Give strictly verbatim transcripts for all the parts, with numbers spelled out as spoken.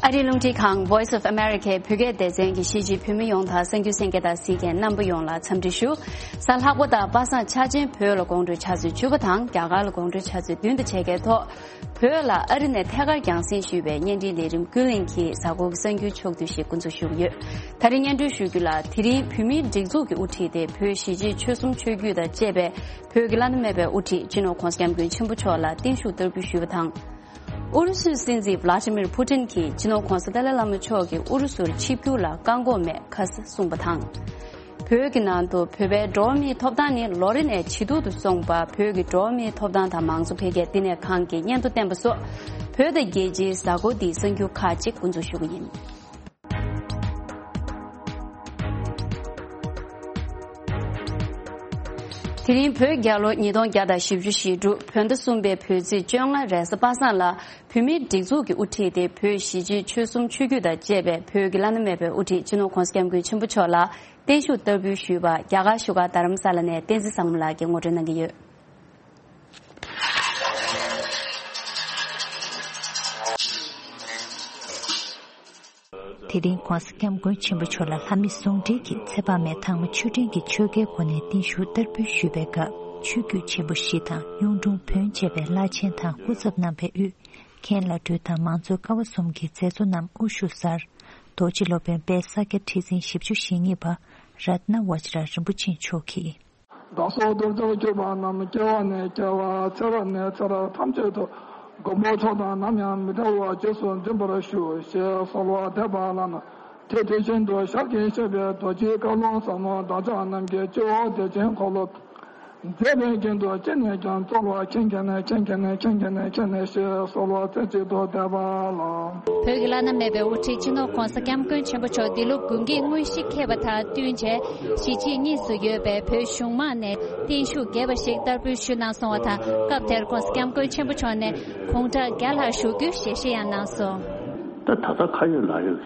ཨ་རིའི་རླུང་འཕྲིན་ཁང་Voice of America བོད་སྐད་སྡེ་ཚན་གྱི་གཞིས་བྱེས་བོད་མི་ཡོངས་དང་གསར་འགྱུར་གསན་མཁན་དང་གཟིགས་མཁན་རྣམ་པ་ཡོངས་ལ་འཚམས་འདྲི་ཞུ། གཟའ་ལྷག་པ་དང་པ་སངས་འཆར་ཅན་བོད་ལ་དགོང་དྲོའི་ཆུ་ཚོད་བཅུ་པ་དང་རྒྱ་གར་ལ་དགོང་དྲོའི་ཆུ་ཚོད་བདུན་དང་ཕྱེད་ཀའི་ཐོག་བོད་ལ་ཨ་རི་ནས་ཐད་ཀར་རྒྱང་སྲིང་ཞུས་པའི་བརྙན་འཕྲིན་ལས་རིམ་ཀུན་གླེང་གི་གཟའ་འཁོར་གྱི་གསར་འགྱུར་ཕྱོགས་བསྡུས་ཤིག་འགོ་འཛུགས་ཞུ་གི་ཡོད། ད་རིང་སྙན་སྒྲོན་ཞུ་རྒྱུ་ལ། དེ་རིང་བོད་མིའི་སྒྲིག་འཛུགས་ཀྱི་དབུ་ཁྲིད་དེ་བོད་གཞིས་བྱེས་ཆོལ་གསུམ་ཆོས་བརྒྱུད་དང་བཅས་པའི་བོད་ཀྱི་བླ་ན་མེད་པའི་དབུ་ཁྲིད་སྤྱི་ནོར་༧གོང་ས་༧སྐྱབས་མགོན་ཆེན་པོ་མཆོག་ལ་བརྟན་བཞུགས་བསྟར་འབུལ་ཞུས་པ་དང་། ཨུ་རུ་སུའི་སྲིད་འཛིན་ཝླ་ཏི་མིར་ཕུ་ཏིན་གྱིས་སྤྱི་ནོར་༧གོང་ས་ཏཱ་ལའི་བླ་མ་མཆོག་གིས་ཨུ་རུ་སུར་ཆིབས་བསྒྱུར་ལ་བཀག་འགོག་མེད་ཁ་གསལ་གསུངས་པ་དང་། བོད་ཀྱི་ནང་དུ་བོད་པའི་འགྲོ་བ་མིའི་ཐོབ་ཐང་ནི་ལོ་རེ་ནས་ཇེ་སྡུག་ཏུ་སོང་བ། བོད་ཀྱི་འགྲོ་བ་མིའི་ཐོབ་ཐང་དང་མང་གཙོ་འཕེལ་རྒྱས་བསྟི་གནས་ཁང་གིས་སྙན་ཐོ་བཏོན་པ་སོགས། བོད་དང་རྒྱལ་སྤྱིའི་གཟའ་འཁོར་འདིའི་གསར་འགྱུར་ཁག་ཅིག་འགོ་འཛུགས་ཞུ་གི་ཡིན། དེ་རིང་བོད་རྒྱལ་ལོ་ཉིས་སྟོང་བརྒྱ་དང་བཞི་བཅུ་ཞེ་དྲུག་བོད་ཟླ་གསུམ་པའི་བོད་ཚེས་བཅོ་ལྔ་རེས་གཟའ་པ་སངས་ལ། བོད་མིའི་སྒྲིག་འཛུགས་ཀྱི་དབུ་ཁྲིད་དེ་བོད་གཞིས་བྱེས་ཆོལ་གསུམ་ཆོས་བརྒྱུད་དང་བཅས་པའི་བོད་ཀྱི་བླ་ན་མེད་པའི་དབུ་ཁྲིད་སྤྱི་ནོར་༧གོང་ས་༧སྐྱབས་མགོན་ཆེན་པོ་མཆོག་ལ་བརྟན་བཞུགས་བསྟར་འབུལ་ཞུས་པ། རྒྱ་གར་བཞུགས་སྒར་རྡ་རམ་ས་ལ་ནས་བསྟན་འཛིན་བཟང་མོ་ལགས་ཀྱིས་ངོ་སྤྲོད་གནང་གི་ཡོད། དེ་རིང་༧གོང་ས་༧སྐྱབས་མགོན་ཆེན་པོ་མཆོག་ལ་ལྷ་མི་ཟུང་འབྲེལ་གྱིས་ཚེ་དཔག་མེད་དྭངས་མ་ཆོས་སྒྲོན་གྱིས་ཆོས་འགལ་སྒོ་ནས་བརྟན་བཞུགས་བསྟར་འབུལ་ཞུས་པའི་སྐབས། ཆོས་བརྒྱུད་ཆེན་པོ་བཞི་དང་གཡུང་དྲུང་བོན་བཅས་པའི་བླ་ཆེན་དང་སྐུ་ཚབ་རྣམ་པས་དབུས་མཁན་བླ་སྤྲུལ་དང་མང་གཙོའི་ཀ་བ་གསུམ་གྱི་མཛད་གཙོ་རྣམས་དབུ་བཞུགས་སར། རྡོ་རྗེ་སློབ་དཔོན་དཔལ་ས་སྐྱ་ཁྲི་འཛིན་བཞི་བཅུ་ཞེ་གཉིས་པ་རཏྣ་བཛྲ་རིན་པོ་ཆེ་མཆོག་གིས། བདག་སོགས་གདུལ་བྱར་གྱུར་པ་རྣམས། སྐྱེ་བ་ནས་སྐྱེ་བར་ཚེ་རབས་ནས་ཚེ་རབས་ཐམས་ཅད་དུ། མགོན་པོ་མཆོག་དང་ནམ་ཡང་མི་འབྲལ་བར། རྗེས་སུ་འཛིན་པར་ཞུ། ཞེས་གསོལ་བ་འདེབས་པ་ལ། དེ་དེ་བཞིན་དུ་ཞལ་གྱིས་བཞེས་པའི་རྡོ་རྗེའི་བཀའ་ལུང་ཟབ་མོ་བདག་ཅག་རྣམས་ཀྱི་སྤྱི་བོ་བདེ་ཆེན་འཁོར་ལོ་མཛད་པའི་རྒྱན་དུ་ཅི་ནས་ཀྱང་སྩོལ་བར་མཁྱེན་མཁྱེན་ནས་མཁྱེན་མཁྱེན་ནས་མཁྱེན་མཁྱེན་ནས་མཁྱེན་ནས་ཞེས་གསོལ་བ་རྩེ་གཅིག་ཏུ་འདེབས་པ་ལགས། བོད་ཀྱི་བླ་ན་མེད་པའི་དབུ་ཁྲིད་སྤྱི་ནོར་༧གོང་ས་༧སྐྱབས་མགོན་ཆེན་པོ་མཆོག་འདི་ལོ་དགུན་གྱི་དངོས་གཞི་འཁེལ་བ་དང་བསྟུན་བྱས། གཞིས་བྱེས་གཉིས་སུ་ཡོད་པའི་བོད་གཞུང་མང་ནས་བརྟན་བཞུགས་རྒྱས་པ་ཞིག་བསྟར་འབུལ་ཞུས་གནང་སོང་བ་དང་། སྐབས་དེར་༧གོང་ས་༧སྐྱབས་མགོན་ཆེན་པོ་མཆོག་ནས་དགུང་གྲངས་བརྒྱ་ལྷག་བཞུགས་རྒྱུའི་ཞལ་བཞེས་ཡང་གནང་སོང་། ད་ད་ལྟ་ཁ་ཡོད་ལག་ཡོད་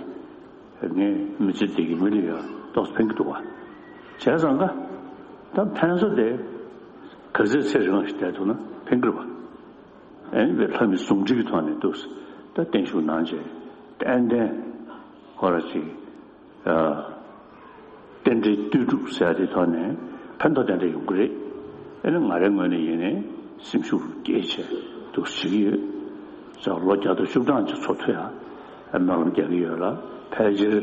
ཀྱི་ངའི་མི་ཚེ་འདི་གི་མི་ལ་ཡང་ཏོག་ཙམ་ཕན་གྱི་འདུག་བ། བྱས་ཙང་ཀ་ད་ཕན་ས་དེ་ག་ཚོད་ཚེ་རིང་བ་ཞིག་བསྡད་ཐུབ་ན་ཕན་གྱི་རེད་བ། ཨེ་ནི་བའི་ལྷ་མི་ཟུང་འབྲེལ་གྱི་ཐོག་ནས་འདུག་ད་བརྟན་བཞུགས་གནང་བྱས་ཏན་ཏན་ཁོ་ར་ཅིག་རྟེན་འབྲེལ་ལྟོས་གྲུབ་ཟེར་ཡ་དེ་ཐོག་ནས་ཕན་ཐོགས་ཏན་ཏན་ཡོང་གི་རེད། ཨེ་ནི་ང་རའི་ངོས་ནས་ཡིན་ནའི་སེམས་ཤུགས་སྐྱེད་བྱས་འདུག་བྱེད་ཀྱི་ཡོད། ཙང་ལོ་བརྒྱ་དང་བཅུ་གྲངས་ཅིག་འཚོ་ཐུབ་ཡ་སྨོན་ལམ་རྒྱག་གི་ཡོད་ལ། ཕལ་ཆེར་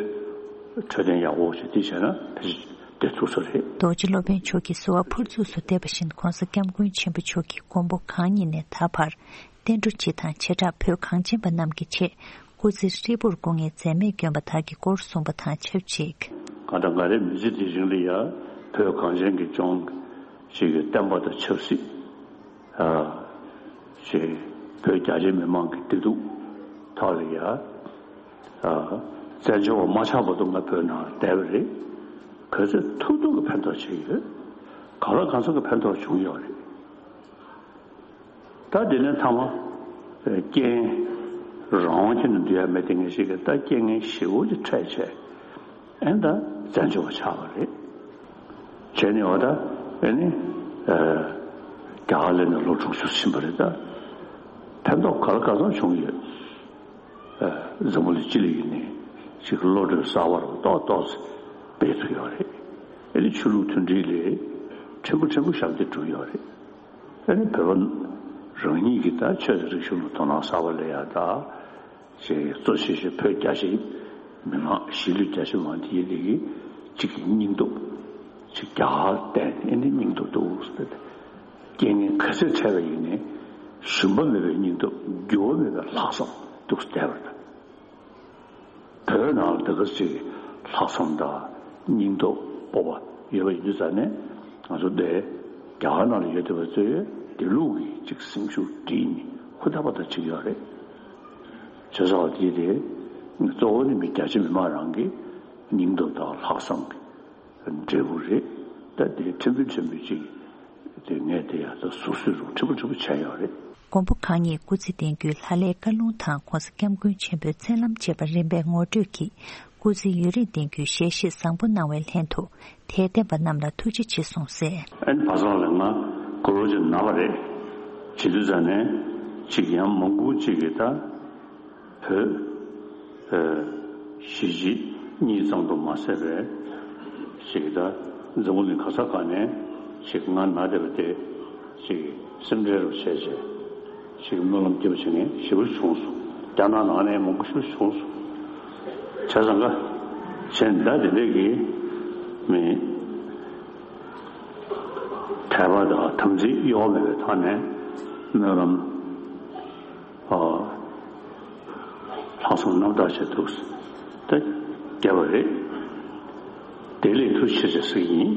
འཕྲོད་བསྟེན་ཡག་པོ་ཞིག་དེ་བྱས་ན་ཕལ་ཆེར་བསྡད་ཐུབ་ས་རེད། རྡོ་རྗེ་སློབ་དཔོན་མཆོག་གིས་གསོལ་བ་ཕུར་ཚུགས་སུ་འདེབས་པ་བཞིན་༧གོང་ས་༧སྐྱབས་མགོན་ཆེན་པོ་མཆོག་གིས་མགོན་པོ་གང་ཉིད་ནས་ད་བར་བསྟན་འགྲོ་སྤྱི་དང་བྱེ་བྲག་བོད་གངས་ཅན་པ་རྣམས་ཀྱི་ཆེད་སྐུ་ཚེ་ཧྲིལ་པོར་སྐུ་ངལ་འཛེམས་མེད་བསྐྱོན་པ་དག་གི་སྐོར་གསུངས་པ་དང་ཆབས་ཅིག་གང་ལྟར་ང་རའི་མི་ཚེ་འདིའི་རིང་ལ་ཡང་བོད་གངས་ཅན་གྱི་ལྗོངས་ཞིག་གི་བསྟན་པ་དང་ཆབ་སྲིད། ཞེས་བོད་རྒྱ་ཆེ་མི་མང་གི་བདེ་སྡུག་ཐོག་ལ་ཡ། བཙན་བྱོལ་བ་མ་ཆགས་བར་དུ་ང་བོད་ནང་བསྡད་པ་རེད། ག་ཚོད་ཐུབ་ཐུབ་ཀྱི་ཕན་ཐོགས་བྱས་ཡོད། གང་ལ་གང་འཚམ་གྱི་ཕན་ཐོགས་བྱུང་ཡོད་རེད། ད་དེ་ནས་མཐའ་མ། རྐྱེན། རང་དབང་ཁྱོན་ནས་འདུལ་ཡ་མེད་དེ་ངེས་ཤེས་ཀྱི་ད་རྐྱེན་ངན་ཞེ་པོ་ཅིག་འཕྲད་བྱས། ཨེ་ད་བཙན་བྱོལ་བ་ཆགས་པ་རེད། བྱས་ནས་འོ་ད་ཨེ་ནི། རྒྱ་གར་སླེབས་ནས་ལོ་དྲུག་ཅུ་ཕྱིན་པ་རེད་ད། ཕན་ཐོགས་ག་ལ་ག་ཚོད་བྱུང་ཡོད། འཛམ་བུ་གླིང་སྤྱི་ལ་ཡིན་ནའི་ཅིག་བློ་གྲོས་གསར་པ་རུ་ཏོག་ཏོག་ཙམ་སྤེལ་ཐུབ་ཡོད་རེད། ཨེ་ནི་ཆོས་ལུགས་མཐུན་སྒྲིལ་ལས་ཕྲན་བུ་ཕྲན་བུ་ཞབས་འདེགས་བསྒྲུབས་ཡོད་རེད། ཨེ་ནི་བོད་པ་རང་ཉིད་ཀྱི་ད་ཆོས་དང་རིག་གཞུང་ལ་དོ་སྣང་གསར་པ་སླེབས་ཡ་ད། ཅེས་གཙོ་ཆེ་ཤོས་བོད་རྒྱ་ཆེ་མི་མང་གཞིས་ལུས་རྒྱ་ཆེ་མང་དེ་ཡིན་དེ་གི་གཅིག་གི་སྙིང་སྟོབས་ཅིག་རྒྱ་གར་བརྟེན་ཨེ་ནི་སྙིང་སྟོབས་འདུག་ཟེར། རྐྱེན་ངན་ག་ཚོད་འཕྲད་པ་ཡིན་ནའི་ཞུམ་པ་མེད་པའི་སྙིང་སྟོབས་འགྱུར་བ་མེད་པའི་ལྷག་བསམ་འདུག་བསྡད་པ་རེད། བོད་ནང་ལ་དེ་ག་ཅིག་ལྷག་བསམ་དང་སྙིང་སྟོབས་སྤོབས་པ་ཡོད་པ་ཡིན་དུས་ཙང་ནས་ང་ཚོ་འདི་རྒྱ་གར་ནང་ལ་ཡོད་བསྡད་པ་ཚོས་དེ་ལུགས་ཀྱི་ཅིག་སེམས་ཤུགས་སྒྲིལ་ནས་ཧུར་ཐག་པ་ཐག་བྱེད་ཀྱི་ཡོད་རེད། བྱས་ཙང་དེ་དེ་གཙོ་བོ་ནི་མི་རྒྱ་ཆེ་མི་མང་རང་གི་སྙིང་སྟོབས་དང་ལྷག་བསམ་གྱི་འབྲས་བུ་རེད། ད་དེ་ཕྲན་བུ་ཕྲན་བུ་ཅིག་དེ་ངས་དེ་ཡང་ད་ཟུར་ཟུར་རུ་ཕྲན་བུ་ཕྲན་བུ་བྱས་ཡོད་རེད། མགོན་པོ་གང་ཉིད་སྐུ་ཚེ་བརྟན་རྒྱུའི་ལྷ་བླའི་བཀའ་ལུང་དང་༧གོང་ས་༧སྐྱབས་མགོན་ཆེན་པོའི་མཚན་ལམ་བཅས་པ་རིམ་པས་ངོ་སྤྲོད་ཀྱིས་སྐུ་ཚེ་ཡུན་རིང་བརྟན་རྒྱུའི་ཞལ་བཞེས་བཟང་པོ་གནང་བའི་ལྷན་དུ་དད་ལྡན་པ་རྣམས་ལ་ཐུགས་རྗེ་ཆེ་གསུངས་གསལ། ཨན་བ་ཚང་ལ་ང་དགུང་ལོ་ཅིག་ན་བ་རེད། བྱེད་དུས་ཙང་ནས་ཅིག་ཡང་མང་པོ་ཅིག་གིས་ད་བོད་ གཞིས་བྱེས་གཉིས་ཙམ་དུ་མ་ཟད་པའི་ཞིག་ད་འཛམ་བུ་གླིང་ག་ས་ག་ནས་ཞིག་ང་ན་བསྡད་པ་དེ་ཞིག་སེམས་ཁྲལ་རུ་བྱས་བྱས་ཞིག་སྨོན་ལམ་སྐྱེ་བ་བྱེད་མཁན་ཞེ་པོ་བྱུང་སོང་། རྒྱ་ནག་ནང་ནས་མང་པོ་ཞིག་བྱུང་སོང་། བྱས་ཙང་ཀ་བྱས་ད་དེ་འདྲས་ཀྱི་མི་དད་པ་དང་དམ་ཚིག་གཡོ་བ་མེད་པའི་ཐོག་ནས་སྨོན་ལམ། ལྷག་བསམ་རྣམ་དག་བྱས་འདུག་ད་བརྒྱབ་པ་རེད། བདེ་ལེགས་ཐུགས་རྗེ་ཆེ་ཟེར་གྱི་ཡིན།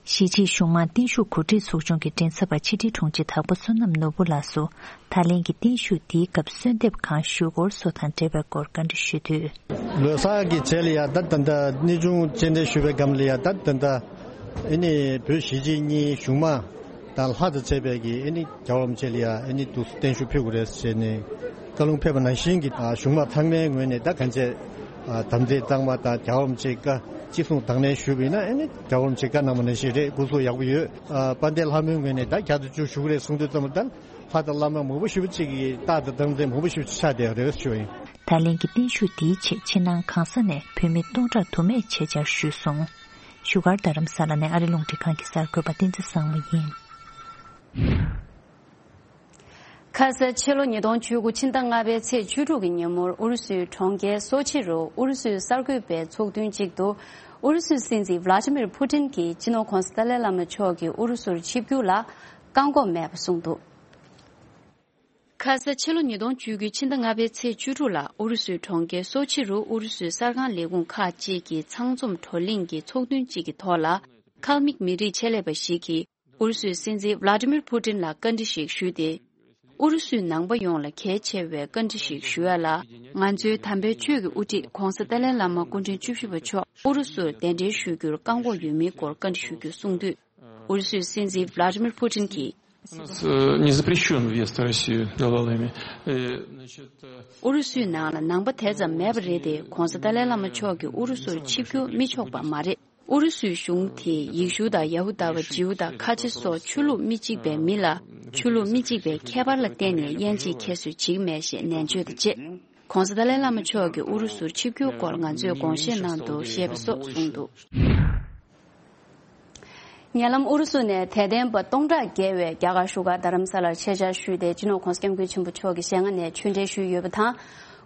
གཞིས་བྱེས་གཞུང་མང་བརྟན་བཞུགས་གོ་སྒྲིག་ཚོགས་ཆུང་གི་མགྲིན་ཚབ་པ་ཕྱི་དྲིལ་དྲུང་ཆེ་དྭགས་པོ་བསོད་ནམས་ནོར་བུ་ལགས་སུ་ད་ལན་གྱི་བརྟན་བཞུགས་འདིའི་སྐབས་གསོལ་འདེབས་གང་ཞུ་སྐོར་སོགས་དང་འབྲེལ་བའི་སྐོར་བཀའ་འདྲི་ཞུས་དུས། ལོ་གསར་གྱི་རྗེས་ལ་ཡ་ད་ད་ད་གནས་ཆུང་སྤྱན་འདྲེན་ཞུས་པའི་སྒང་ལ་ཡ་ད་ད་ད་ཨེ་ནི་བོད་གཞིས་བྱེས་གཉིས་གཞུང་མང་དང་ལྷ་དང་བཅས་པའི་གི་ཨེ་ནི་རྒྱལ་བ་རིན་པོ་ཆེ་ལ་ཡ་ཨེ་ནི་འདུག་སེ་བརྟན་བཞུགས་ཕུལ་དགོས་རེད་ཟེར་ནས་བཀའ་ལུང་ཕེབས་པ་ནང་བཞིན་གྱི་གཞུང་མང་ཚང་མའི་ངོས་ནས་ད་གང་བྱས་དམ་ཚིག་གཙང་མ་དང་རྒྱལ་བ་རིན་པོ་ཆེའི་བཀའ་ཅི་གསུང་དང་ལེན་ཞུས་པ་ཡིན་ན་ཨེ་ནི་རྒྱལ་བ་རིན་པོ་ཆེས་བཀའ་གནང་བ་ནང་བཞིན་རེད། སྐུ་གཟུགས་ཡག་པོ་ཡོད། དཔལ་ལྡན་ལྷ་མོའི་ངོས་ནས་ད་བརྒྱ་དང་བཅུ་ཞུ་གི་རེད་གསུང་དུས་ཙམ་པ་ད། ལྷ་དང་བླ་མ་མང་པོ་ཞེ་པོ་ཅིག་གི་རྟགས་དང་རྟགས་མཚན་མང་པོ་ཞེ་པོ་ཅིག་ཆགས་བསྡད་ཡོད་རེད་ཞུ་བ་ཡིན། ད་ལན་གྱི་བརྟན་བཞུགས་འདིའི་ཆེད་ཕྱི་ནང་གང་ས་ནས་བོད་མི་སྟོང་ཕྲག་དུ་མས་ཆེད་བཅར་ཞུས་སོང་། བཞུགས་སྒར་རྡ་རམ་ས་ལ་ནས་ཨ་རི་རླུང་འཕྲིན་ཁང་གི་གསར་འགོད་པ་བསྟན་འཛིན་བཟང་མོ་ཡིན། ཁ་ས་ཕྱི་ལོ་ཉིས་སྟོང་བཅུ་དགུ་ཕྱི་ཟླ་ལྔ་པའི་ཚེས་བཅུ་དྲུག་གི་ཉིན་མོར་ཨུ་རུ་སུའི་གྲོང་ཁྱེར་སོ་ཆི་རུ་ཨུ་རུ་སུའི་གསར་འགོད་པའི་ཚོགས་ཐུན་གཅིག་ཏུ་ཨུ་རུ་སུའི་སྲིད་འཛིན་ཝླ་ཅི་མིར་ཕུ་ཏིན་གྱིས་སྤྱི་ནོར་༧གོང་ས་ཏཱ་ལའི་བླ་མ་མཆོག་གིས་ཨུ་རུ་སུར་ཆིབས་བསྒྱུར་ལ་བཀག་འགོག་མེད་པ་གསུངས་འདུག་ཁ་ས་ཕྱི་ལོ་ཉིས་སྟོང་བཅུ་དགུ་ཕྱི་ཟླ་ལྔ་པའི་ཚེས་བཅུ་དྲུག་ལ་ཨུ་རུ་སུའི་གྲོང་ཁྱེར་སོ་ཆི་རུ་ཨུ་རུ་སུའི་གསར་ཁང་ལས་ཁུངས་ཁག་ཅིག་གི་ཚང་འཛོམས་བགྲོ་གླེང་གི་ཚོགས་ཐུན་གཅིག་གི་ཐོག་ལ། ཁལ་མིག་མི་རིགས་ཆེད་ལས་པ་ཞིག་གིས་ཨུ་རུ་སུའི་སྲིད་འཛིན་ཝླ་ཅི་མིར་ཕུ་ཏིན་ལ་བཀའ་འདྲི་ཞིག་ཞུས་ཏེ། ཨུ་རུ་སུའི་ནང་པ་ཡོངས་ལ་གལ་ཆེ་བའི་བཀའ་འདྲི་ཞིག་ཞུ་ཡ་ལ། ང་ཚོའི་དམ་པའི་ཆོས་ཀྱི་དབུ་ཁྲིད་༧གོང་ས་ཏཱ་ལའི་བླ་མ་སྐུ་ཕྲེང་བཅུ་བཞི་པ་མཆོག་ཨུ་རུ་སུར་གདན་འདྲེན་ཞུ་རྒྱུར་བཀག་འགོག་ཡོད་མེད་སྐོར་བཀའ་འདྲི་ཞུ་རྒྱུ་གསུངས་དུས། ཨུ་རུ་སུའི་སྲིད་འཛིན་ཝླ་ཅི་མིར་ཕུ་ཏིན་གྱིས། У нас э, не запрещен въезд в Россию главалами. Э, значит, э, ཨུ་རུ་སུའི་ནང་ལ་ནང་པ་དེ་ཙམ་མེད་པ་རེད་དེ། ༧གོང་ས་ཏཱ་ལའི་བླ་མ་མཆོག་གིས་ཨུ་རུ་སུར་ཆིབས་བསྒྱུར་མི་ཆོག་པ་མ་རེད། ཨུ་རུ་སུའི་གཞུང་དེས་ཡེ་ཤུ་དང་ཡ་ཧུ་དཱ་བ། ཇིའུ་དང་ཁ་ཆེ་སོགས་ཆོས་ལུགས་མི་གཅིག་པའི་མི་ལ་ཆོས་ལུགས་མི་གཅིག་པའི་ཁྱད་པར་ལ་བརྟེན་ནས་དབྱེ་འབྱེད་ཁྱད་གསོད་བྱེད་ཀྱི་མེད་ཞེས་ནན་བརྗོད་དང་བཅས། ༧གོང་ས་ཏཱ་ལའི་བླ་མ་མཆོག་གིས་ཨུ་རུ་སུར་ཆིབས་བསྒྱུར་སྐོར་ང་ཚོས་དགོངས་བཞེས་གནང་འདུག་ཞེས་པ་སོགས་གསུངས་འདུག་ཉེ་ལམ་ཨུ་རུ་སུ་ནས་དད་ལྡན་པ་སྟོང་ཕྲག་བརྒལ་བས་རྒྱ་གར་བཞུགས་སྒར་རྡ་རམ་ས་ལར་ཆེད་བཅར་ཞུས་ཏེ། སྤྱི་ནོར་༧གོང་ས་༧སྐྱབས་མགོན་ཆེན་པོ་མཆོག་གི་ཞལ་སྔ་ནས་ཆོས་འབྲེལ་ཞུས་ཡོད་པ་དང་།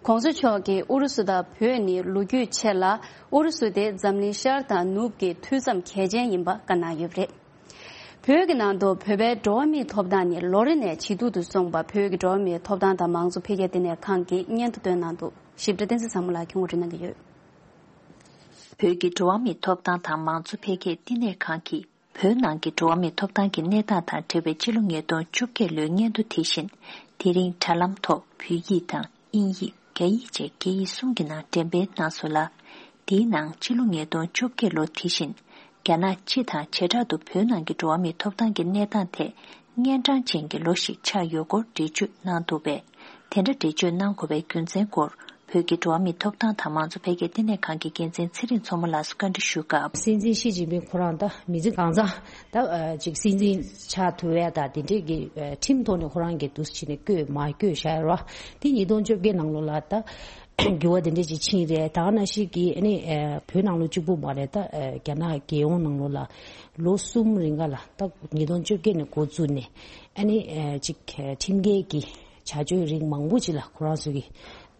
༧གོང་ས་མཆོག་གིས་ཨུ་རུ་སུ་དང་བོད་ནི་ལོ་རྒྱུས་ཆེ་ལ། ཨུ་རུ་སུ་དེ་འཛམ་གླིང་ཤར་དང་ནུབ་ཀྱི་མཐུད་མཚམས་གལ་ཆེན་ཡིན་པ་བཀའ་གནང་ཡོད་པ་རེད། བོད་ཀྱི་ནང་དུ་བོད་པའི་འགྲོ་བ་མིའི་ཐོབ་ཐང་ནི་ལོ་རེ་ནས་ཇེ་སྡུག་ཏུ་སོང་བ་བོད་ཀྱི་འགྲོ་བ་མིའི་ཐོབ་ཐང་དང་མང་གཙོ་འཕེལ་རྒྱས་ལྟེ་གནས་ཁང་གིས་སྙན་ཐོ་བཏོན་གནང་འདུག་ཞིབ་ཕྲ་བསྟན་འཛིན་བཟང་མོ་ལགས་ཀྱིས་ངོ་སྤྲོད་གནང་གི་ཡོད། བོད་ཀྱི་འགྲོ་བ་མིའི་ཐོབ་ཐང་དང་མང་གཙོ་འཕེལ་རྒྱས་བསྟི་གནས་ཁང་གིས་བོད་ནང་གི་འགྲོ་བ་མིའི་ཐོབ་ཐང་གི་གནས་སྟངས་དང་འབྲེལ་བའི་ཕྱི་ལོ་ཉིས་སྟོང་བཅོ་བརྒྱད་ལོའི་སྙན་ཐོ་དེ་བཞིན་དེ་རིང་དྲ་ལམ་ཐོག་བོད་ཡིག་དང་དབྱིན་ཡིག་རྒྱ་ཡིག་བཅས་སྐད་ཡིག་གསུམ་གྱི་ནང་འགྲེམས་སྤེལ་གནང་སོང་ལ། དེའི་ནང་ཕྱི་ལོ་ཉིས་སྟོང་བཅོ་བརྒྱད་ལོ་དེ་བཞིན་རྒྱ་ནག་སྤྱི་དང་བྱེ་བྲག་ཏུ་བོད་ནང་གི་འགྲོ་བ་མིའི་ཐོབ་ཐང་གི་གནས་སྟངས་ཐད་གཉན་འཕྲང་ཅན་གྱི་ལོ་ཞིག་ཆགས་ཡོད་སྐོར་འགྲེལ་བརྗོད་གནང་འདུག་པས། དེ་འདྲ་འགྲེལ་བརྗོད་གནང་དགོས་པའི་རྒྱུ་མཚན་སྐོར་བོད་ཀྱི་འགྲོ་བ་མིའི་ཐོབ་ཐང་དང་མང་གཙོ་འཕེལ་རྒྱས་བསྟི་གནས་ཁང་གི་འགན་འཛིན་ཚེ་རིང་མཚོ་མོ་ལགས་སུ་བཀའ་འདྲི་ཞུ་སྐབས། སྲིད་འཛིན་ཞི་ཅིན་ཕིང་ཁོ་རང་ད་མི་ཚེ་གང་ཚང་ད་ཅིག་སྲིད་འཛིན་ཆགས་ཐུབ་ཡ་ད་དེ་འདྲས་ཀྱི་ཁྲིམས་ཐོག་ནས་ཁོ་རང་གིས་འདུག་སེ་བྱས་ནས་བསྐོས་མ་བསྐོས་བཞག་ཡོད་རེད་བ། དེ་ཉིས་སྟོང་བཅོ་བརྒྱད་ནང་ལོགས་ལ་ད་འགྱུར་བ་དེ་འདྲས་ཅིག་ཕྱིན་རེད། ད་ག་ནང་བཞིན་གྱི་ཨ་ནི་བོད་ནང་ལོགས་གཅིག་པུ་མ་རེད། ད་རྒྱ་ནག་རྒྱལ་ཡོངས་ནང་ལོགས་ལ་ལོ་གསུམ་རིང་ག་ལ་ད་ཉིས་སྟོང་བཅོ་བརྒྱད་ནས་འགོ་བཙུགས་ནས་ཨ་ནི་ཅིག་ཁྲིམས་འགལ་གྱི་བྱ་སྤྱོད་རིགས་མང་པོ་ཅིག་ལ་ཁོ་རང་ཚོ་གིས་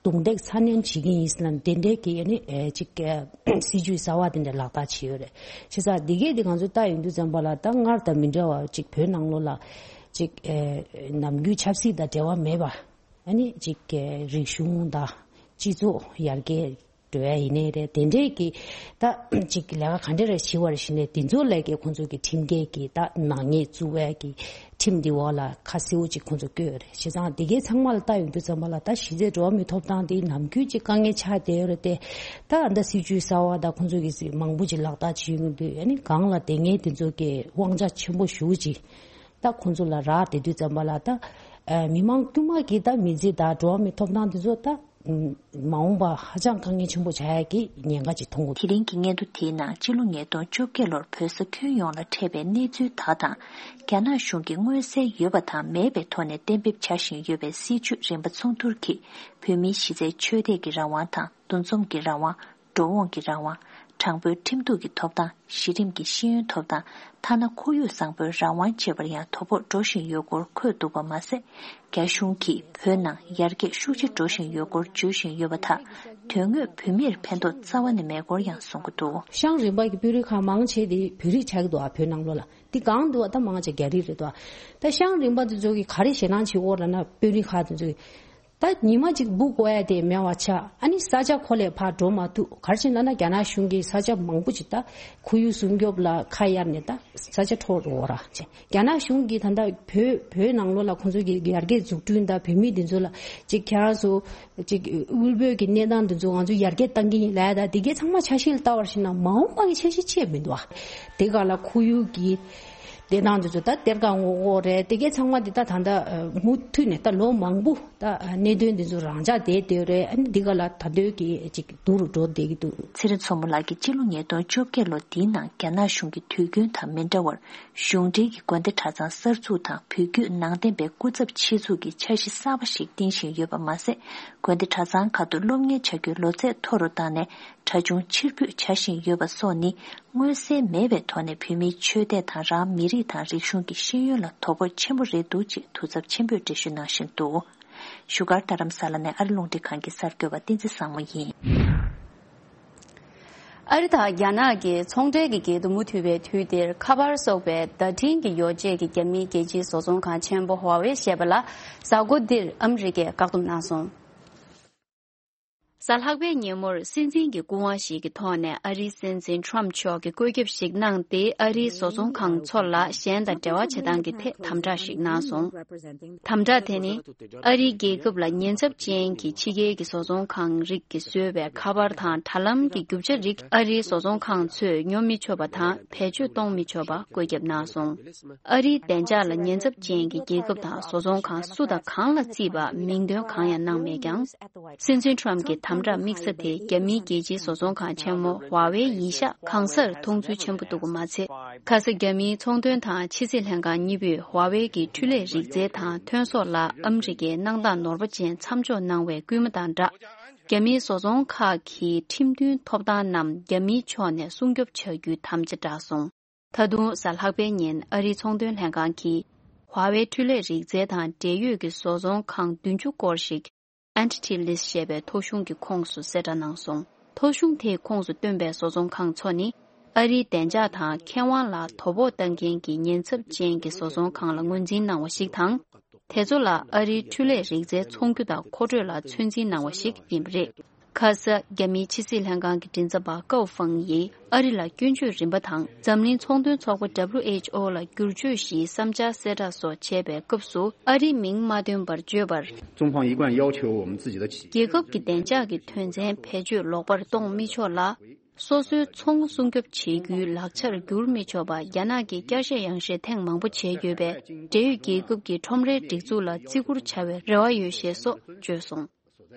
རྡུང་རྡེག་ཚ་ནན་བྱེད་ཀྱི་ཡིན་ཟེར་ན་དེ་འདྲའི་གི་ཨ་ནི་ཨེ་ཅིག་ཨེ་སྲིད་ཇུས་གསར་བ་དེ་འདྲ་ལག་བསྟར་བྱས་ཡོད་རེད། བྱས་ཙང་འདི་གས་དེ་ང་ཚོ་ལྟ་ཡོང་དུས་ཙམ་པ་ལ་ད་སྔར་དང་མི་འདྲ་བ་ཅིག་བོད་ནང་ལོགས་ལ་ཅིག་ཨེ་ནམ་རྒྱུན་ཆབ་སྲིད་དང་འབྲེལ་བ་མེད་པ་ཨ་ནི་ཅིག་ཨེ་རིག་གཞུང་དང་སྤྱི་ཚོགས་ཡར་རྒྱས་འགྲོ་ཡ་ཡིན་ནའི་རེད། དེ་འདྲས་ཀྱི་ད་ཅིག་ལས་ཀ་ག་འདྲ་རེ་བྱེད་པ་རེད་ཞེས་ནས་དེ་ཚོ་ལས་ཀའི་ཁོང་ཚོ་གི་ཁྲིམས་འགལ་གྱི་ད་ནག་ཉེས་བཙུགས་པའི་གི་ཁྲིམས་འདི་འོག་ལ་ཁ་གསལ་པོ་ཅིག་ཁོང་ཚོ་བཀོད་ཡོད་རེད། བྱས་ཙང་དེ་གའི་ཚང་མ་ལ་ལྟ་ཡོང་དུས་ཙམ་པ་ལ་ད་གཞི་རྩའི་འགྲོ་བ་མིའི་ཐོབ་ཐང་དེ་ནམ་རྒྱུན་ཅིག་དཀའ་ངལ་ཆགས་བསྡད་ཡོད་རེད་དེ། ད་ཨ་ད་སྲིད་ཇུས་གསར་བ་ད་ཁོང་ཚོ་གི་མང་པོ་ཅིག་ལག་བསྟར་བྱེད་ཡོང་དུས་ཨ་ནི་སྒང་ལ་དེ་ངས་དེ་ཚོ་གི་དབང་ཆ་ཆེན་པོ་ཞེ་པོ་ཅིག་ད་ཁོང་ཚོ་ལ་རག་བསྡད་དུས་ཙམ་པ་ལ་ད་མི་མང་དཀྱུས་མ་གི་ད་མི་ཚེ་ད་འགྲོ་བ་མིའི་ཐོབ་ཐང་དེ་ཚོ་ད། མ་འོངས་པ་ཧ་ཅང་དཀའ་ངལ་ཆེན་པོ་ཆགས་ཡ་གི་ཉེན་ཁ་ཅིག་མཐོང་གི། དེ་རིང་གི་སྙན་ཐོ་དེའི་ནང་སྤྱི་ལོ་ཉིས་སྟོང་བཅོ་བརྒྱད་ལོར་བོད་ས་ཁྱོན་ཡོངས་ལ་འཕྲད་པའི་གནས་ཚུལ་དག་དང་། རྒྱ་ནག་གཞུང་གིས་མངོན་གསལ་ཡོད་པ་དང་མེད་པའི་ཐོག་ནས་གཏན་འབེབས་བྱ་བཞིན་ཡོད་པའི་སྲིད་བྱུས་རིམ་པ་ཚོགས་འདུར་གྱིས་བོད་མིའི་གཞི་རྩའི་ཆོས་དད་ཀྱི་རང་དབང་དང་འདུ་འཛོམས་ཀྱི་རང་དབང་། འགྲོ་འོང་གི་རང་དབང་། དྲང་པོའི་ཁྲིམས་གཏུག་གི་ཐོབ་ཐང་། གཞི་རིམ་གྱི་ཤེས་ཡོན་ཐོབ་ཐང་། ཐ་ན་ཁོར་ཡུག་བཟང་པོའི་རང་དབང་བཅས་པར་ཡང་དོ་ཕོག་འགྲོ་བཞིན་ཡོད་སྐོར་འཁོད་འདུག་པ་མ་ཟད། རྒྱ་གཞུང་གིས་བོད་ནང་ཡར་རྒྱས་ཤུགས་ཆེ་འགྲོ་བཞིན་ཡོད་སྐོར་བརྗོད་བཞིན་ཡོད་པ་དག་དོན་དངོས་བོད་མིར་ཕན་ཐོགས་རྩ་བ་ནས་མེད་སྐོར་ཡང་གསུང་གི་འདུག། ཤང་རིམ་པ་གི་དཔོན་རིགས་ཁག་མང་ཆེ་དེ་བོད་རིགས་ཆགས་ཀྱི་འདུག་ཨ། བོད་ནང་ལོགས་ལ་དེ་གང་འདུག་ཨ། ད་མང་ཆེ་རྒྱ་རིགས་རེད་འདུག་ཨ། ད་ཤང་རིམ་པ་དེ་ཚོ་གིས་ག་རེ་ཞེད་སྣང་བྱེད་ཀྱི་ཡོད་རེད་ལབ་ན། དཔོན་རིགས་ཁག་དེ་ཚོ་གིས། ད་ཉི་མ་གཅིག་འབུ་བཀོག་ཡ་དེ་མེད་པ་ཆགས། ཨ་ནི་ས་ཆ་ཁོ་ལས་ཕར་འགྲོ་མ་ཐུབ། ག་རེ་བྱས་ན་ན་རྒྱ་ནག་གཞུང་གིས་ས་ཆ་མང་པོ་ཅིག་ད་ཁོར་ཡུག་སྲུང་སྐྱོབ་ལ་ཁ་གཡར་ནས་ད་ས་ཆ་འཕྲོག་འགྲོ་ར་བྱས། རྒྱ་ནག་གཞུང་གིས་ད་ལྟ་བོད་བོད་ནང་ལོགས་ལ་ཁོང་ཚོ་གི་ཡར་རྒྱས་འཛུགས་སྐྲུན་དང་བོད་མི་འདི་ཚོ་ལ་ཅིག་ཁྱེད་རང་ཚོ་ཅིག་དབུལ་པོའི་གི་གནས་སྟངས་འདི་ཚོ་ང་ཚོ་ཡར་རྒྱས་བཏང་གི་ཡིན་ལབ་ཡ། ད་དེ་གའི་ཚང་མ་ཆ་ཤས་ལ་ལྟ་བར་ཕྱིན་ན་མ་འོངས་པ་གི་འཆར་གཞི་ཅིག་མི་འདུག་ཨ། དེ་ག་ལ་ཁོར་ཡུག་གི་བདེ་ཐང་དེ་ཚོ་ད་གཏེར་ཁ་སྔོག་འགོག་རེད། དེ་གའི་ཚང་མ་འདི་ད་ད་ལྟ་མུ་མཐུད་ནས་ད་ལོ་མང་པོ་ད་གནད་དོན་འདི་ཚོ་རང་འཇགས་བསྡད་བསྡད་རེད། ཨ་ནི་འདི་ག་ལ་ད་དོན་གྱི་ཅིག་སྡུག་རུ་འགྲོ་བསྡད་ཀྱི་འདུག། ཚེ་རིང་མཚོ་མོ་ལགས་ཀྱིས་སྤྱི་ལོ་ཉིས་སྟོང་བཅོ་བརྒྱད་ལོ་འདིའི་ནང་རྒྱ་ནག་གཞུང་གི་དུས་རྒྱུན་དང་མི་འདྲ་བར་གཞུང་འབྲེལ་གྱི་དགོན་སྡེ་གྲྭ་ཚང་གསར་འཛུགས་དང་བོད་བརྒྱུད་ནང་བསྟན་པའི་སྐུ་ཚབ་ཆེད་འཛུགས་ཀྱི་འཆར་གཞི་གསར་པ་ཞིག་བཏིང་བཞིན་ཡོད་པ་མ་ཟད། དགོན་སྡེ་གྲྭ་ཚང་ཁག་ཏུ་སློབ་གཉེར་བྱ་རྒྱུའི་ལོ་ཚད་མཐོ་རུ་བཏང་ནས་གྲྭ་ཆུང་ཕྱིར་འབུད་བྱ་བཞིན་ཡོད་པ་སོགས་ནི། མངོན་གསལ་མེད་པའི་ཐོག་ནས་བོད་མིའི་ཆོས་དད་དང་རང་མི་རིགས་དང་རིག་གཞུང་གི་ཤེས་ཡོན་ལ་དོ་ཕོག་ཆེན་པོ་རེད་འདུག་ཅེས་དུས་ཚབས་ཆེན་པོས་འགྲེལ་བརྗོད་གནང་བཞིན་འདུག། བཞུགས་སྒར་རྡ་རམ་ས་ལ་ནས་ཨ་རི་རླུང་འཕྲིན་ཁང་གི་གསར་འགོད་པ་བསྟན་འཛིན་བཟང་མོ་ཡིན། ཨ་རི་དང་རྒྱ་ནག་གི་ཚོང་འབྲེལ་གྱི་འགལ་འདུ་མུ་མཐུད་པའི་དུས་འདིར། ཁ་པར་སོགས་པའི་བརྡ་འཕྲིན་གྱི་ཡོ་བྱད་ཀྱི་རྒྱ་མིའི་རྒྱལ་སྤྱིའི་བཟོ་ཚོང་ཁང་ཆེན་པོ་ཧྭ་ཝེ་ཞེས་པ་ལ་གཟའ་འཁོར་འདིར་ཨ་མི་རི་ཀས་བཀག་སྡོམ་གནང་སོང་། གཟའ་ལྷག་པའི་ཉིན་མོར་སྲིད་འཛིན་གྱི་སྐུ་དབང་ཞིག་གི་ཐོག་ནས་ཨ་རིའི་སྲིད་འཛིན་ཊམ་མཆོག་གིས་བཀོད་ཁྱབ་ཞིག་གནང་སྟེ། ཨ་རིའི་བཟོ་ཚོང་ཁང་ཚོ་ལ་གཞན་དང་འབྲེལ་བ་བྱེད་སྟངས་ཀྱི་ཐད་དམ་དྲག་ཞིག་གནང་སོང་། དམ་དྲག་དེ་ནི་ཨ་རིའི་རྒྱལ་ཁབ་ལ་ཉེན་ཚབས་ཅན་གྱི་ཕྱི་རྒྱལ་གྱི་བཟོ་ཚོང་ཁང་རིགས་ཀྱིས་བཟོས་པའི་ཁ་པར་དང་དྲ་ལམ་གྱི་རྒྱུ་ཆ་རིགས་ཨ་རིའི་བཟོ་ཚོང་ཁང་ཚོས་ཉོ་མི་ཆོག་པ་དང་བེད་སྤྱོད་གཏོང་མི་ཆོག་པ་བཀོད་ཁྱབ་གནང་སོང་། ཨ་རིའི་བདེ་འཇགས་ལ་ཉེན་ཚབས་ཅན་གྱི་རྒྱལ་ཁབ་དང་བཟོ་ཚོང་ཁང་སུ་དང་གང་ལ་བརྩིས་པ་མིང་འདོན་གང་ཡང་གནང་མེད་ཀྱང་། སྲིད་འཛིན་ཊམ་གྱི་དམ་དྲག་དམིགས་ས་དེ་རྒྱ་མིའི་རྒྱལ་སྤྱིའི་བཟོ་ཚོང་ཁང་ཆེན་མོ་ཧྭ་ཝེ་ཡིན་ཤག་གང་སར་མཐོང་ཚུལ་ཆེན་པོ་འདུག་པ་མ་ཚད། ཁ་ས་རྒྱ་མིའི་ཚོང་དོན་དང་ཕྱི་སྲིད་ལྷན་ཁང་གཉིས་པོས་ཧྭ་ཝེ་གི་འཕྲུལ་ལས་རིག་རྩལ་དང་ཐོན་ཟོག་ལ་ཨ་མི་རི་ཀས་གནང་སྟངས་ནོར་བ་ཅན་མཚམས་འཇོག་གནང་བའི་སྐུལ་མ་དང་སྦྲགས། རྒྱ་མིའི་བཟོ་ཚོང་ཁག་གི་ཁྲིམས་མཐུན་ཐོབ་ཐང་རྣམས་རྒྱ་མིའི་ཕྱོགས་ནས་སྲུང་སྐྱོབ་བྱ་རྒྱུའི་དམ་བཅའ་བསྒྲགས་སོང་། ད་དུང་གཟའ་ལྷག་པའི་ཉིན་ཨ་རིའི་ཚོང་དོན་ལྷན་ཁང་གིས་ཧྭ་ཝེ་འཕྲུལ་ལས་རིག་རྩལ་དང་འབྲེལ་ཡོད་ཀྱི་བཟོ་ཚོང་ཁང་བདུན་ཅུ་སྐོར་ཞིག་Entity List ཞེས་པའི་ཐོ་གཞུང་གི་ཁོངས་སུ་གསལ་བསྒྲགས་གནང་སོང་། ཐོ་གཞུང་དེའི་ཁོངས་སུ་བཏོན་པའི་བཟོ་ཚོང་ཁང་ཚོ་ནི་ཨ་རིའི་བདེ་འཇགས་དང་ཁེ་དབང་ལ་དོ་ཕོག་བཏང་མཁན་གྱི་ཉེན་ཚབས་ཅན་གྱི་བཟོ་ཚོང་ཁང་ལ་ངོས་འཛིན་གནང་བ་ཞིག་དང་། དེ་ཚོ་ལ་ཨ་རིའི་འཕྲུལ་ལས་རིག་རྩལ་ཚོང་རྒྱུ་དང་མཁོ་སྤྲོད་ལ་ཚོད་འཛིན་གནང་བ་ཞིག་ཡིན་པ་རེད། ཁ་ས་རྒྱ་མིའི་ཕྱི་སྲིད་ལྷན་ཁང་གི་མགྲིན་ཚབ་པ་ཀའོ་ཧྥང་ཡིས་ཨ་རི་ལ་སྐྱོན་བརྗོད་རིམ་པ་དང་འཛམ་གླིང་ཚོང་དོན་ཚོགས་པ་W H O ལ་བསྒྱུར་བཅོས་ཞུའི་བསམ་འཆར་གསལ་བསྒྲགས་སོགས་བྱས་པའི་སྐབས་སུ། ཨ་རིའི་མིང་མ་བཏོན་པར་བརྗོད་པར། 中方一贯要求我们自己的企业 རྒྱལ་ཁབ་ཀྱི་བདེ་འཇགས་ཀྱི་དོན་ཚན་བེད་སྤྱོད་ལོག་པར་གཏོང་མི་ཆོག་ལ། སོ་སོའི་ཚོང་སྲུང་སྐྱོབ་བྱེད་རྒྱུའི་ལག་ཆར་འགྱུར་མི་ཆོག་པ། རྒྱ་ནག་གིས་བསྐྱར་བཤད་ཡང་བཤད་ཐེངས་མང་པོ་བྱས་ཡོད་པས། འབྲེལ་ཡོད་རྒྱལ་ཁབ་ཀྱི་ཁྲོམ་རའི་སྒྲིག་འཛུགས་ལ་བརྩི་བཀུར་བྱ་བའི་རེ་བ་ཡོད་ཞེས་སོགས་བརྗོད་སོང་།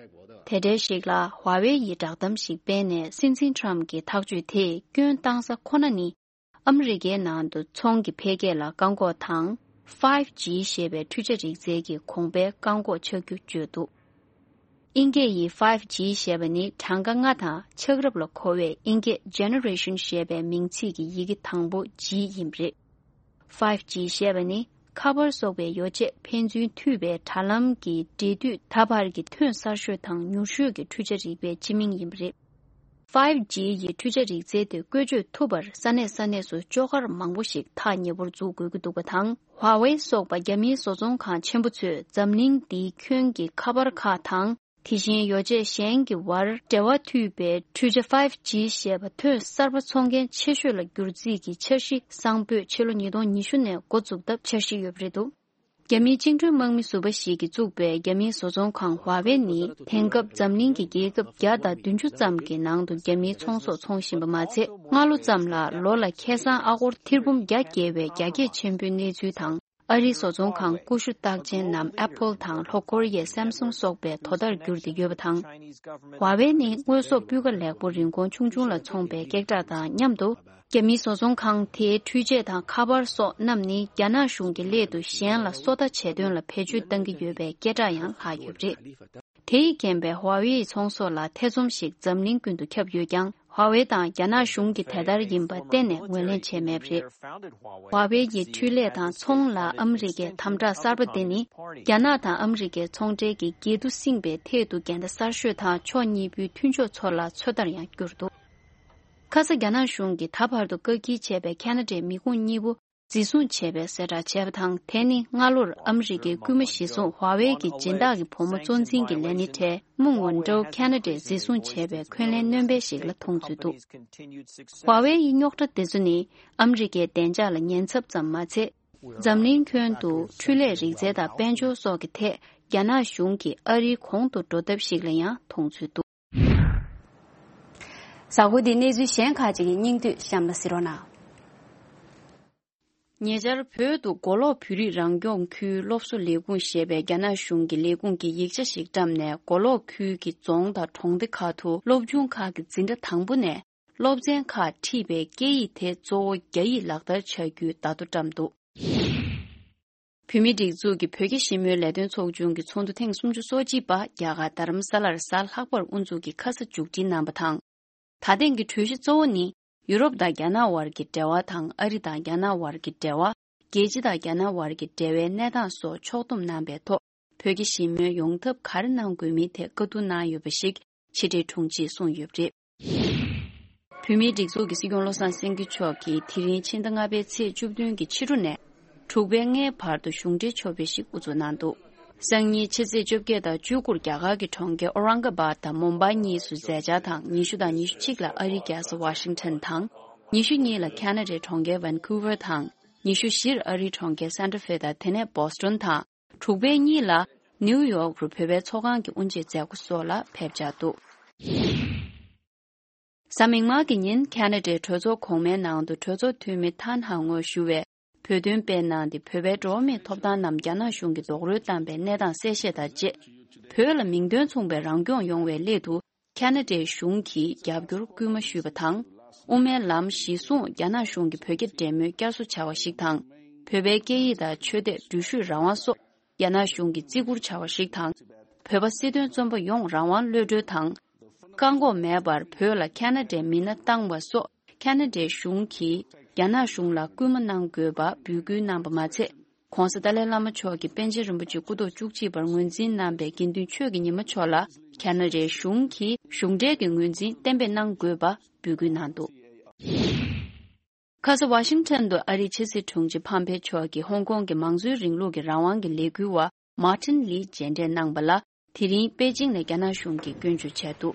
དེ་འབྲེལ་ཞིག་ལ་ཧྭ་ཝེ་ཡིས་བསྒྲགས་གཏམ་ཞིག་སྤེལ་ནས། སྲིད་འཛིན་ཊམ་གྱི་ཐག་གཅོད་དེས་སྐྱོན་བཏང་ས་ཁོ་ན་ནི། ཨ་མི་རི་ཀའི་ནང་དུ་ཚོང་གི་འཕེལ་རྒྱས་ལ་བཀག་འགོག་དང་། Five G ཞེས་པའི་འཕྲུལ་ཆ་རིག་རྩལ་གྱི་གོང་འཕེལ་བཀག་འགོག་ཆགས་རྒྱུ་བརྗོད་འདུག། དབྱིན་སྐད་ཡིག་Five G ཞེས་པ་ནི་གྲངས་ཀ་ལྔ་དང་ཆགས་རབས་ལ་གོ་བའི་དབྱིན་སྐད་Generation ཞེས་པའི་མིང་ཚིག་གི་ཡི་གེ་དང་པོ་G ཡིན་པ་རེད། Five G ཞེས་པ་ནི་ཁ་པར་སོགས་པའི་ཡོ་བྱད་ཕན་ཚུན་མཐུད་པའི་དྲ་ལམ་གྱི་འབྲེལ་མཐུད་ད་བར་གྱི་ཐོན་གསར་ཤོས་དང་མྱུར་ཤོས་ཀྱི་འཕྲུལ་ཆ་རིག་པའི་སྤྱི་མིང་ཡིན་པ་རེད། Five G ཡི་འཕྲུལ་ཆ་རིག་རྩལ་དེ་བཀོལ་སྤྱོད་ཐུབ་པར་ས་གནས་ས་གནས་སུ་ལྕོག་མཁར་མང་པོ་ཞིག་ཐག་ཉེ་པོར་འཛུགས་དགོས་ཀྱི་འདུག་པ་དང་། ཧྭ་ཝེ་སོགས་པ་རྒྱ་མིའི་བཟོ་ཚོང་ཁང་ཆེན་པོ་ཚོས་འཛམ་གླིང་འདིའི་ཁྱོན་གྱི་ཁ་པར་ཁག་དང་། དེ་བཞིན་ཡོ་བྱད་གཞན་གྱི་བར་འབྲེལ་བ་མཐུད་པའི་འཕྲུལ་ཆ་Five G ཞེས་པ་ཐོན་གསར་པ་འཚོང་མཁན་ཆེ་ཤོས་ལ་བསྒྱུར་རྩིས་ཀྱི་འཆར་གཞི་གསང་ཕོད་ཕྱི་ལོ་ཉིས་སྟོང་ཉི་ཤུ་ནས་འགོ་འཛུགས་ཐབས་འཆར་གཞི་ཡོད་པ་རེད་འདུག། རྒྱ་མིའི་བཅིངས་འགྲོལ་དམག་མི་ཟུར་པ་ཞིག་གིས་བཙུགས་པའི་རྒྱ་མིའི་བཟོ་ཚོང་ཁང་ཧྭ་ཝེ་ནི་དེང་སྐབས་འཛམ་གླིང་གི་རྒྱལ་ཁབ་བརྒྱ་དང་བདུན་ཅུ་ཙམ་གྱི་ནང་དུ་རྒྱ་མིའི་ཚོང་ཟོག་འཚོང་བཞིན་པ་མ་ཚད། སྔ་ལོ་ཙམ་ལ་ལོ་ལ་ཁེ་བཟང་ཨ་སྒོར་ཐེར་འབུམ་བརྒྱ་བརྒལ་བའི་རྒྱ་སྐྱེད་ཆེན་པོའི་གནས་ཚུལ་དང་ ཨ་རིའི་བཟོ་ཚོང་ཁང་ཀུ་ཤུ་རྟགས་ཅན་ནམ་Apple་དང་ལྷོ་ཀོ་རི་ཡའི་Samsung་སོགས་པའི་དོ་ཟླར་གྱུར་ཏེ་ཡོད་པ་དང་། Huawei་ནི་དངོས་ཟོག་སྤུས་ཀ་ལེགས་པོ་རིན་གོང་ཆུང་ཆུང་ལ་འཚོང་པའི་སྐད་གྲགས་དང་མཉམ་དུ། རྒྱ་མིའི་བཟོ་ཚོང་ཁང་དེའི་འཕྲུལ་ཆས་དང་ཁ་པར་སོགས་རྣམས་ནི་རྒྱ་ནག་གཞུང་གི་སླད་དུ་གཞན་ལ་སོ་ལྟ་བྱེད་དོན་ལ་བེད་སྤྱོད་གཏང་གི་ཡོད་པའི་སྐད་གྲགས་ཡང་ལྷག་ཡོད་པ་རེད། དེ་ཡིས་རྐྱེན་པས་Huawei་ཡི་ཚོང་ཟོག་ལ་ཐེ་ཚོམ་ཞིག་འཛམ་གླིང་ཀུན་ཏུ་ཁྱབ་ཡོད་ཀྱང་། Huawei་དང་རྒྱ་ནག་གཞུང་གིས་དེ་ལྟར་ཡིན་པ་གཏན་ནས་ངོས་ལེན་བྱས་མེད་པ་རེད། Huawei་ཡི་འཕྲུལ་ལས་དང་ཚོང་ལ་ཨ་མི་རི་ཀའི་དམ་དྲག་གསར་པ་དེ་ནི། རྒྱ་ནག་དང་ཨ་མི་རི་ཀའི་ཚོང་འབྲེལ་གྱི་འགལ་འདུ་བསྲིངས་པའི་ཐད་དུ་འགལ་ཟླ་གསར་ཤོས་དང་ཕྱོགས་གཉིས་པོའི་མཐུན་ཕྱོགས་ཚོ་ལ་ཚོད་ལྟར་ཡང་གྱུར་འདུག་ཁ་ས་རྒྱ་ནག་གཞུང་གིས་ད་བར་དུ་བཀག་སྐྱིལ་བྱས་པའི་ཁ་ན་ཌའི་མི་ཁུངས་གཉིས་པོ་འཛིན་བཟུང་བྱས་པའི་གསལ་བསྒྲགས་བྱས་པ་དང་། དེ་ནི་སྔ་ལོར་ཨ་མི་རི་ཀའི་སྐུལ་མ་གཞི་བཟུང་Huawei་གི་སྦྱིན་བདག་གི་བུ་མོ་གཙོ་འཛིན་གྱི་ལས་སྣེ་ཁྲལ་མུང་ཝུན་ཀྲོའུ་ཁ་ན་ཌས་འཛིན་བཟུང་བྱས་པའི་འཁོན་ལན་སྣོན་པ་ཞིག་ལ་མཐོང་ཚུལ་འདུག Huawei་ཡི་རྙོག་དྲ་དེ་ཚོ་ནི་ཨ་མི་རི་ཀའི་བདེ་འཇགས་ལ་ཉེན་ཚབས་ཙམ་མ་ཚད། འཛམ་གླིང་ཁྱོན་དུ་འཕྲུལ་ལས་རིག་རྩལ་དང་དཔལ་འབྱོར་སོགས་ཀྱི་ཐད་རྒྱ་ནག་གཞུང་གིས་ཨ་རིའི་གོང་དུ་འགྲོ་ཐབས་ཤིག་ལ་ཡང་མཐོང་ཚུལ་འདུག་གཟའ་འཁོར་འདིའི་གནས་ཚུལ་གཞན་ཁག་ཅིག་གི་སྙིང་བསྡུས་གཤམ་ལ་གཟིགས་རོགས་གནང་། ཉེ་ཆར་བོད་དུ་མགོ་ལོག་བོད་རིགས་རང་སྐྱོང་ཁུལ་སློབ་གསོ་ལས་ཁུངས་ཞེས་པའི་རྒྱ་ནག་གཞུང་གི་ལས་ཁུངས་ཀྱིས་ཡིག་ཆ་ཞིག་བཀྲམ་ནས། མགོ་ལོག་ཁུལ་གྱི་རྫོང་དང་གྲོང་སྡེ་ཁག་ཏུ་སློབ་ཆུང་ཁག་གི་འཛིན་གྲྭ་དང་པོ་ནས་སློབ་ཚན་ཁག་ཁྲིད་པའི་སྐད་ཡིག་དེ་གཙོ་བོ་རྒྱ་ཡིག་ལག་བསྟར་བྱ་རྒྱུའི་བརྡ་ཐོ་བཀྲམ་འདུག་བོད་མིའི་སྒྲིག་འཛུགས་ཀྱི་བོད་རྒྱ་ཞི་མོལ་ལས་དོན་ཚོགས་ཆུང་གི་ཚོགས་འདུ་ཐེངས་སུམ་ཅུ་སོ་གཅིག་པ་རྒྱ་གར་རྡ་རམ་ས་ལར་གཟའ་ལྷག་པར་དབུ་འཛུགས་ཀྱིས་ཁ་ས་མཇུག་སྒྲིལ་གནང་བ་དང་། ད་ཐེངས་ཀྱི་གྲོས་གཞི་གཙོ་བོ་ནི་ཡུ་རོབ་དང་རྒྱ་ནག་དབར་གྱི་འབྲེལ་བ་དང་། ཨ་རི་དང་རྒྱ་ནག་དབར་གྱི་འབྲེལ་བ། རྒྱལ་སྤྱི་དང་རྒྱ་ནག་དབར་གྱི་འབྲེལ་བའི་གནས་སྟངས་སོགས་ཕྱོགས་བསྡོམས་གནང་བའི་ཐོག་བོད་རྒྱ་ཞི་མོལ་ཡོང་ཐབས་ག་རེ་གནང་དགོས་མིན་ཐད་བཀའ་བསྡུར་གནང་ཡོད་པ་ཞིག་ཕྱི་དྲིལ་དྲུང་ཆེས་གསུངས་ཡོད་པ་རེད། བོད་མིའི་སྒྲིག་འཛུགས་ཀྱི་སྲིད་སྐྱོང་བློ་བཟང་སེང་གེ་མཆོག་གིས་དེ་རིང་ཕྱི་ཟླ་ལྔ་པའི་ཚེས་བཅུ་བདུན་གྱི་ཕྱི་དྲོ་ནས། དྲུག་པའི་ལྔའི་བར་དུ་གཞུང་འབྲེལ་ཕྱོགས་ཕེབས་ཤིག་དབུ་འཛུགས་གནང་འདུག་སང་ཉིན་ཕྱི་ཚེས་བཅོ་བརྒྱད་དང་བཅུ་དགུར་རྒྱ་གར་གྱི་གྲོང་ཁྱེར་ཨོ་རང་ག་བཱད་དང་མུམ་བྷའི་གཉིས་སུ་མཛད་འཆར་དང་། ཉི་ཤུ་དང་ཉི་ཤུ་གཅིག་ལ་ཨ་རིའི་རྒྱལ་ས་ཝ་ཤིང་ཊོན་དང་། ཉི་ཤུ་གཉིས་ལ་ཁ་ན་ཌའི་གྲོང་ཁྱེར་ཝན་ཀུ་ཝར་དང་། ཉི་ཤུ་བཞིར་ཨ་རིའི་གྲོང་ཁྱེར་སན་ཏྲ་ཧྥེ་དང་། དེ་ནས་བྷོ་སི་ཊོན་དང་། དྲུག་པའི་གཉིས་ལ་ནིའུ་ཡོག་རུ་བོད་པའི་ཚོགས་ཁང་གི་དབུ་འབྱེད་མཛད་སྒོ་སོགས་ལ་ཕེབས་འཆར་འདུག་གཟའ་མིག་དམར་གྱི་ཉིན་ཁ་ན་ཌའི་གྲོས་ཚོགས་གོང་མའི་ནང་དུ་གྲོས་ཚོགས་འཐུས་མི་ཐན་ཧ་ངོས་ཞུ་བས་བོད་དོན་སྤེལ་གནང་སྟེ། བོད་པའི་འགྲོ་བ་མིའི་ཐོབ་ཐང་རྣམས་རྒྱ་ནག་གཞུང་གིས་རྡོག་རོལ་བཏང་པའི་གནས་སྟངས་གསལ་བཤད་དང་བཅས། བོད་ལ་མིང་དོན་མཚུངས་པའི་རང་སྐྱོང་ཡོང་བའི་སླད་དུ་ཁ་ན་ཌའི་གཞུང་གིས་རྒྱབ་སྐྱོར་སྐུལ་མ་ཞུས་པ་དང་། དབུ་མའི་ལམ་གཞི་བཟུང་རྒྱ་ནག་གཞུང་གིས་བོད་རྒྱ་འབྲེལ་མོལ་བསྐྱར་གསོ་བྱ་བ་ཞིག་དང་། བོད་པའི་སྐད་ཡིག་དང་ཆོས་དད། འགྲུལ་བཞུད་རང་དབང་སོགས་རྒྱ་ནག་གཞུང་གིས་བརྩི་བཀུར་བྱ་བ་ཞིག་དང་། བོད་པ་སྲིད་དོན་བཙོན་པ་ཡོངས་རང་དབང་གློད་གྲོལ་དང་། བཀག་འགོག་མེད་པར་བོད་ལ་ཁ་ན་ཌའི་མི་སྣ་བཏང་བ་སོགས་ཁ་ན་ཌའི་གཞུང་གིས་རྒྱ་ནག་གཞུང་ལ་སྐུལ་མ་གནང་དགོས་པ་འབོད་སྐུལ་གནང་པ་མ་ཚད། ྋགོང་ས་ཏཱ་ལའི་བླ་མ་མཆོག་གིས་པཎ་ཆེན་རིན་པོ་ཆེ་སྐུ་ཐོག་བཅུ་གཅིག་པར་ངོས་འཛིན་གནང་པའི་དགེ་འདུན་ཆོས་ཀྱི་ཉི་མ་མཆོག་ལ་ཁ་ན་ཌའི་གཞུང་གིས་གཞུང་འབྲེལ་གྱི་ངོས་འཛིན་གཏན་འབེབས་གནང་དགོས་པ་འབོད་སྐུལ་གནང་འདུག་ཁ་ས་ཝ་ཤིང་ཊོན་དུ་ཨ་རིའི་ཕྱི་སྲིད་དྲུང་ཆེ་ཕམ་ཕེ་མཆོག་གིས་ཧོང་ཀོང་གི་མང་གཙོའི་རིང་ལུགས་ཀྱི་རང་དབང་གི་ལས་འགུལ་བ་མར་ཊིན་ལི་མཇལ་འཕྲད་གནང་བ་ལ། དེ་རིང་པེ་ཅིང་ནས་རྒྱ་ནག་གཞུང་གིས་སྐྱོན་བརྗོད་བྱས་འདུག་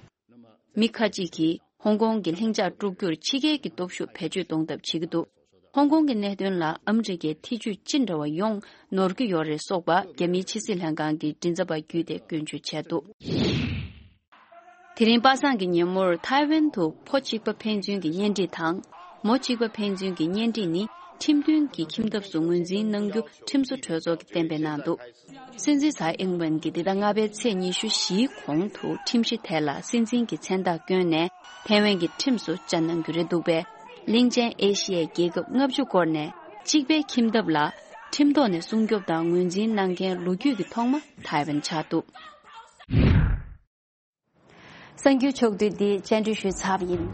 མི་ཁ་ཅིག་གིས་ཧོང་ཀོང་གི་ལྷིང་འཇགས་དཀྲུག་རྒྱུར་ཕྱི་རྒྱལ་གྱི་སྟོབས་ཤུགས་བེད་སྤྱོད་གཏོང་ཐབས་བྱེད་ཀྱི་འདུག་ཧོང་ཀོང་གི་གནད་དོན་ལ་ཨ་མི་རི་ཀའི་ཐེ་ཇུས་ཅི་འདྲ་བ་ཡོང་ནོར་གྱི་ཡོད་རེད་སོགས་པ་རྒྱ་མིའི་ཕྱི་སྲིད་ལྷན་ཁང་གི་མགྲིན་ཚབ་པ་བརྒྱུད་དེ་སྐྱོན་བརྗོད་བྱས་འདུག་དེ་རིང་པ་སངས་ཀྱི་ཉིན་མོར་ཐའེ་ཝན་དུ་ཕོ་གཅིག་པ་ཕན་ཚུན་གྱི་གཉེན་སྒྲིག་དང་། མོ་གཅིག་པ་ཕན་ཚུན་གྱི་གཉེན་སྒྲིག་ནི་ཁྲིམས་མཐུན་གྱི་ཁྱིམ་ཐབས་སུ་ངོས་འཛིན་གནང་རྒྱུ་ཁྲིམས་བཟོ་གྲོས་ཚོགས་ཀྱིས་གཏན་འབེབས་གནང་འདུག་སྲིད་འཛིན་ཚའེ་ཨིང་ཝེན་གྱིས་འདི་ཟླ་ལྔ་པའི་ཚེས་ཉི་ཤུ་བཞིའི་གོང་དུ་ཁྲིམས་གཞི་དེ་ལ་སྲིད་འཛིན་གྱི་མཚན་རྟགས་བསྐྱོན་ནས་ཐའེ་ཝན་གྱི་ཁྲིམས་སུ་བཅའ་གནང་རྒྱུ་རེད་འདུག་པས། གླིང་ཆེན་ཨེ་ཤི་ཡའི་རྒྱལ་ཁབ་ལྔ་བཅུ་སྐོར་ནས་གཅིག་པའི་ཁྱིམ་ཐབས་ལ་ཁྲིམས་ཐོག་ནས་སྲུང་སྐྱོབ་དང་ངོས་འཛིན་གནང་མཁན་ལོ་རྒྱུས་ཀྱི་ཐོག་མ་ཐའེ་ཝན་ཆགས་འདུག་གསར་འགྱུར་ཕྱོགས་བསྡུས་འདི་བཅར་འདྲི་ཞུས་ཚར་བ་ཡིན།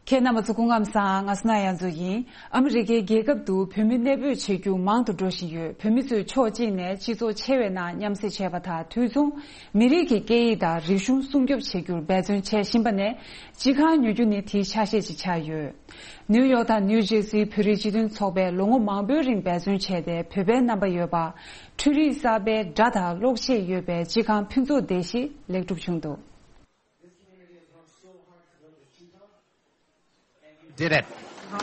ཁྱེད་རྣམ་པ་ཚོ་སྐུ་ཁམས་བཟང་། ང་སྣ་ཡ་མཚོ་ཡིན། ཨ་མི་རི་ཀའི་རྒྱལ་ཁབ་ཏུ་བོད་མི་གནས་སྤོས་བྱེད་རྒྱུ་མང་དུ་འགྲོ་བཞིན་ཡོད། བོད་མི་ཚོས་ཕྱོགས་གཅིག་ནས་སྤྱི་ཚོགས་ཆེ་བའི་ནང་མཉམ་བསྲེས་བྱས་པ་དང་། དུས་མཚུངས་མི་རིགས་ཀྱི་སྐད་ཡིག་དང་རིག་གཞུང་སྲུང་སྐྱོབ་བྱེད་རྒྱུར་འབད་བརྩོན་བྱེད་བཞིན་པ་ནས་སྤྱི་ཁང་ཉོ་རྒྱུ་ནི་དེའི་ཆ་ཤས་ཤིག་ཆགས་ཡོད། ནིའུ་ཡོག་དང་ནིའུ་ཇེར་སིའི་བོད་རིགས་སྤྱི་མཐུན་ཚོགས་པས་ལོ་ངོ་མང་པོའི་རིང་འབད་བརྩོན་བྱས་ཏེ། བོད་པའི་རྣམ་པ་ཡོད་པ། འཕྲུལ་རིག་གསར་པའི་སྒྲ་དང་གློག་ཆས་ཡོད་པའི་སྤྱི་ཁང་ཕུན་ཚོགས་སྡེ་བཞི་ལེགས་གྲུབ་བྱུང་འདུག Did it. འདས་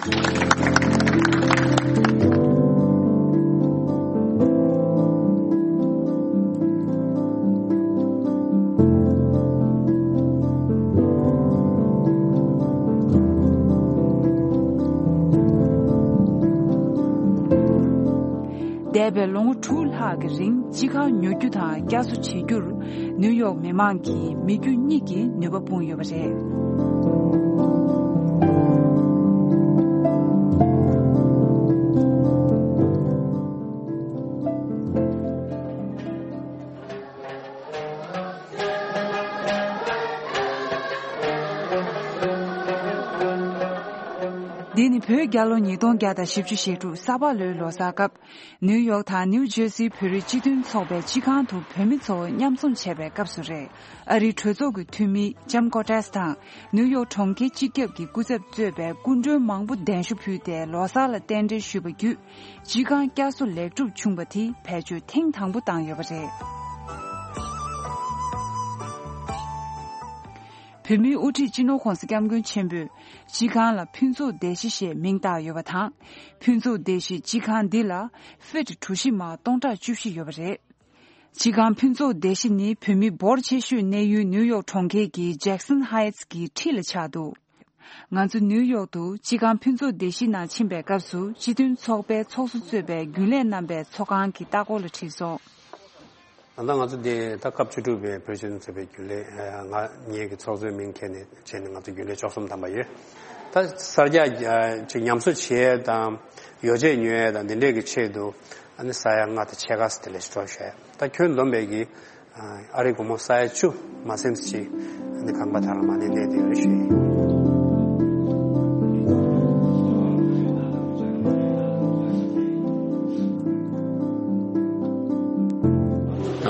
པའི་ལོ་ངོ་དྲུག་ལྷག་གི་རིང་སྤྱི་ཁང་ཉོ་རྒྱུ་དང་བསྐྱར་གསོ་བྱེད་རྒྱུར་ནིའུ་ཡོག་མི་མང་གིས་མི་རྒྱུ་གཉིས་ཀྱི་ནུས་པ་སྤུངས་ཡོད་པ་རེད། འདི་ནི་བོད་རྒྱལ་ལོ་ཉིས་སྟོང་བརྒྱ་དང་བཞི་བཅུ་ཞེ་དྲུག་ས་ཕག་ལོའི་ལོ་གསར་སྐབས། ནིའུ་ཡོག་དང་ནིའུ་ཇར་སིའི་བོད་རིགས་སྤྱི་མཐུན་ཚོགས་པའི་སྤྱི་ཁང་དུ་བོད་མི་ཚོ་མཉམ་འཛོམས་བྱས་པའི་སྐབས་སུ་རེད། ཨ་རིའི་གྲོས་ཚོགས་ཀྱི་འཐུས་མི་ལྕམ་ཀོ་ཏྲེས་དང་ནིའུ་ཡོག་གྲོང་ཁྱེར་སྤྱི་ཁྱབ་ཀྱི་སྐུ་ཚབ་གཙོས་པའི་སྐུ་མགྲོན་མང་པོ་གདན་ཞུ་ཕུལ་ཏེ་ལོ་གསར་ལ་རྟེན་འབྲེལ་ཞུས་པ་བརྒྱུད། སྤྱི་ཁང་བསྐྱར་གསོ་ལེགས་གྲུབ་བྱུང་བ་དེ་བེད་སྤྱོད་ཐེངས་དང་པོ་བཏང་ཡོད་པ་རེད། བོད་མིའི་དབུ་ཁྲིད་སྤྱི་ནོར་༧གོང་ས་༧སྐྱབས་མགོན་ཆེན་པོས་སྤྱི་ཁང་ལ་ཕུན་ཚོགས་སྡེ་བཞི་ཞེས་མིང་བཏགས་ཡོད་པ་དང་། ཕུན་ཚོགས་སྡེ་བཞི་སྤྱི་ཁང་འདི་ལ་ཕིཊ་གྲུ་བཞི་མ་སྟོང་ཕྲག་བཅུ་བཞི་ཡོད་པ་རེད། སྤྱི་ཁང་ཕུན་ཚོགས་སྡེ་བཞི་ནི་བོད་མི་འབོར་ཆེ་ཤོས་གནས་ཡུལ་ནིའུ་ཡོག་གྲོང་ཁྱེར་གྱི་ཇེག་སན་ཧའེ་ཊི་གི་འཁྲིས་ལ་ཆགས་འདུག་ང་ཚོ་ནིའུ་ཡོག་ཏུ་སྤྱི་ཁང་ཕུན་ཚོགས་སྡེ་བཞི་ནང་ཕྱིན་པའི་སྐབས་སུ་སྤྱི་མཐུན་ཚོགས་པའི་ཚོགས་གཙོ་གཙོས་པའི་རྒྱུན་ལས་རྣམ་པས་ཚོགས་ཁང་གི་ལྟ་སྐོར་ལ་ཁྲིད་སོང་། ད་ལྟ་ང་ཚོ་འདི་ད་སྐབས་བཅུ་དྲུག་པའི་བོད་སྤྱི་མཐུན་ཚོགས་པའི་རྒྱུན་ལས་ང་ངེད་ཀྱི་ཚོགས་གཙོའི་མིང་འཁྱེར་ནས་བྱས་ནས་ང་ཚོ་རྒྱུན་ལས་བཅུ་གསུམ་ཐམ་པ་ཡོད། ད་གསར་རྒྱག་ཅིག་ཉམས་གསོ་བྱེད་ཡས་དང་ཡོ་བྱད་ཉོ་ཡས་དང་འདི་འདྲས་ཀྱི་ཆེད་དུ་ཨ་ནི་ས་ཡ་ལྔ་དང་ཕྱེད་ཀ་ཙམ་དེ་ལས་ཤོར་ཤག་ད་ཁྱོན་བསྡོམས་པས་ཀྱི་ཨ་རིའི་སྒོར་མོ་ས་ཡ་བཅུ་མ་ཟིན་ཙམ་ཅིག་ཨ་ནི་ཁང་པ་དེ་རང་མ་ཎི་གནས་བསྡད་ཡོད་རེད་ཞུ་ཡིན།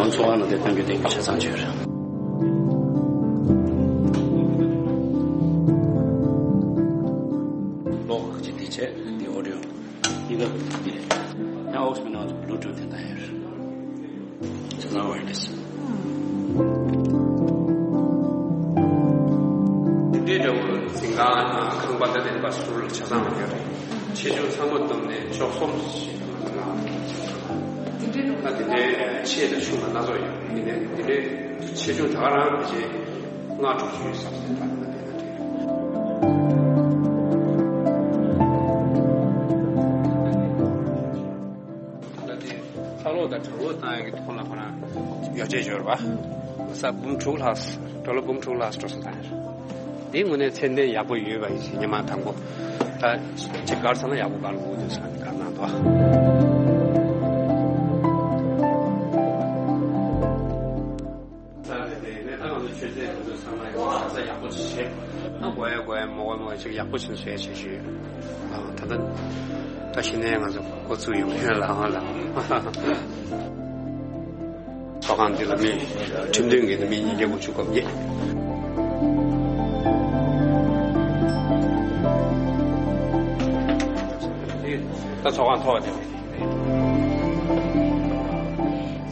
ང་ཚོ་ཚོགས་ཁང་ནང་དེ་གཏོང་རྒྱུ་དེ་ཆ་ཚང་བྱོས་རེད། གློག་ཁག་ཅིག་འདི་བྱས་འདི་ཨོ་ཌིའོ་འདི་རེད། ཡང་ཨོག་སི་མི་ནང་ཚོ་བླུ་ཊུ་དེ་འདྲ་ཡོད་རེད། ཆ་ཚང་ཝ་ཡར་ལེ་སི། འདི་འདྲའི་འདྲ་བོ་འཛིན་ཁང་དང་ཁང་པ་ད་དེ་འདྲ་ཟུར་ལ་ཆ་ཚང་ཡོད་རེད། ཆེ་ཆུང་ཚང་མ་བསྡོམས་ནས་བཅུ་གསུམ་ཞིག་ད་དེ་འདྲའི་ཆེ་དང་ཆུང་ལ་སྣ་ཚོགས་ཡོད་རེད། འདི་འདྲའི་འདི་འདྲའི་ཆེ་ཆུང་ད་ག་རང་ཕལ་ཆེར་ལྔ་དྲུག་ཅུ་ཡོད་ས་རེད། ད་དེ་འདྲ་དེ་འདྲ་རེད། ད་ལྟ་དེ་ཚ་གློག་དང་གྲང་གློག་བཏང་ཡག་གི་ཐོག་ལ་ཁོ་རང་ཡོ་བྱད་འབྱོར་བ། ས་འབུམ་དྲུག་ལྷག་ཌོ་ལར་འབུམ་དྲུག་ལྷག་འགྲོ་སོང་ད་ཡར། འདི་དངོས་གནས་ཚད་ལྡན་ཡག་པོ་ཡོད་པ་ཡིན་ཞེས་ཉི་མ་དང་པོ་ད་ཅིག་སྒར་ཚར་ན་ཡག་པོ་སྒར་དགོས་འདུག་ཟེར་ནས་བཀའ་གནང་འདུག་ས་རེད་དེ་ནས་ད་ང་ཚོ་མཆོད་རྫས་དེ་ཚོ་ཚང་མ་ཡག་པོ་ཡག་པོ་བྱེད། ཨ་དགོས་ཡ་དགོས་ཡ་མ་དགོས་མ་དགོས་ཅིག་ཡག་པོ་བྱེད་བཟོ་ཡ་བྱེད་ཞུས། ཨ་ད་ལྟ་ད་གཞི་ནས་ང་ཚོ་འགོ་ཚུགས་ཡོང་ཡོད་ལ་ཨང་ལ། ཚོགས་ཁང་འདི་ལ་མི་ཁྲིམས་མཐུན་གྱི་མི་ཉིས་བརྒྱ་དགུ་བཅུ་གོ་བརྒྱད། ད་ཚོགས་ཁང་ཐོག་དེ།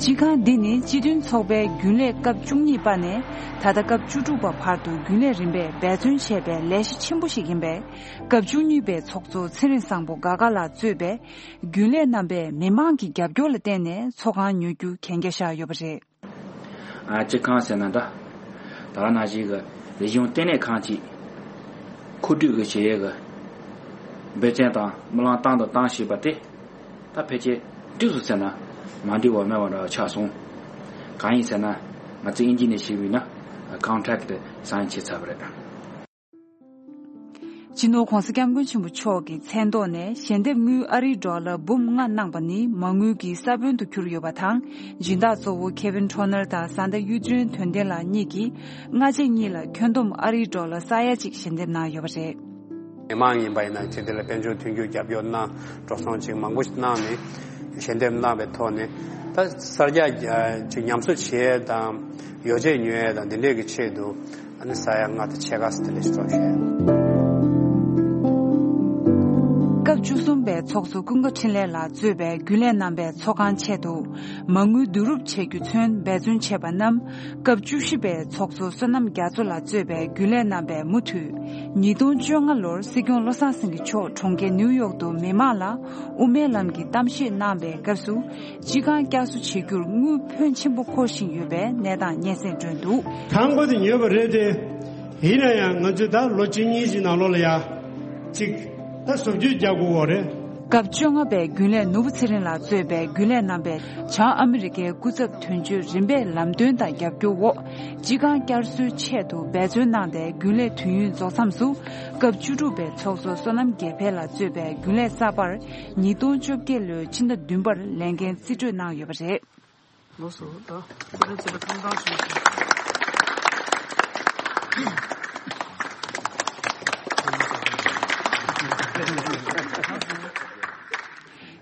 སྤྱི་ཁང་འདི་ནི་སྤྱི་མཐུན་ཚོགས་པའི་རྒྱུན་ལས་སྐབས་བཅུ་གཉིས་པ་ནས་ད་ལྟ་སྐབས་བཅུ་དྲུག་པ་བར་དུ་རྒྱུན་ལས་རིམ་པས་འབད་བརྩོན་བྱས་པའི་ལས་གཞི་ཆེན་པོ་ཞིག་ཡིན་པས། སྐབས་བཅུ་གཉིས་པའི་ཚོགས་གཙོ་ཚེ་རིང་བཟང་པོ་དགའ་དགའ་ལགས་གཙོས་པའི་རྒྱུན་ལས་རྣམ་པས་མི་མང་གི་རྒྱབ་སྐྱོར་ལ་བརྟེན་ནས་ཚོགས་ཁང་ཉོ་རྒྱུ་གན་རྒྱ་བཞག་ཡོད་པ་རེད། ཨ་སྤྱི་ཁང་ཟེར་ན་འདྲ། ད་ག་ནང་བཞིན་གྱི་རིག་གཞུང་ལྟེ་གནས་ཁང་ཅིག་མཁོ་སྤྲོད་ཀྱི་བྱེད་ཡས་ཀྱི་འབད་བརྩོན་དང་སྨོན་ལམ་བཏང་དང་བཏང་བཞིན་པ་དེ་ད་ཕལ་ཆེར་འགྲིག་སོང་ཟེར་ན་མ་འགྲིག་པ་མེད་པ་འདྲ་བ་ཆགས་སོང་། གང་ཡིན་ཟེར་ན་ང་ཚོ་ཨིན་ཇི་ནས་བཤད་པ་ཡིན་ན་ཀོན་ཊེག་ཊི་སའིན་བྱས་ཚར་བ་རེད། སྤྱི་ནོར་༧གོང་ས་༧སྐྱབས་མགོན་ཆེན་པོ་མཆོག་གི་མཚན་ཐོག་ནས་ཞལ་འདེབས་དངུལ་ཨ་རིའི་ཌོ་ལར་འབུམ་ལྔ་གནང་པ་ནི་མ་དངུལ་གྱི་ས་བོན་དུ་གྱུར་ཡོད་པ་དང་། སྦྱིན་བདག་གཙོ་བོ་ཁེ་ཝིན་ཁྲོ་ནར་དང་བཟའ་ཟླ་གཡུ་སྒྲོན་དོན་ལྡན་ལགས་གཉིས་ཀྱིས་སྔ་རྗེས་གཉིས་ལ་ཁྱོན་བསྡོམས་ཨ་རིའི་ཌོ་ལར་ས་ཡ་གཅིག་ཞལ་འདེབས་གནང་ཡོད་པ་རེད། མི་མང་ཡིན་པ་ཡིན་ན་ཅིག་དེ་ལ་དཔལ་འབྱོར་མཐུན་འགྱུར་རྒྱབ་སྐྱོར་གནང་འགྲོ་སོང་ཅིག་མང་པོ་ཞིག་གནང་ནས་ཞལ་འདེབས་གནང་བའི་ཐོག་ནས་ད་གསར་རྒྱག་ཅིག་ཉམས་གསོ་བྱེད་ཡས་དང་ཡོ་བྱད་ཉོ་ཡས་དང་འདི་འདྲས་ཀྱི་ཆེད་དུ། ཨ་ནི་ས་ཡ་ལྔ་དང་ཕྱེད་ཀ་ཙམ་དེ་ལས་ཤོར་བཞག་ཡོད། སྐབས་བཅུ་གསུམ་པའི་ཚོགས་གཙོ་ཀུན་དགའ་འཕྲིན་ལས་ལགས་གཙོས་པའི་རྒྱུན་ལས་རྣམ་པས་ཚོགས་ཁང་ཆེད་དུ་མ་དངུལ་བསྡུ་རུབ་བྱེད་རྒྱུ་ཚུན་འབད་བརྩོན་བྱས་པ་རྣམས། སྐབས་བཅུ་བཞི་པའི་ཚོགས་གཙོ་བསོད་ནམས་རྒྱ་མཚོ་ལགས་གཙོས་པའི་རྒྱུན་ལས་རྣམ་པས་མུ་མཐུད། ཉིས་སྟོང་བཅོ་ལྔ་ལོར་སྲིད་སྐྱོང་བློ་བཟང་སེང་གེ་མཆོག་གྲོང་ཁྱེར་ནིའུ་ཡོག་ཏུ་མི་མང་ལ་དབུ་མའི་ལམ་གྱི་གཏམ་བཤད་གནང་པའི་སྐབས་སུ། སྤྱི་ཁང་བསྐྱར་གསོ་བྱེད་རྒྱུར་དངུལ་ཕོན་ཆེན་པོ་མཁོ་བཞིན་ཡོད་པའི་གནས་སྟངས་སྙན་སེང་བསྒྲོན་འདུག། ཐང་པོ་དེ་ཉོས་པ་རེད་དེ། ཡིན་ན་ཡང་ང་ཚོས་ད་ལོ་གཅིག་གཉིས་ཀྱི་ནང་ལོགས་ལ་ཡ། གཅིག་ད་བཟོ་བཅོས་རྒྱག་དགོས་པ་རེད། སྐབས་བཅོ་ལྔ་པའི་རྒྱུན་ལས་ནོར་བུ་ཚེ་རིང་ལགས་གཙོས་པའི་རྒྱུན་ལས་རྣམ་པས་བྱང་ཨ་མི་རི་ཀའི་སྐུ་ཚབ་དོན་གཅོད་རིམ་པས་ལམ་སྟོན་དང་རྒྱབ་སྐྱོར་འོག་སྤྱི་ཁང་བསྐྱར་གསོའི་ཆེད་དུ་འབད་བརྩོན་གནང་སྟེ། རྒྱུན་ལས་དུས་ཡུན་རྫོགས་མཚམས་སུ། སྐབས་བཅུ་དྲུག་པའི་ཚོགས་གཙོ་བསོད་ནམས་རྒྱལ་འཕེལ་ལགས་གཙོས་པའི་རྒྱུན་ལས་གསར་པར་ཉིས་སྟོང་བཅོ་བརྒྱད་ལོའི་ཕྱི་ཟླ་བདུན་པར་ལས་འགན་རྩིས་སྤྲོད་གནང་ཡོད་པ་རེད། ལགས་སོ། ད་ཁོ་རང་ཚོ་ལ་ཐུགས་རྗེ་ཆེ།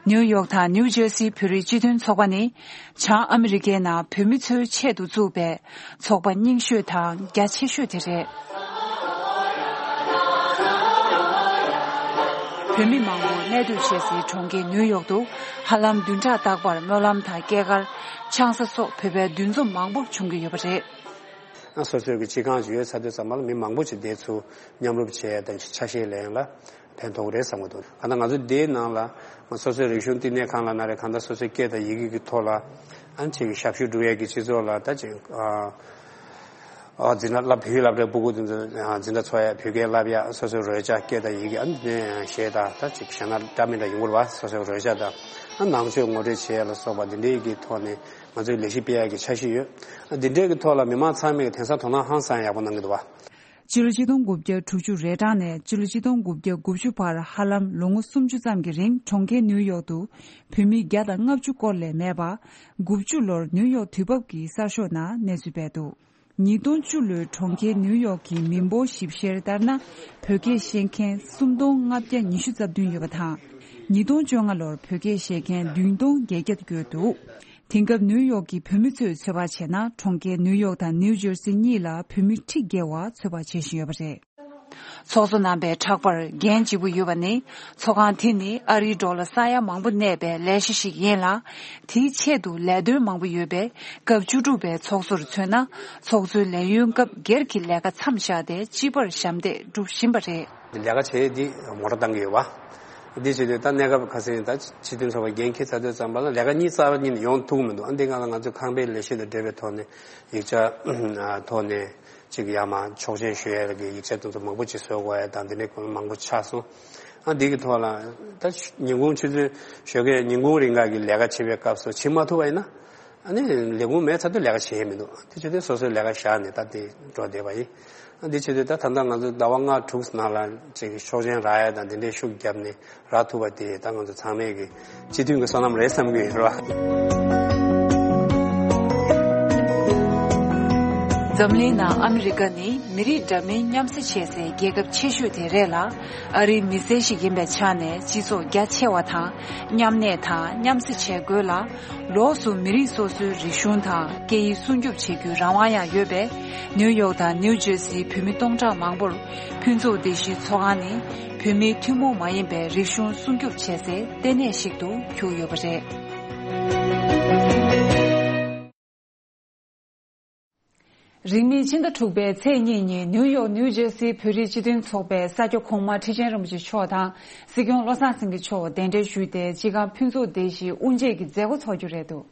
ནིའུ་ཡོག་དང་ནིའུ་ཇར་སིའི་བོད་རིགས་སྤྱི་མཐུན་ཚོགས་པ་ནི། བྱང་ཨ་མི་རི་ཀའི་ནང་བོད་མི་ཚོའི་ཆེད་དུ་བཙུགས་པའི་ཚོགས་པ་རྙིང་ཤོས་དང་རྒྱ་ཆེ་ཤོས་དེ་རེད། བོད་མི་མང་པོ་གནས་སྡོད་བྱེད་སའི་གྲོང་ཁྱེར་ནིའུ་ཡོག་ཏུ་ཧ་ལམ་བདུན་ཕྲག་རྟག་པར་སྨོན་ལམ་དང་སྐྱེས་སྐར། ཆང་ས་སོགས་བོད་པའི་འདུ་འཛོམས་མང་པོ་བྱུང་གི་ཡོད་པ་རེད། སོ་སོའི་གི་སྤྱི་ཁང་ཅིག་ཡོད་ཚར་དུས་ཙམ་པ་ལ་མི་མང་པོ་ཅིག་དེ་ཚོ་མཉམ་རུབ་བྱས་དང་ཆ་ཤས་ལེན་ལ་ཕན་ཐོགས་རེད་བསམ་གི་འདུག། གང་ལྟར་ང་ཚོ་དེའི་ནང་ལ་སོ་སོའི་རིག་གཞུང་བསྟི་གནས་ཁང་ལ་ན་རེ། གང་ལྟར་སོ་སོའི་སྐད་དང་ཡི་གེ་གི་ཐོག་ལ་ཨ་ནི་ཅིག་ཞབས་ཞུ་སྒྲུབ་ཡས་ཀྱི་སྤྱི་ཚོགས་ལ་ད་ཅིག་ཨ། ཨ། འཛིན་གྲྭ་བསླབ། བོད་ཡིག་སློབ་གྲྭའི་སྤུ་གུ་དེ་ཚོ་འཛིན་གྲྭ་ཚོགས་ཡ། བོད་སྐད་བསླབ་ཡ། སོ་སོའི་རོལ་ཆ་སྐད་དང་ཡི་གེ་ཨ་ནི་གཞས་དང་ད་ཅིག་བྱས་ན་འདྲ་མི་འདྲ་ཡོང་གི་རེད་བ། སོ་སོའི་རོལ་ཆ་དང་ཨ་ནང་ཆོས་ངོ་སྤྲོད་བྱེད་ཡ་ལ་སོགས་པ་འདི་འདྲའི་གི་ཐོག་ནས་ང་ཚོས་ལས་གཞི་སྤེལ་ཡ་གི་འཆར་གཞི་ཡོད། ཨ། འདི་འདྲའི་གི་ཐོག་ལ་མི་མང་ཚང་མས་གི་དེང་སང་དོ་སྣང་ཧང་སང་ཡག་པོ་གནང་གི་འདུག་བ། སྤྱི་ལོ་ཆིག་སྟོང་དགུ་བརྒྱ་དྲུག་ཅུ་རེ་གྲངས་ནས་སྤྱི་ལོ་ཆིག་སྟོང་དགུ་བརྒྱ་དགུ་བཅུ་བར་ཧ་ལམ་ལོ་ངོ་སུམ་ཅུ་ཙམ་གྱི་རིང་གྲོང་ཁྱེར་ནིའུ་ཡོག་ཏུ་བོད་མི་བརྒྱ་དང་ལྔ་བཅུ་སྐོར་ལས་མེད་པ། དགུ་བཅུ་ལོར་ནིའུ་ཡོག་དུས་བབ་ཀྱི་གསར་ཤོག་ནང་གནས་ཚུལ་སྤེལ་འདུག། ཉིས་སྟོང་བཅུ་ལོའི་གྲོང་ཁྱེར་ནིའུ་ཡོག་གི་མི་འབོར་ཞིབ་བཤེར་ལྟར་ན། བོད་སྐད་ཤེས་མཁན་སུམ་སྟོང་ལྔ་བརྒྱ་ཉི་ཤུ་རྩ་བདུན་ཡོད་པ་དང་། ཉིས་སྟོང་བཅོ་ལྔ་ལོར་བོད་སྐད་ཤེས་མཁན་བདུན་སྟོང་བརྒྱད་བརྒྱ་བརྒལ་འདུག། དེང་སྐབས་ནིའུ་ཡོག་གི་བོད་མི་ཚོས་ཚོད་དཔག་བྱས་ན། གྲོང་ཁྱེར་ནིའུ་ཡོག་དང་ནིའུ་ཇར་སི་གཉིས་ལ་བོད་མི་ཁྲི་བརྒལ་བ་ཚོད་དཔག་བྱེད་བཞིན་ཡོད་པ་རེད། ཚོགས་གཙོ་རྣམ་པའི་ཕྲག་པར་འགན་ལྗིད་པོ་ཡོད་པ་ནི། ཚོགས་ཁང་དེ་ནི་ཨ་རིའི་འགྲོ་ལ་ས་ཡ་མང་པོ་གནས་པའི་ལས་གཞི་ཞིག་ཡིན་ལ། དེའི་ཆེད་དུ་ལས་དོན་མང་པོ་ཡོད་པས། སྐབས་བཅུ་དྲུག་པའི་ཚོགས་གཙོར་མཚོན་ན། ཚོགས་གཙོའི་ལས་ཡུན་སྐབས་སྒེར་གྱི་ལས་ཀ་མཚམས་བཞག་སྟེ། སྤྱི་པར་ཞབས་འདེགས་སྒྲུབ་བཞིན་པ་རེད། ལས་ཀ་བྱེད་ཡས་འདི་མོ་ཊ་བཏང་གི་ཡོད་པ། འདི་བྱེད་དུས་ད་གནས་སྐབས་ཁ་སང་ད་སྤྱི་མཐུན་ཚོགས་པའི་འགན་འཁྱེར་ཚར་དུས་ཙམ་པ་ལ་ལས་ཀ་གཉིས་རྩ་བ་ཉིད་ནས་ཡོང་ཐུབ་ཀྱི་མི་འདུག། ཨ། འདི་སྒང་ལ་ང་ཚོས་ཁང་པའི་ལས་གཞི་དང་འབྲེལ་བའི་ཐོག་ནས་ཡིག་ཆ་ཐོག་ནས་ཅིག་ཡར་མར་ཆོག་མཆན་ཞུ་ཡས་ཀྱི་ཡིག་ཆ་དེ་ཚོ་མང་པོ་ཅིག་བཟོ་དགོས་ཡས་དང་འདི་འདྲའི་སྐོར་མང་པོ་ཆགས་སོང་། ཨ། འདི་གི་ཐོག་ལ་ད་ཉིན་གུང་ཆུ་ཚོད་ཞོགས་ཀས་ཉིན་གུང་རིང་ག་གི་ལས་ཀ་བྱེད་པའི་སྐབས་སུ་བྱེད་མ་ཐུབ་པ་ཡིན་ན། ཨ་ནི་ལས་ཁུངས་མེད་ཚར་དུས་ལས་ཀ་བྱེད་ཡས་མི་འདུག། དེ་བྱེད་དུས་སོ་སོའི་ལས་ཀ་བཞག་ནས་ད་དེ་འགྲོ་བསྡད་པ་ཡིན། ཨ། འདི་བྱེད་དུས་ད་ད་ལྟ་ང་ཚོ་ཟླ་བ་ལྔ་དྲུག་ནང་ལ་ཅིག་ཆོག་མཆན་རག་ཡ་དང་འདི་འདྲའི་ཤུགས་བརྒྱབ་ནས་རག་ཐུབ་པ་དེ་ད་ང་ཚོ་ཚང་མས་ཀྱི་སྤྱི་མཐུན་གྱི་བསོད་ནམས་རེད་བསམ་གྱི་ཡོད་རེད་བ། འཛམ་གླིང་ནང་ཨ་མི་རི་ཀ་ནི་མི་རིགས་འདྲ་མིན་མཉམ་བསྲེས་བྱེད་སའི་རྒྱལ་ཁབ་ཆེ་ཤོས་དེ་རེད་ལ། ཨ་རིའི་མི་སེར་ཞིག་ཡིན་པའི་ཆ་ནས་སྤྱི་ཚོགས་རྒྱ་ཆེ་བ་དང་མཉམ་གནས་དང་མཉམ་བསྲེས་བྱེད་དགོས་ལ། ལོགས་སུ་མི་རིགས་སོ་སོའི་རིག་གཞུང་དང་སྐད་ཡིག་སྲུང་སྐྱོབ་བྱེད་རྒྱུའི་རང་དབང་ཡང་ཡོད་པས། ནིའུ་ཡོག་དང་ནིའུ་ཇར་སིའི་བོད་མི་སྟོང་ཕྲག་མང་པོར་ཕུན་ཚོགས་སྡེ་བཞིའི་ཚོགས་ཁང་ནི་བོད་མིའི་ཐུན་མོང་མ་ཡིན་པའི་རིག་གཞུང་སྲུང་སྐྱོབ་བྱེད་སའི་ལྟེ་གནས་ཤིག་ཏུ་གྱུར་ཡོད་པ་རེད། རིང་མིན་ཕྱི་ཟླ་དྲུག་པའི་ཚེས་གཉིས་ཉིན་ནིའུ་ཡོག་ནིའུ་ཇར་སིའི་བོད་རིགས་སྤྱི་མཐུན་ཚོགས་པའི་ས་སྐྱ་གོང་མ་ཁྲི་ཆེན་རིན་པོ་ཆེ་མཆོག་དང་སྲིད་སྐྱོང་བློ་བཟང་སེང་གེ་མཆོག་གདན་འདྲེན་ཞུས་ཏེ། སྤྱི་ཁང་ཕུན་ཚོགས་སྡེ་བཞིའི་དབུ་འབྱེད་ཀྱི་མཛད་སྒོ་འཚོགས་རྒྱུ་རེད་འདུག།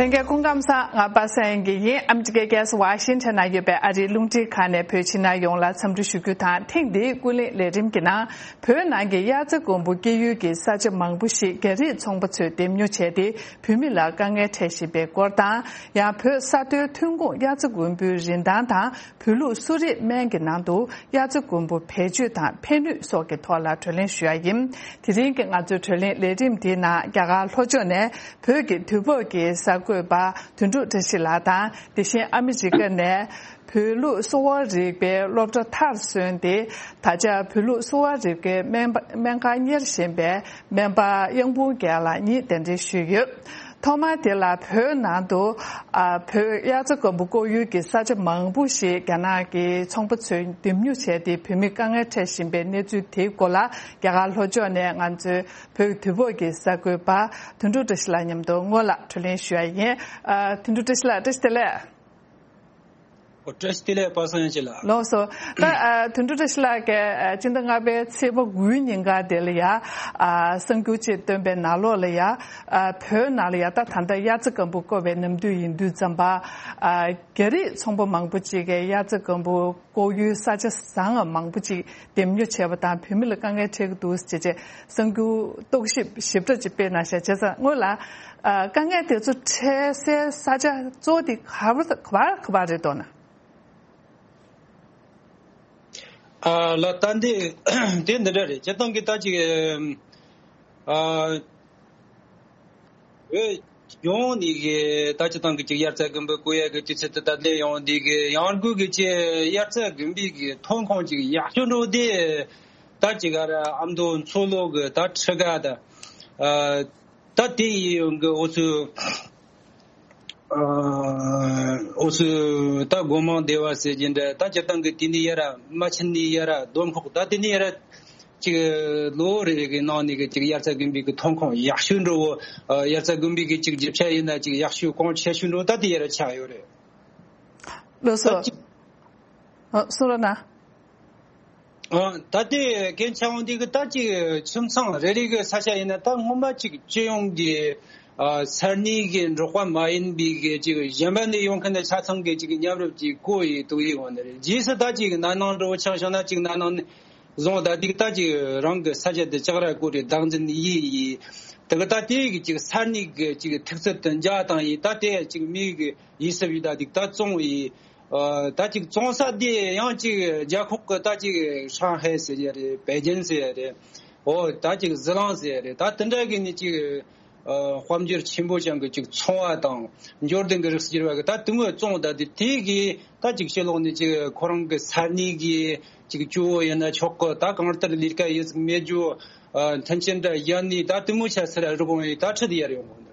ལྷན་རྒྱས་སྐུ་ཁམས་བཟང་། ང་པ་སངས་དབྱངས་སྐྱིད་ཡིན། ཨ་མི་རི་ཀའི་རྒྱལ་ས་ཝ་ཤིང་ཊོན་ན་ཡོད་པའི་ཨ་རིའི་རླུང་འཕྲིན་ཁང་ནས་བོད་ཕྱི་ནང་ཡོངས་ལ་འཚམས་འདྲི་ཞུ་རྒྱུ་དང་། ཐེངས་འདིའི་ཀུན་གླེང་ལས་རིམ་གྱི་ནང་བོད་ནང་གི་དབྱར་རྩྭ་དགུན་འབུ་སྐྱེ་ཡུལ་གྱི་ས་ཆ་མང་པོ་ཞིག་རྒྱ་རིགས་ཚོང་པ་ཚོས་འདེམས་ཉོ་བྱས་ཏེ་བོད་མི་ལ་དཀའ་ངལ་འཕྲད་བཞིན་པའི་སྐོར་དང་། ཡང་བོད་ས་མཐོའི་ཐོན་ཁུངས་དབྱར་རྩྭ་དགུན་འབུའི་རིན་ཐང་དང་། བོད་ལུགས་གསོ་རིག་སྨན་གྱི་ནང་དུ་དབྱར་རྩྭ་དགུན་འབུ་བེད་སྤྱོད་དང་ཕན་ནུས་སོགས་ཀྱི་ཐོག་ལ་བགྲོ་གླེང་ཞུ་ཡ་ཡིན། དེ་རིང་གི་ང་ཚོའི་བགྲོ་གླེང་ལས་རིམ་འདིའི་ནང་རྒྱ་གར་ལྷོ་ཕྱོགས་ནས་བོད་ཀྱི་དུས་བབ་ཀྱི་གསར་འགོད་པ་དོན་གྲུབ་བཀྲ་ཤིས་ལགས་དང་། དེ་བཞིན་ཨ་མི་རི་ཀ་ནས་བོད་ལུགས་གསོ་བ་རིག་པའི་སློབ་གྲྭ་མཐར་སོན་ཏེ། ད་ཆ་བོད་ལུགས་གསོ་བ་རིག་པའི་སྨན་པ་སྨན་ཁང་གཉེར་བཞིན་པའི་སྨན་པ་གཡང་འབུམ་རྒྱལ་ལགས་གཉིས་གདན་འདྲེན་ཞུས་ཡོད། ཐོག་མར་དེ་ལ་བོད་ནང་དུ་ཨ་བོད་དབྱར་རྩྭ་དགུན་འབུ་བརྐོ་ཡུལ་གྱི་ས་ཆ་མང་པོ་ཞིག་རྒྱ་ནག་གི་ཚོང་པ་ཚོས་འདེམས་ཉོ་བྱས་ཏེ་བོད་མི་དཀའ་ངལ་འཕྲད་བཞིན་པའི་གནས་ཚུལ་དེའི་སྐོར་ལ་རྒྱ་གར་ལྷོ་ཕྱོགས་ནས་ང་ཚོའི་བོད་དུས་བབ་ཀྱི་གསར་འགོད་པ་དོན་གྲུབ་བཀྲ་ཤིས་ལགས་མཉམ་དུ་སྔོན་ལ་བགྲོ་གླེང་ཞུ་ཡ་ཡིན། ཨ་དོན་གྲུབ་བཀྲ་ཤིས་ལགས་བཀྲ་ཤིས་བདེ་ལེགས། ཨོ་བཀྲ་ཤིས་བདེ་ལེགས་པ་སངས་དབྱངས་སྐྱིད་ལགས། ལགས་སོ། ད་ཨ་དོན་གྲུབ་བཀྲ་ཤིས་ལགས་ཀྱིས་ཨ་སྤྱི་ཟླ་ལྔ་པའི་ཚེས་པ་དགུའི་ཉིན་ཀ་དེ་ལ་ཡ་ཨ་གསར་འགྱུར་ཅིག་བཏོན་པའི་ནང་ལོགས་ལ་ཡ་ཨ་བོད་ནང་ལ་ཡ་ད་ད་ལྟ་དབྱར་རྩྭ་དགུན་འབུ་བརྐོ་བའི་ནམ་དུས་ཡིན་དུས་ཙམ་པ་ཨ་རྒྱ་རིགས་ཚོང་པ་མང་པོ་ཅིག་གིས་དབྱར་རྩྭ་དགུན་འབུ་བརྐོ་ཡུལ་ས་ཆ་བཟང་ང་མང་པོ་ཅིག་འདེམས་ཉོ་བྱས་པ་དང་བོད་མི་ལ་དཀའ་ངལ་འཕྲད་ཀྱི་འདུག་ཅེས་བྱས་གསར་འགྱུར་རྟོག་ཞིབ་ཞིབ་ཕྲ་ཅིག་སྤེལ་གནང་ཤག་བྱས་ཙང་སྔོན་ལ་ཨ་དཀའ་ངལ་དེ་ཚོ་འཕྲད་སའི་ས་ཆ་གཙོ་བོ་དེ་ག་བ་ག་བ་ག་བ་རེད་འདུག་ན། ཨ་ལ་ད་འདི་དེ་འདི་འདྲ་རེད། སྤྱིར་བཏང་གི་ད་ཅིག་ཨ་བོད་ཡོངས་ནས་གི་ད་སྤྱིར་བཏང་གི་ཅིག་དབྱར་རྩྭ་དགུན་འབུ་བརྐོ་ཡ་གི་དུས་ཚོད་དེ་ད་ལྟ་ཡོང་འདི་གི་ཡང་སྒོས་གི་ཅིག་དབྱར་རྩྭ་དགུན་འབུའི་གི་ཐོན་ཁུངས་ཅིག་ཡག་ཤོས་འགྲོ་དེ་ད་ཅིག་ག་ར་ཨ་མདོ་མཚོ་ལྷོ་གི་ད་ཁྲི་ཀ་ད་ཨ་ད་དེ་ཡི་ཡོང་གི་འོ་ཚོད། ཨ་འོ་སུ་ད་སྒོ་མང་སྡེ་བ་ཟེར་གྱི་འདྲ། ད་སྤྱིར་བཏང་གི་དེ་ནས་ཡར་རྨ་ཆེན་ནས་ཡར་ལྡོམ་ཁོག་ད་དེ་ནས་ཡར་ཅིག་ལོ་རེ་རེ་གི་ནང་ནས་གི་ཅིག་དབྱར་རྩྭ་དགུན་འབུའི་གི་ཐོན་ཁུངས་ཡག་ཤོས་འགྲོ་བོ། ཨ་དབྱར་རྩྭ་དགུན་འབུའི་གི་ཅིག་རྒྱུ་ཆ་ཡིན་ན་ཅིག་ཡག་ཤོས་གོང་ཆེ་ཤོས་འགྲོ་ད་དེ་ཡར་ཆགས་ཡོད་རེད། ལགས་སོ། ད་ཅིག་ཨ་གསུང་རོགས་གནང་། ཨ་ད་ལྟའི་གན་ཆ་འོང་དེ་གི་ད་ཅིག་ཁྱིམ་ཚང་རེ་རེ་གི་ས་ཆ་ཡིན་ན་ད་སྔོན་མ་ཅིག་སྤྱི་ཡོངས་ཀྱི་ཨ་ས་གནས་ཀྱི་འབྲོག་པ་མ་ཡིན་པའི་གི་ཅིག་གཞན་པ་ནས་ཡོང་མཁན་ནི་ཆ་ཚང་གི་ཅིག་མཉམ་རུབ་ཀྱི་བརྐོ་ཡི་དུག་ཡི་འོང་ནི་རེད། རྗེས་སུ་ད་ཅིག་ན་ནིང་འགྲོ་ཆགས་བྱུང་ན་ཅིག་ན་ནིང་ནི་བཟུང་ད་དེ་གི་ད་ཅིག་རང་གི་ས་ཆ་དེ་ལྕགས་ར་བརྐོ་རེ་བདག་འཛིན་ཡི་ཡི་དེ་གི་ད་དེ་གི་ཅིག་ས་གནས་གི་ཅིག་ཐུག་ཚད་དུ་འཇག་བཏང་ཡི། ད་དེ་ཅིག་མི་གི་ཡིད་སྲིབ་ཡི་ད་དེ་གི་ད་བཙོང་ཡི། ཨ་ད་ཅིག་བཙོང་ས་དེ་ཡང་ཅིག་རྒྱ་ཁོག་གི་ད་ཅིག་ཧྲང་ཧའེ་ཟེར་ཡ་རེད། པེ་ཅིན་ཟེར་ཡ་རེད། འོ་ད་ཅིག་ཟི་ལིང་ཟེར་ཡ་རེད། ད་དེ་འདྲ་གི་ནི་ཅིག་ཨ་དཔལ་འབྱོར་ཆེན་པོ་ཅན་གི་ཅིག་ཚོང་བ་དང་འབྱོར་ལྡན་གི་རིགས་སུ་གྱུར་བ་གི་ད་དེ་མོ་བཙོང་ད་དེ་དེ་གི་ད་ཅིག་ཕྱི་ལོགས་ནས་ཅིག་ཁོ་རང་གི་ས་གནས་གི་ཅིག་གཙོ་བོ་ཡིན་ན་ཆོག་གི། ད་གང་ལྟར་ལས་ཀ་ཡིན་ཟིག་མེད་རྒྱུ་ཨ་མཐུན་རྐྱེན་འདྲ་ཡ་ནི་ད་དེ་མོ་ཆ་སེར་རུ་གོང་ཡི་ད་ཁྲི་དེ་ཡར་ཡོང་གོ་འདུག་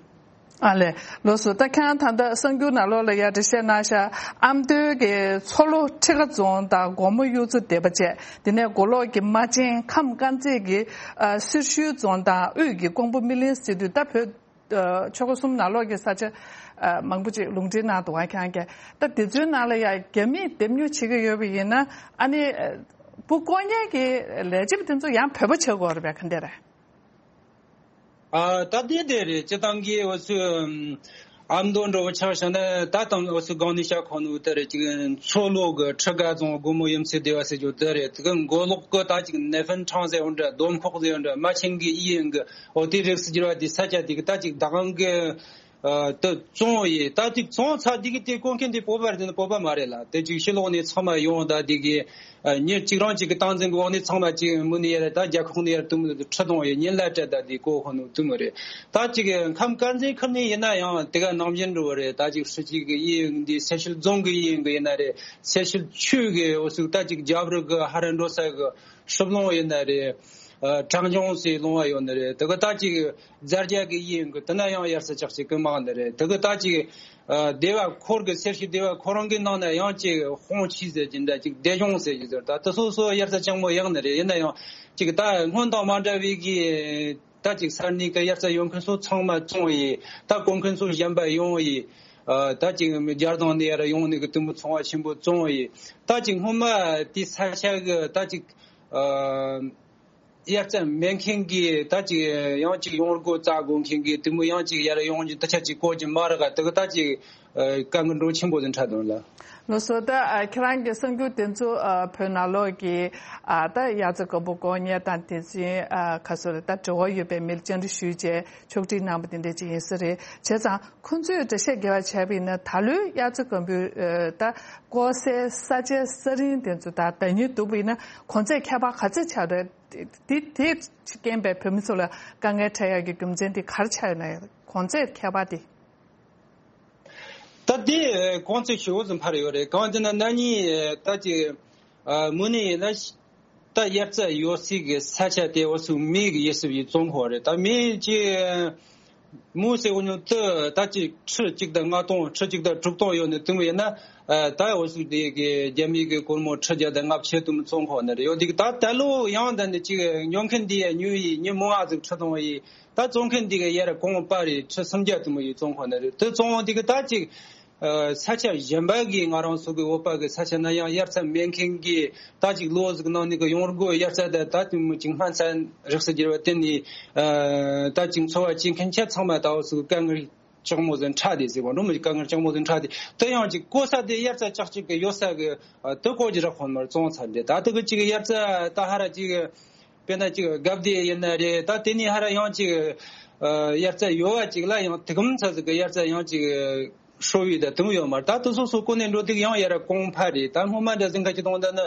ཨ་ལས། ལགས་སོ། ད་ཁྱེད་རང་ད་ལྟ་གསར་འགྱུར་ནང་ལོགས་ལ་ཡ་འགྲེལ་བཤད་གནང་ཤག་ཨ་མདོའི་གི་མཚོ་ལྷོ་ཁྲི་ཀ་རྫོང་དང་སྒོ་མོ་གཡུ་མཚོ་སྡེ་པ་བཅས། དེ་ནས་མགོ་ལོག་གི་རྨ་ཆེན་ཁམས་དཀར་མཛེས་ཀྱི་ཨ་སེར་ཤུལ་རྫོང་དང་དབུས་ཀྱི་ཀོང་པོ་སྨིན་གླིང་ཟེར་དུས་ད་བོད་ཨ་ཆོལ་ཁ་གསུམ་ནང་ལོགས་ཀྱི་ས་ཆ་ཨ་མང་པོ་ཅིག་ལུང་འདྲེན་གནང་འདུག་ག་ཁྱེད་རང་གིས། ད་དེ་ཚོའི་ནང་ལ་ཡ་རྒྱ་མིས་འདེམས་ཉོ་བྱེད་ཀྱི་ཡོད་པ་ཡིན་ན་ཨ་ནི་ཨ་འབུ་བརྐོ་མཁན་གྱི་ལས་བྱེད་པ་དེ་ཚོ་ཡང་བོད་པ་ཆགས་ཀྱི་ཡོད་རེད་པས། ག་འདྲ་རེད། ཨ་ད་དེ་དེ་རེད། སྤྱིར་བཏང་གི་འུ་ཚོའི་ཨ་མདོ་འགྲོ་བ་ཆ་བཞག་ན་ད་དང་འུ་ཚོའི་སྒང་ནས་བཤད་ཁོ་ནོ་དེ་རེད། ཅིག་མཚོ་ལྷོ་གི་ཁྲི་ཀ་རྫོང་སྒོ་མོ་གཡུ་མཚོ་སྡེ་བ་ཟེར་རྒྱུ་དེ་རེད། དེ་གི་མགོ་ལོག་གི་ད་ཅིག་ནེ་ཧྥིན་ཁྲང་ཟེར་འོ་འདྲ་སྡོམ་ཁོག་ཟེར་འོ་འདྲ་རྨ་ཆེན་གི་ཨི་ཡིན་གི་འོ་དེ་རིགས་སུ་གྱུར་བ་དེ་ས་ཆ་དེ་གི་ད་ཅིག་ད་གང་གི་ཨ་དེ་བཙོང་ཡི། ད་དེ་བཙོང་ཚར་དེ་གི་དེ་བརྐོ་མཁན་དེ་བོད་པ་རེད་དེ་ནི་བོད་པ་མ་རེད་ལ། དེ་ཅིག་ཕྱི་ལོགས་ནས་ཚང་མ་ཡོང་ད་དེ་གི་ཨ་མྱི་གཅིག་རང་གཅིག་གི་སྟངས་འཛིན་གི་འོག་ནས་ཚང་མ་གཅིག་མུ་ནས་ཡར་ད་རྒྱ་ཁོག་ནས་ཡར་དུམ་ཁྲི་གཏོང་ཡི་ཉིན་ལ་སྤྲད་ད་དེ་བརྐོ་ཁོ་ནོ་དུམ་རེད། ད་ཅིག་ཁམས་དཀར་མཛེས་ཁུལ་ནས་ཡིན་ན་ཡང་དེ་ག་ནང་བཞིན་འགྲོ་བ་རེད། ད་ཅིག་ཧྲི་ཅིག་གི་ཡིན་འདི་སེར་ཤུལ་རྫོང་གི་ཡིན་གི་ཡིན་ན་རེད། སེར་ཤུལ་ཆུས་གི་འོ་ཟུག་ད་ཅིག་རྒྱབ་རི་གི་ཧ་ར་འགྲོ་ས་གི་ཧྲིབ་ལུང་ཡིན་ན་རེད། ཨ་བྲག་ལྗོངས་སའི་ལུང་བ་ཡོད་ནི་རེད། དེ་གི་ད་ཅིག་རྫ་རྒྱ་གི་ཡིན་གི་དེ་ན་ཡང་དབྱར་རྩྭ་ཅག་ཅིག་གི་མང་ནི་རེད། དེ་གི་ད་ཅིག་ཨ་སྡེ་བ་ཁོར་གི་སེར་ཤུལ་སྡེ་བ་ཁོ་རང་གི་ནང་ན་ཡང་ཅིག་ཧོང་ཆི་ཟེར་གྱི་འདྲ་ཅིག་སྡེ་གཞུང་ཟེར་གྱི་ཟེར་ད་དེ་སོ་སོ་དབྱར་རྩྭ་ཅང་མོ་ཡག་ནི་རེད། ཡིན་ན་ཡང་ཅིག་ད་སྔོན་དང་མ་འདྲ་བའི་གི་ད་ཅིག་ས་གནས་གི་དབྱར་རྩྭ་ཡོང་མཁན་ཚོ་ཚང་མ་བཙོང་ཡི། ད་བརྐོ་མཁན་ཚོ་གཞན་པ་ཡོང་ཡི། ཨ་ད་ཅིག་རྒྱ་རྫོང་ནས་ཡར་ཡོང་ནི་གི་དུམ་བུ་ཚོང་བ་ཆེན་པོ་བཙོང་ཡི། ད་ཅིག་སྔོན་མ་དེ་ས་ཆ་གི་ད་ཅིག་ཨ། དབྱར་རྩྭ་མེད་མཁན་གྱི་ད་ཅིག་ཡང་ཅིག་ཡོང་སྒོ་བཙལ་དགོས་མཁན་གྱི་དེ་མོ་ཡང་ཅིག་ཡར་ཡོང་རྒྱུ་ད་ཆ་ཅིག་གོ་རྒྱུ་མ་རག་ག་དེ་གི་ད་ཅིག་དཀའ་ངལ་འགྲོ་ཆེན་པོ་ཟིག་འཕྲད་དོན་ལ། ལགས་སོ། ད་ཨ་ཁྱེད་རང་གི་གསར་འགྱུར་དེ་ཚོ་ཨ་བོད་ནང་ལོགས་ཀྱི་ཨ་ད་དབྱར་རྩྭ་དགུན་འབུ་བརྐོ་མཁན་དང་དེ་བཞིན་ཨ་ག་སོ་རེད། ད་འབྲེལ་བ་ཡོད་པའི་མིར་བཅར་འདྲི་ཞུས་རྗེས་ཕྱོགས་སྒྲིག་གནང་བ་དེ་འདྲ་ཅིག་ཡིན་ས་རེད། བྱས་ཙང་ཁོང་ཚོས་འགྲེལ་བཤད་རྒྱས་པ་བྱས་པ་ཡིན་ན། ད་ལོའི་དབྱར་རྩྭ་དགུན་འབུ་ཨ་ད་བརྐོ་སའི་ས་ཆའི་ས་རིན་དེ་ཚོ་དང་ཟླ་ཉིན་བསྡུར་བ་ཡིན་ན་གོང་ཚད་ཁྱད་པར་ག་ཚོད་ཆགས་རེད། དེ་དེ་རྐྱེན་པས་བོད་མི་ཚོ་ལ་དཀའ་ངལ་འཕྲད་ཡག་གི་རྒྱུ་མཚན་དེ་ག་རེ་ཆགས་ཡོད་ན། གོང་ཚད་ཁྱད་པར་དེ། ད་དེ་གོང་ཚད་ཞེ་པོ་ཙམ་འཕར་ཡོད་རེད། གང་ཡིན་ཟེར་ན་ན་ནིང་ད་ཅིག་ཨ་མུ་ནི་ཡིན་ན་ད་དབྱར་རྩྭ་ཡོད་སའི་གི་ས་ཆ་དེ་འུ་ཚོ་མེ་གིས་ཡི་སུབ་ཡི་བཙོང་ཁོ་རེད། ད་མེ་ཅིག་མུ་ཟེར་གོ་ཉོ་དུ་ད་ཅིག་ཁྲི་གཅིག་དང་ལྔ་སྟོང་ཁྲི་གཅིག་དང་དྲུག་སྟོང་ཡོད་ནི་དུ་མོ་ཡིན་ན། ཨ་ད་འུ་ཚོ་དེ་གི་རྒྱ་མི་གི་སྒོར་མོ་ཁྲི་བརྒྱ་དང་ལྔ་བཅུ་དུ་མོ་བཙོང་ཁོ་ནི་རེད། ཡོད་དེ་གི་ད་ད་ལོ་ཡང་ད་ནི་ཅིག་ཉོ་མཁན་དེ་ཡ་ཉོ་ཡི་ཉི་མོ་ང་ཟིག་ཁྲི་སྟོང་ཡི། ད་བཙོང་མཁན་འདི་ག་ཡར་གོང་པ་རེད། ཁྲི་སུམ་བརྒྱ་དུ་མོ་ཡི་བཙོང་ཁོ་ན་རེད། དེ་བཙོང་འདི་ག་ད་ཅིག་ཨ་ས་ཆ་གཞན་པ་གི་ང་རང་ཚོ་གི་བོད་པ་གི་ས་ཆ་ན་ཡང་དབྱར་རྩྭ་མེད་མཁན་གི་ད་ཅིག་ལོ་ཟིག་ནང་ནས་གི་ཡོང་སྒོ་དབྱར་རྩྭ་ད་ད་དུ་མོ་ཅིག་སྨན་རྩྭ་རིགས་སུ་གྱུར་པ་བརྟེན་ནས་ཨ་ད་ཅིག་འཚོ་བ་སྐྱེལ་མཁན་ཆ་ཚང་མ་ད་འུ་ཚོ་གི་དཀའ་ངལ་ལྕགས་མོ་ཟིན་ཁྲ་དེ་ཟེར་བ་འགྲོ་མོ་ཅིག་དཀའ་ངལ་ལྕགས་མོ་ཟིན་ཁྲ་དེ་དེ་ཡང་ཅིག་བརྐོ་ས་དེ་དབྱར་རྩྭ་ལྕགས་ཅིག་གི་ཡོད་ས་གི་ཨ་དེ་བརྐོ་རྒྱུ་རག་ཁོ་མར་བཙོང་ཚར་དེ་ད་དེ་གི་ཅིག་དབྱར་རྩྭ་ད་ཧ་ར་ཅིག་དཔེར་ན་ཅིག་རྒབ་དེ་ཡིན་ན་རེད། ད་དེ་ནས་ཧ་ར་ཡང་ཅིག་ཨ་དབྱར་རྩྭ་ཡོད་བ་ཅིག་ལ་ཡང་དེ་གམ་ཚ་ཟིག་གི་དབྱར་རྩྭ་ཡང་ཅིག་ཧྲོ་བའི་ད་དུམ་ཡོད་མ་རེད། ད་དེ་སོ་སོ་ཀོ་ནས་འགྲོ་དུས་ཡང་ཡར་གོང་འཕར་རེད། ད་སྔོན་མ་འདྲ་ཟིན་ཁ་ཅིག་གཏོང་ད་ནི་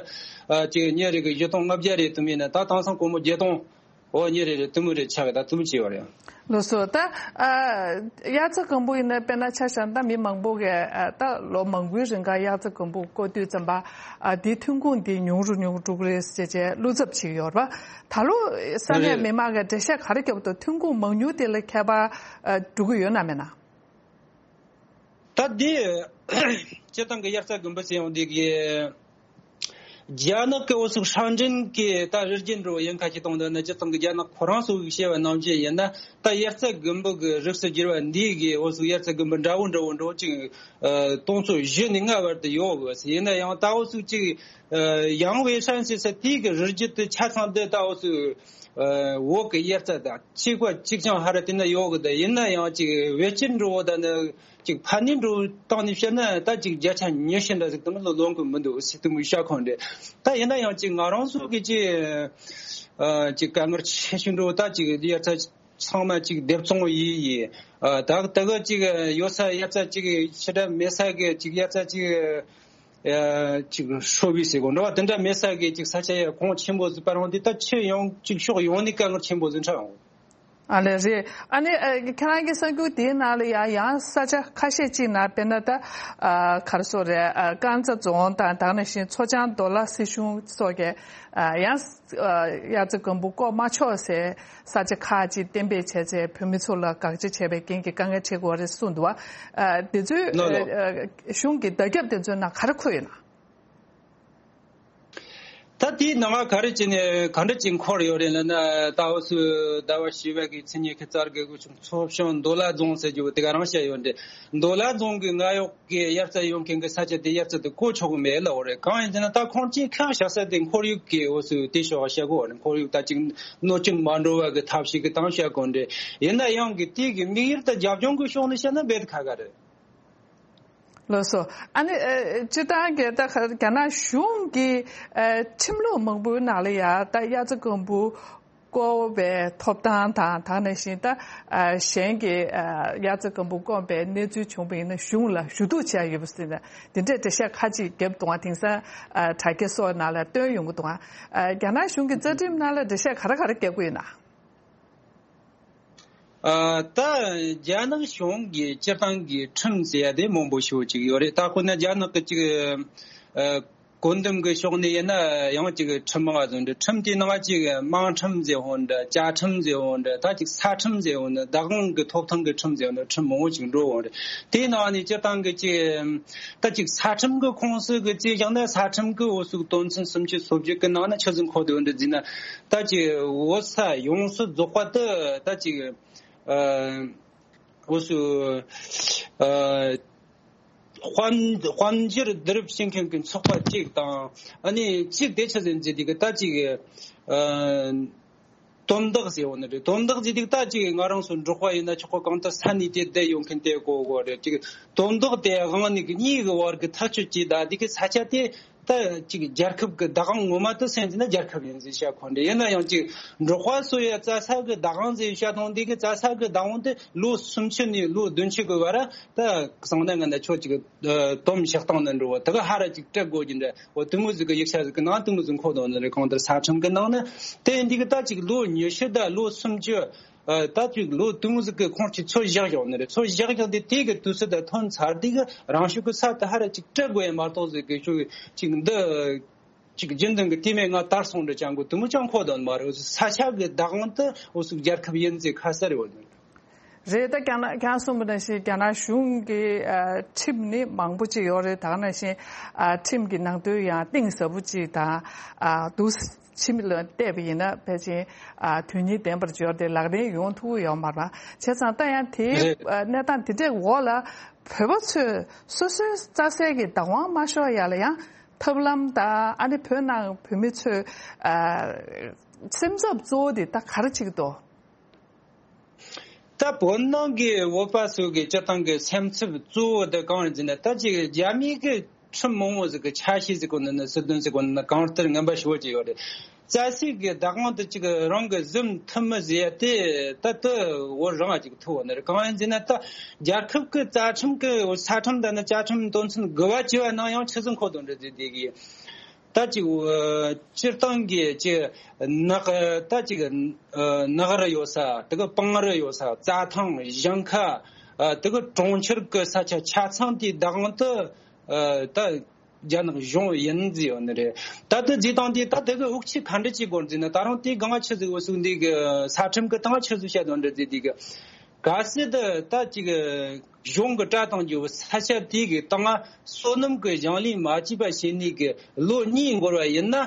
ཨ་ཅིག་ཉིན་རེ་གི་བཞི་སྟོང་ལྔ་བརྒྱ་རེད་དུམ་ཡིན་ན་ད་དེང་སང་སྒོར་མོ་བརྒྱད་སྟོང་འོ་ཉིན་རེ་རེ་དུམ་རེ་ཆག་གི་ད་དུམ་ཅི་ཡོད་རེད། ལགས་སོ། ད་ཨ་དབྱར་རྩྭ་དགུན་འབུ་ཡིན་ན་དཔེར་ན་ཆ་བཞག་ན་ད་མི་མང་པོ་གིས་ཨ་ད་ལོ་མང་པོའི་རིང་ག་དབྱར་རྩྭ་དགུན་འབུ་བརྐོ་དུས་ཙམ་པ་ཨ་དེའི་ཐོན་ཁུངས་དེ་ཉུང་རུ་ཉུང་རུ་འགྲོ་གི་རེད་ཟེར་བྱས་བློ་འཚབ་བྱེད་ཀྱི་ཡོད་རེད་པ། ད་ལོ་ས་གནས་རེད། མི་མང་གིས་འགྲེལ་བཤད་ག་རེ་བརྒྱབ་འདུག་ཐོན་ཁུངས་མང་ཉུང་དེ་ལ་ཁྱད་པར་ཨ་འགྲོ་གི་ཡོད་ན་མེད་ན། ད་དེ་སྤྱིར་བཏང་གི་དབྱར་རྩྭ་དགུན་འབུ་ཟེར་ཡོང་དེ་གི་རྒྱ་ནག་གི་འུ་ཚོ་ཧྲང་ཀྲེན་གི་ད་རི་རྒྱུད་འགྲོ་ཡིན་ཁ་ཅིག་གཏོང་དོན་ནི་སྤྱིར་བཏང་གི་རྒྱ་ནག་ཁོ་རང་ཚོ་གི་བཤད་པ་ནང་བཞིན་ཡིན་ན་ད་དབྱར་རྩྭ་དགུན་འབུ་གི་རིགས་སུ་གྱུར་བ་འདི་གི་འུ་ཚོ་དབྱར་རྩྭ་དགུན་འབུ་འདྲ་བོ་འདྲ་བོ་འགྲོ་ཅིག་ཨ་སྟོང་ཚོ་བཞི་ནས་ལྔ་བར་དུ་ཡོད་དགོས་ཟེར། ཡིན་ན་ཡང་ད་འུ་ཚོ་ཅིག་ཨ་ཡང་ཝེ་ཧྲན་ཟེར་ས་དེའི་གི་རི་རྒྱུད་དུ་ཆ་ཚང་འདི་ད་འུ་ཚོ་ཨ་བོད་གི་དབྱར་རྩྭ་དང་གཅིག་པ་གཅིག་རྐྱང་ཧ་ར་དེ་ན་ཡོད་གི། ད་ཡིན་ན་ཡང་ཅིག་ཝེ་ཅིན་འགྲོ་བོ་ད་ནི་ཅིག་ཕ་ནི་འགྲོ་བཏང་ནས་བཤད་ན་ད་ཅིག་བརྒྱ་ཆ་ཉི་ཤུ་འདྲ་ཟིག་དུ་མ་ལོ་ལོང་གི་མི་འདུག་ཟེར་དུ་མི་ཤ་ཁོང་རེད། ད་ཡིན་ན་ཡང་ཅིག་ང་རང་ཚོ་གི་ཅིག་ཨ་ཅིག་དཀའ་ངལ་ཆེ་ཤོས་འགྲོ་ད་ཅིག་དབྱར་རྩྭ་ཚང་མ་ཅིག་སྡེབ་བཙོང་ཡིན་ཡིན། ཨ་ད་ད་གི་ཅིག་ཡོད་ས་དབྱར་རྩྭ་ཅིག་ཕྱི་དྲ་མེད་ས་གི་ཅིག་དབྱར་རྩྭ་ཅིག་ཨ་ཅིག་ཧྲོ་བི་ཟེར་གོ་འགྲོ་བ་དེ་འདྲ་མེད་ས་གི་ཅིག་ས་ཆ་ཡ་གོང་ཆེན་པོ་ཟིག་པ་རང་དེ་ད་ཆེ་ཡང་ཅིག་ཕྱོགས་ཡོང་ནས་དཀའ་ངལ་ཆེན་པོ་ཟིག་འཕྲད་འོང་། ཨ་ལེ་རེད། ཨ་ནི་ཨ་ཁྱེད་རང་གི་གསར་འགྱུར་དེའི་ནང་ལ་ཡང་ཡང་ས་ཆ་ཁ་ཤས་ཅིག་ན་དཔེར་ན་ད་ཨ་ག་རེ་ཟེར་རེད། ཨ་ཀན་ཛ་རྫོང་དང་དེ་ནང་བཞིན་མཚོ་བྱང་མདོ་ལ་སྲིད་གཞུང་སོགས་ཀྱིས་ཨ་ཡང་ཨ་དབྱར་རྩྭ་དགུན་འབུ་བརྐོ་མ་ཆོག་ཟེར་ས་ཆ་ཁག་ཅིག་གཏན་འབེབས་བྱས་ཚེ་བོད་མི་ཚོ་ལ་དགག་བྱ་བྱས་པའི་རྐྱེན་གྱིས་དཀའ་ངལ་འཕྲད་དགོས་པ་རེད་གསུངས་འདུག་བ། ཨ་དེ་ཚོའི་ལགས་ལགས། ཨ་གཞུང་གི་བརྡ་ཁྱབ་དེ་ཚོའི་ནང་ག་རེ་འཁོད་ཡོད་ན། ད་དེའི་ནང་ང་ག་རེ་བྱས་ནས་ག་འདྲ་ཅིག་འཁོར་ཡོད་རེད་ལབ་ན། ད་འུ་ཚོའི་ཟླ་བ་བཞི་པ་གི་ཚེས་ཉི་ཤུ་རྩ་དགུ་གི་ཆུང་མཚོ་བྱང་མདོ་ལ་རྫོང་ཟེར་རྒྱུ་དེ་ག་རང་བཤད་ཡོད་འདྲ། མདོ་ལ་རྫོང་གི་ང་ཡོག་གི་དབྱར་རྩྭ་ཡོང་མཁན་གི་ས་ཆ་དེ་དབྱར་རྩྭ་དེ་བརྐོ་ཆོག་གི་མེད་ལབ་ཡོད་རེད། གང་ཡིན་ཟེར་ན་ད་ཁོང་ཚོས་ཁག་བཞག་ས་དེ་ཁོར་ཡུག་གི་འུ་ཚོའི་དེ་ཕྱོགས་བཤད་གོ་རེད། ཁོར་ཡུག་ད་ཅིག་གནོད་སྐྱོན་མ་འགྲོ་བ་གི་ཐབས་ཤེས་གི་སྟངས་བཤད་གོ་འདྲ། ཡིན་ན་ཡང་གི་དེ་གི་དམིགས་ཡུལ་ད་རྒྱབ་ལྗོངས་གི་ཕྱོགས་ནས་བཤད་ན་རྦད་དེ་ཁག་ཁག་རེད། ལགས་སོ། ཨ་ནི་ཨ་སྤྱིར་བཏང་གི་ད་རྒྱ་ནག་གཞུང་གི་ཨ་ཁྲིམས་ལུགས་མང་པོའི་ནང་ལ་ཡ་ད་དབྱར་རྩྭ་དགུན་འབུ་བརྐོ་བའི་ཐོབ་ཐང་དང་དེ་ནང་བཞིན་ད་ཨ་གཞན་གྱི་ཨ་དབྱར་རྩྭ་དགུན་འབུ་བརྐོས་པའི་གནས་ཚུལ་བྱུང་བ་ཡིན་ན་གཞུང་ལ་ཞུ་གཏུག་བྱས་ཡོད་པ་ཟེར་ནས་འདི་འདྲའི་འགྲེལ་བཤད་ཁ་ཅིག་བརྒྱབ་འདུག་ཨ། དེང་སང་ཨ་དྲ་རྒྱ་སོགས་ནང་ལ་བཏོན་ཡོང་གི་འདུག་ཨ། རྒྱ་ནག་གཞུང་གི་རྩ་ཁྲིམས་ནང་ལ་འགྲེལ་བཤད་ག་རེ་ག་རེ་བརྒྱབ་ཀྱི་ཡོད་ན། ཨ་ད་རྒྱ་ནག་གཞུང་གི་སྤྱིར་བཏང་གི་ཁྲིམས་ཟེར་ཡ་དེ་མང་པོ་ཞིག་ཅིག་ཡོད་རེད། ད་དཔེར་ན་རྒྱ་ནག་གི་ཅིག་ཨ་བཀོད་འདོམས་ཀྱི་ཕྱོགས་ནས་ཡིན་ན་ཡང་ཅིག་ཁྲིམས་མང་བ་བཟོ་འདྲ། ཁྲིམས་དེའི་ནང་ཅིག་དམངས་ཁྲིམས་ཟེར་འོང་འདྲ། བཅའ་ཁྲིམས་ཟེར་འོང་འདྲ། ད་ཅིག་ས་ཁྲིམས་ཟེར་འོང་འདྲ། བདག་དབང་གི་ཐོབ་ཐང་གི་ཁྲིམས་ཟེར་འོང་འདྲ། ཁྲིམས་མང་པོ་ཅིག་འགྲོ་འོང་རེད། དེའི་ནང་ནས་སྤྱིར་བཏང་གི་ཅིག་ད་ཅིག་ས་ཁྲིམས་ཀྱི་ཁོངས་སུ་གི་ཅིག་བཞག་ན་ས་ཁྲིམས་ཀྱི་འོ་ཟུག་དོན་ཚན་སུམ་ཅུ་སོ་བརྒྱད་ཀྱི་ནང་ན་ཆི་ཟིག་འཁོད་དེ་འོ་འདྲ་ཟིན་ན། ད་ཅིག་བོད་ས་ཡོངས་སུ་རྫོགས་པ་དེ་ད་ཅིག་ཨ་འོ་སུ་ཨ་དཔལ་དཔལ་འབྱོར་བསྡུ་རུབ་བྱེད་མཁན་གྱི་ཚོགས་པ་གཅིག་དང་། ཨ་ནི་གཅིག་དེ་ཆི་ཟིག་ཟེར་དེ་གི་ད་ཅིག་ཨ་ དོན་དག་ཟེར་བ་ནི་རེད། དོན་དག་ཟེར་དུས་ད་ཅིག་ང་རང་ཚོ་འབྲོག་པ་ཡིན་ན་ཆོག་གོ། གང་ལྟར་ས་གནས་དེ་བསྡད་ཡོང་མཁན་དེ་གོ་གོ་རེད། ཅིག་དོན་དག་དེ་དབང་ནི་གི་གཉིས་ཀྱི་བར་གྱི་ཐག་གཅོད་ཀྱི་ད་དེ་གི་ས་ཆ་དེ་ད་ཅིག་རྒྱལ་ཁབ་ཀྱི་བདག་དབང་ངོ་མ་དུ་སེམས་ཟིན་ན་རྒྱལ་ཁབ་ཡིན་ཟེར་བཤད་ཁོ་འདྲ། ཡིན་ན་ཡང་ཅིག་འབྲོག་པ་སོ་ཡ་རྩྭ་ས་གི་བདག་དབང་ཟེར་བཤད་དང་དེ་གི་རྩྭ་ས་གི་བདག་དབང་དེ་ལོ་སུམ་ཅུ་ནས་ལོ་བདུན་ཅུ་གི་བར་ད་གསང་ན་ང་ན་ཆོག་ཅིག་དོམ་བཞག་སྟངས་ནི་འགྲོ་བ་དེ་གི་ཧ་ར་ཅིག་སྤྲད་དགོས་ཀྱི་འདྲ། འོ་དུ་མོ་ཟིག་གི་ཡིག་ཆ་ཟིག་གི་ནང་དུ་མོ་ཟིག་འཁོད་དོ་ནི་རེད། གང་ལྟར་ས་ཁྲིམས་གི་ནང་ནི་དེ་འདི་གི་ད་ཅིག་ལོ་ཉི་ཤུ་ད་ལོ་སུམ་ཅུ། ཨ། ད་ཅིག་ལོ་དུ་མོ་ཟིག་གི་ཁོང་ཅིག་ཚོད་བཞག་ཡོང་ནི་རེད། ཚོད་བཞག་ཡོང་དེ་དེ་གི་དུས་ཚོད་ད་ཐོན་ཚར་དེ་གི་རང་ཤུགས་གི་ས་དུ་ཧ་ར་ཅིག་སྤྲད་དགོས་ཡ་མ་གཏོགས་ཟིག་གི་ཤུགས་ཅིག་འདི་ཅིག་རྒྱུན་ལྡན་གི་དེ་མེད་ང་དར་སོང་འདྲ་ཅང་གོ་དུ་མོ་ཅང་འཁོད་དོ་ནི་མ་རེད། ས་ཆ་གི་བདག་དབང་དུ་འོ་ཟིག་རྒྱལ་ཁབ་ཡིན་ཟིག་ཁ་གསལ་རེད། འོ་ནི་རེད། ད་ཀྱང་ན་ཀྱང་གསུངས་པ་ནང་བཞིན་རྒྱ་ནག་གཞུང་གི་ཨ་ཁྲིམས་ནི་མང་པོ་ཅིག་ཡོད་རེད། ད་ག་ནང་བཞིན་ཨ་ཁྲིམས་ཀྱི་ནང་དོན་ཡང་གཏིང་ཟབ་པོ་ཅིག་དང་ཨ་འདུག་ཕྱི་མི་ལ་བལྟས་པ་ཡིན་ན་ཕལ་ཆེར་ཨ་དོན་སྙིང་ལྡན་པར་འབྱོར་ཏེ་ལག་ལེན་ཡོང་ཐུབ་ཀྱི་ཡོད་མ་རེད། བྱས་ཙང་ད་ཡང་དེའི་རེད། ཨ་གནས་སྟངས་དེ་འདྲའི་འོག་ལ་བོད་པ་ཚོས་སོ་སོའི་རྩྭ་སའི་གི་བདག་དབང་མ་ཤོར་ཡ་ལ་ཡང་ཐབས་ལམ་དང་ཨ་ནི་བོད་ནང་བོད་མི་ཚོས་ཨ་སེམས་འཚབ་གཙོ་བོ་དེ་ད་ག་རེ་ཅིག་འདུག་ད་བོད་ནང་གི་བོད་པ་ཚོ་གི་སྤྱི་བཏང་གི་སེམས་འཚབ་གཙོ་བོ་དེ་གང་ཡིན་ཟེར་ན། ད་ཅིག་རྒྱ་མི་གི་ཁྲིམས་མང་བོ་ཟིག་གི་ཆ་ཤས་ཟིག་གོ་ནི་ནི་སྲིད་དོན་ཟིག་གོ་ནི་ནི་གང་ལྟར་ངན་པ་ཞེ་པོ་ཅིག་ཡོད་རེད། རྩྭ་སའི་གི་བདག་དབང་དེ་ཅིག་རང་གི་བཟུང་ཐུབ་མི་ཟེར་ཡ་དེ་ད་དུ་བོད་རང་ཅིག་ཐུབ་བ་ནི་རེད། གང་ཡིན་ཟེར་ན་ད་རྒྱལ་ཁབ་གི་རྩ་ཁྲིམས་གི་ས་ཁྲིམས་དང་ནི་བཅའ་ཁྲིམས་དོན་ཚན་དགུ་པ་བཅུ་པ་ནང་ཡང་ཆི་ཟིག་འཁོད་དོན་རེད་ཟེར་དེ་གི། ད་ཅིག་སྤྱིར་བཏང་གི་ཅིག་ནགས་ད་ཅིག་ནགས་རི་ཡོད་ས། དེ་གི་སྤང་རི་ཡོད་ས། རྩྭ་ཐང་ཞིང་ཁ། དེ་གི་གྲོང་ཁྱེར་གི་ས་ཆ་ཆ་ཚང་དེའི་བདག་དབང་དུ་ད་རྒྱ་ནག་གཞུང་ཡིན་ཟེར་ཡོད་ནི་རེད། ད་དེ་ཟེར་སྟངས་དེ་ད་དེ་གི་འུག་ཆི་ག་འདྲ་ཅིག་དགོས་ཟེར་ན། ད་རུང་དེ་གང་ཆི་ཟིག་འུ་སུག་འདི་གི་ས་ཁྲིམས་གི་སྟེང་ཆི་ཟིག་བཤད་དོན་འདྲ་ཟེར་དེ་གི། གལ་སྲིད་ད་ཅིག་གཞུང་གི་སྤྲད་བཏང་རྒྱུ་ས་ཆ་དེ་གི་སྟེང་སོ་ནམ་གི་ཞིང་ལས་མ་བྱས་པ་བྱས་ནས་གི་ལོ་གཉིས་འགོར་བ་ཡིན་ན།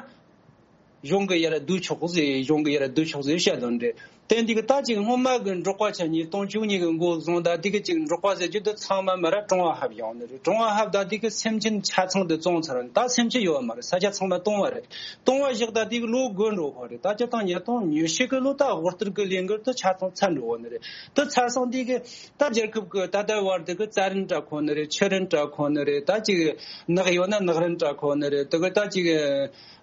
གཞུང་གི་ཡར་བསྡུ་ཆོག་ཟེར། གཞུང་གི་ཡར་བསྡུ་ཆོག་ཟེར་བཤད་དོན་རེད། དེ་འདི་གི་ད་ཅིག་སྔོན་མ་གི་འབྲོག་པ་ཆ་ཉིས་སྟོང་བཅུ་གཉིས་གི་འགོ་བཟུང་ད་དེ་གི་ཅིག་འབྲོག་པ་ཟེར་རྒྱུ་དེ་ཚང་མ་མ་ར་གྲོང་བ་ཧབ་ཡོང་ནི་རེད། གྲོང་བ་ཧབ་ད་དེ་གི་སེམས་ཅན་ཆ་ཚང་དེ་བཙོང་ཚར། ད་སེམས་ཅན་ཡོད་མ་རེད། ས་ཆ་ཚང་མ་སྟོང་བ་རེད། སྟོང་བ་བཞག་ད་དེ་གི་ལོ་དགུ་འགྲོ་ཧོ་རེད། ད་སྤྱིར་བཏང་ཉིས་སྟོང་ཉི་ཤུ་གི་ལོ་ད་དབུལ་སྟོར་གི་ལས་འགུལ་དེ་ཆ་ཚང་ཚར་འགྲོ་ཧོ་ནི་རེད། དེ་ཚར་སོང་དེ་གི་ད་རྒྱལ་ཁབ་གི་ད་ལྟ་བར་དུ་གི་རྩྭ་རིན་སྤྲད་ཁོ་ནི་རེད། ཆུ་རིན་སྤྲད་ཁོ་ནི་རེད། ད་ཅིག་ནགས་ཡོད་ན་ནགས་རིན་སྤྲད་ཁོ་ནི་རེད། དེ་གི་ད་ཅིག་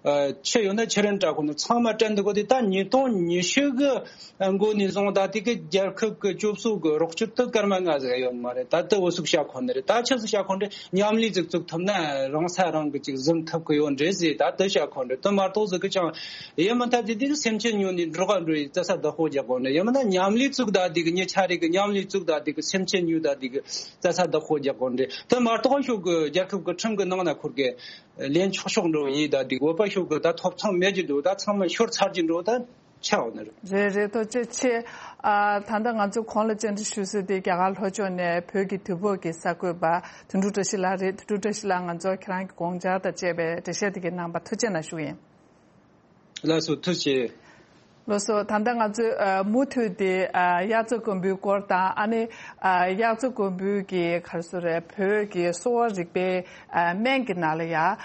ཨ་ཆུ་ཡོད་ན་ཆུ་རིན་སྤྲད་ཁོ་ནི་ཚང་མ་སྤྲད་འདུག་གོ། དེ་ད་ཉིས་སྟོང་ཉི་ཤུ་གི་འགོ་ནས་བཟུང་ད་དེ་གི་རྒྱལ་ཁབ་གི་སྤྱོད་ཚུལ་གི་རོགས་སྐྱོར་དེ་སྐར་མ་ལྔ་ཟིག་ཡོད་མ་རེད། ད་དེ་འུ་སུག་བཤད་ཁོ་ནི་རེད། ད་ཆི་ཟིག་བཤད་ཁོ་ནི་རེད། མཉམ་ལས་ཟིག་བཙུགས་ཐུབ་ན་རང་ས་རང་གི་ཅིག་ཟིན་ཐུབ་གི་ཡོད་འདྲ་ཟེར། ད་དེ་བཤད་ཁོ་ནི་རེད། དེ་མ་གཏོགས་ཟིག་གི་ཅང་ཡེ་མི་ཐ་དེ་དེ་གི་སེམས་ཅན་ཉོ་ནས་འབྲོག་པ་འགྲོ་ཡི་རྩྭ་ས་བདག་པོ་རྒྱག་དགོས་ནི་རེད། ཡེ་མི་ན་མཉམ་ལས་བཙུགས་ད་དེ་གི་ཉེ་ཆ་རེ་གི་མཉམ་ལས་བཙུགས་ད་དེ་གི་སེམས་ཅན་ཉོ་ད་དེ་གི་རྩྭ་ས་བདག་པོ་རྒྱག་དགོས་ནི་རེད། དེ་མ་གཏོགས་ཤོག་གི་རྒྱལ་ཁབ་གི་ཁྲིམས་གི་ནང་ན་ཁུར་གི་ལེན་ཆོག་ཆོག་འགྲོ་ཡི་ད་དེ་བོད་པ་ཤོག་གི་ད་ཐོབ་ཐང་མེད་ཀྱི་འདུག་ད་ཚང་མ་ཤོར་ཚར་གྱི་འགྲོ་ད་ཆགས་ནི་རེད། རེད་རེད། ཐུགས་རྗེ་ཆེ། ཨ་ད་ལྟ་ང་ཚོ་གོང་ལ་བཅར་འདྲི་ཞུ་སྲིད་དེ་རྒྱ་གར་ལྷོ་ཕྱོགས་ནས་བོད་ཀྱི་དུས་བབ་ཀྱི་གསར་འགོད་པ་དོན་གྲུབ་བཀྲ་ཤིས་ལགས་རེད། དོན་གྲུབ་བཀྲ་ཤིས་ལགས་ང་ཚོ་ཁྱེད་རང་གི་དགོངས་འཆར་དང་བཅས་པའི་འགྲེལ་བཤད་དེ་གའི་གནང་བར་ཐུགས་རྗེ་གནང་ཞུ་གི་ཡིན། ལགས་སོ་ཐུགས་རྗེ་ཆེ། ལགས་སོ། ད་ལྟ་ང་ཚོས་ཨ་མུ་མཐུད་དེ་ཨ་དབྱར་རྩྭ་དགུན་འབུའི་སྐོར་དང་ཨ་ནི་ཨ་དབྱར་རྩྭ་དགུན་འབུའི་གི་ག་རེ་ཟེར་རེད། བོད་ཀྱི་གསོ་བ་རིག་པའི་ཨ་སྨན་གྱི་ནང་ལ་ཡ་ཨ་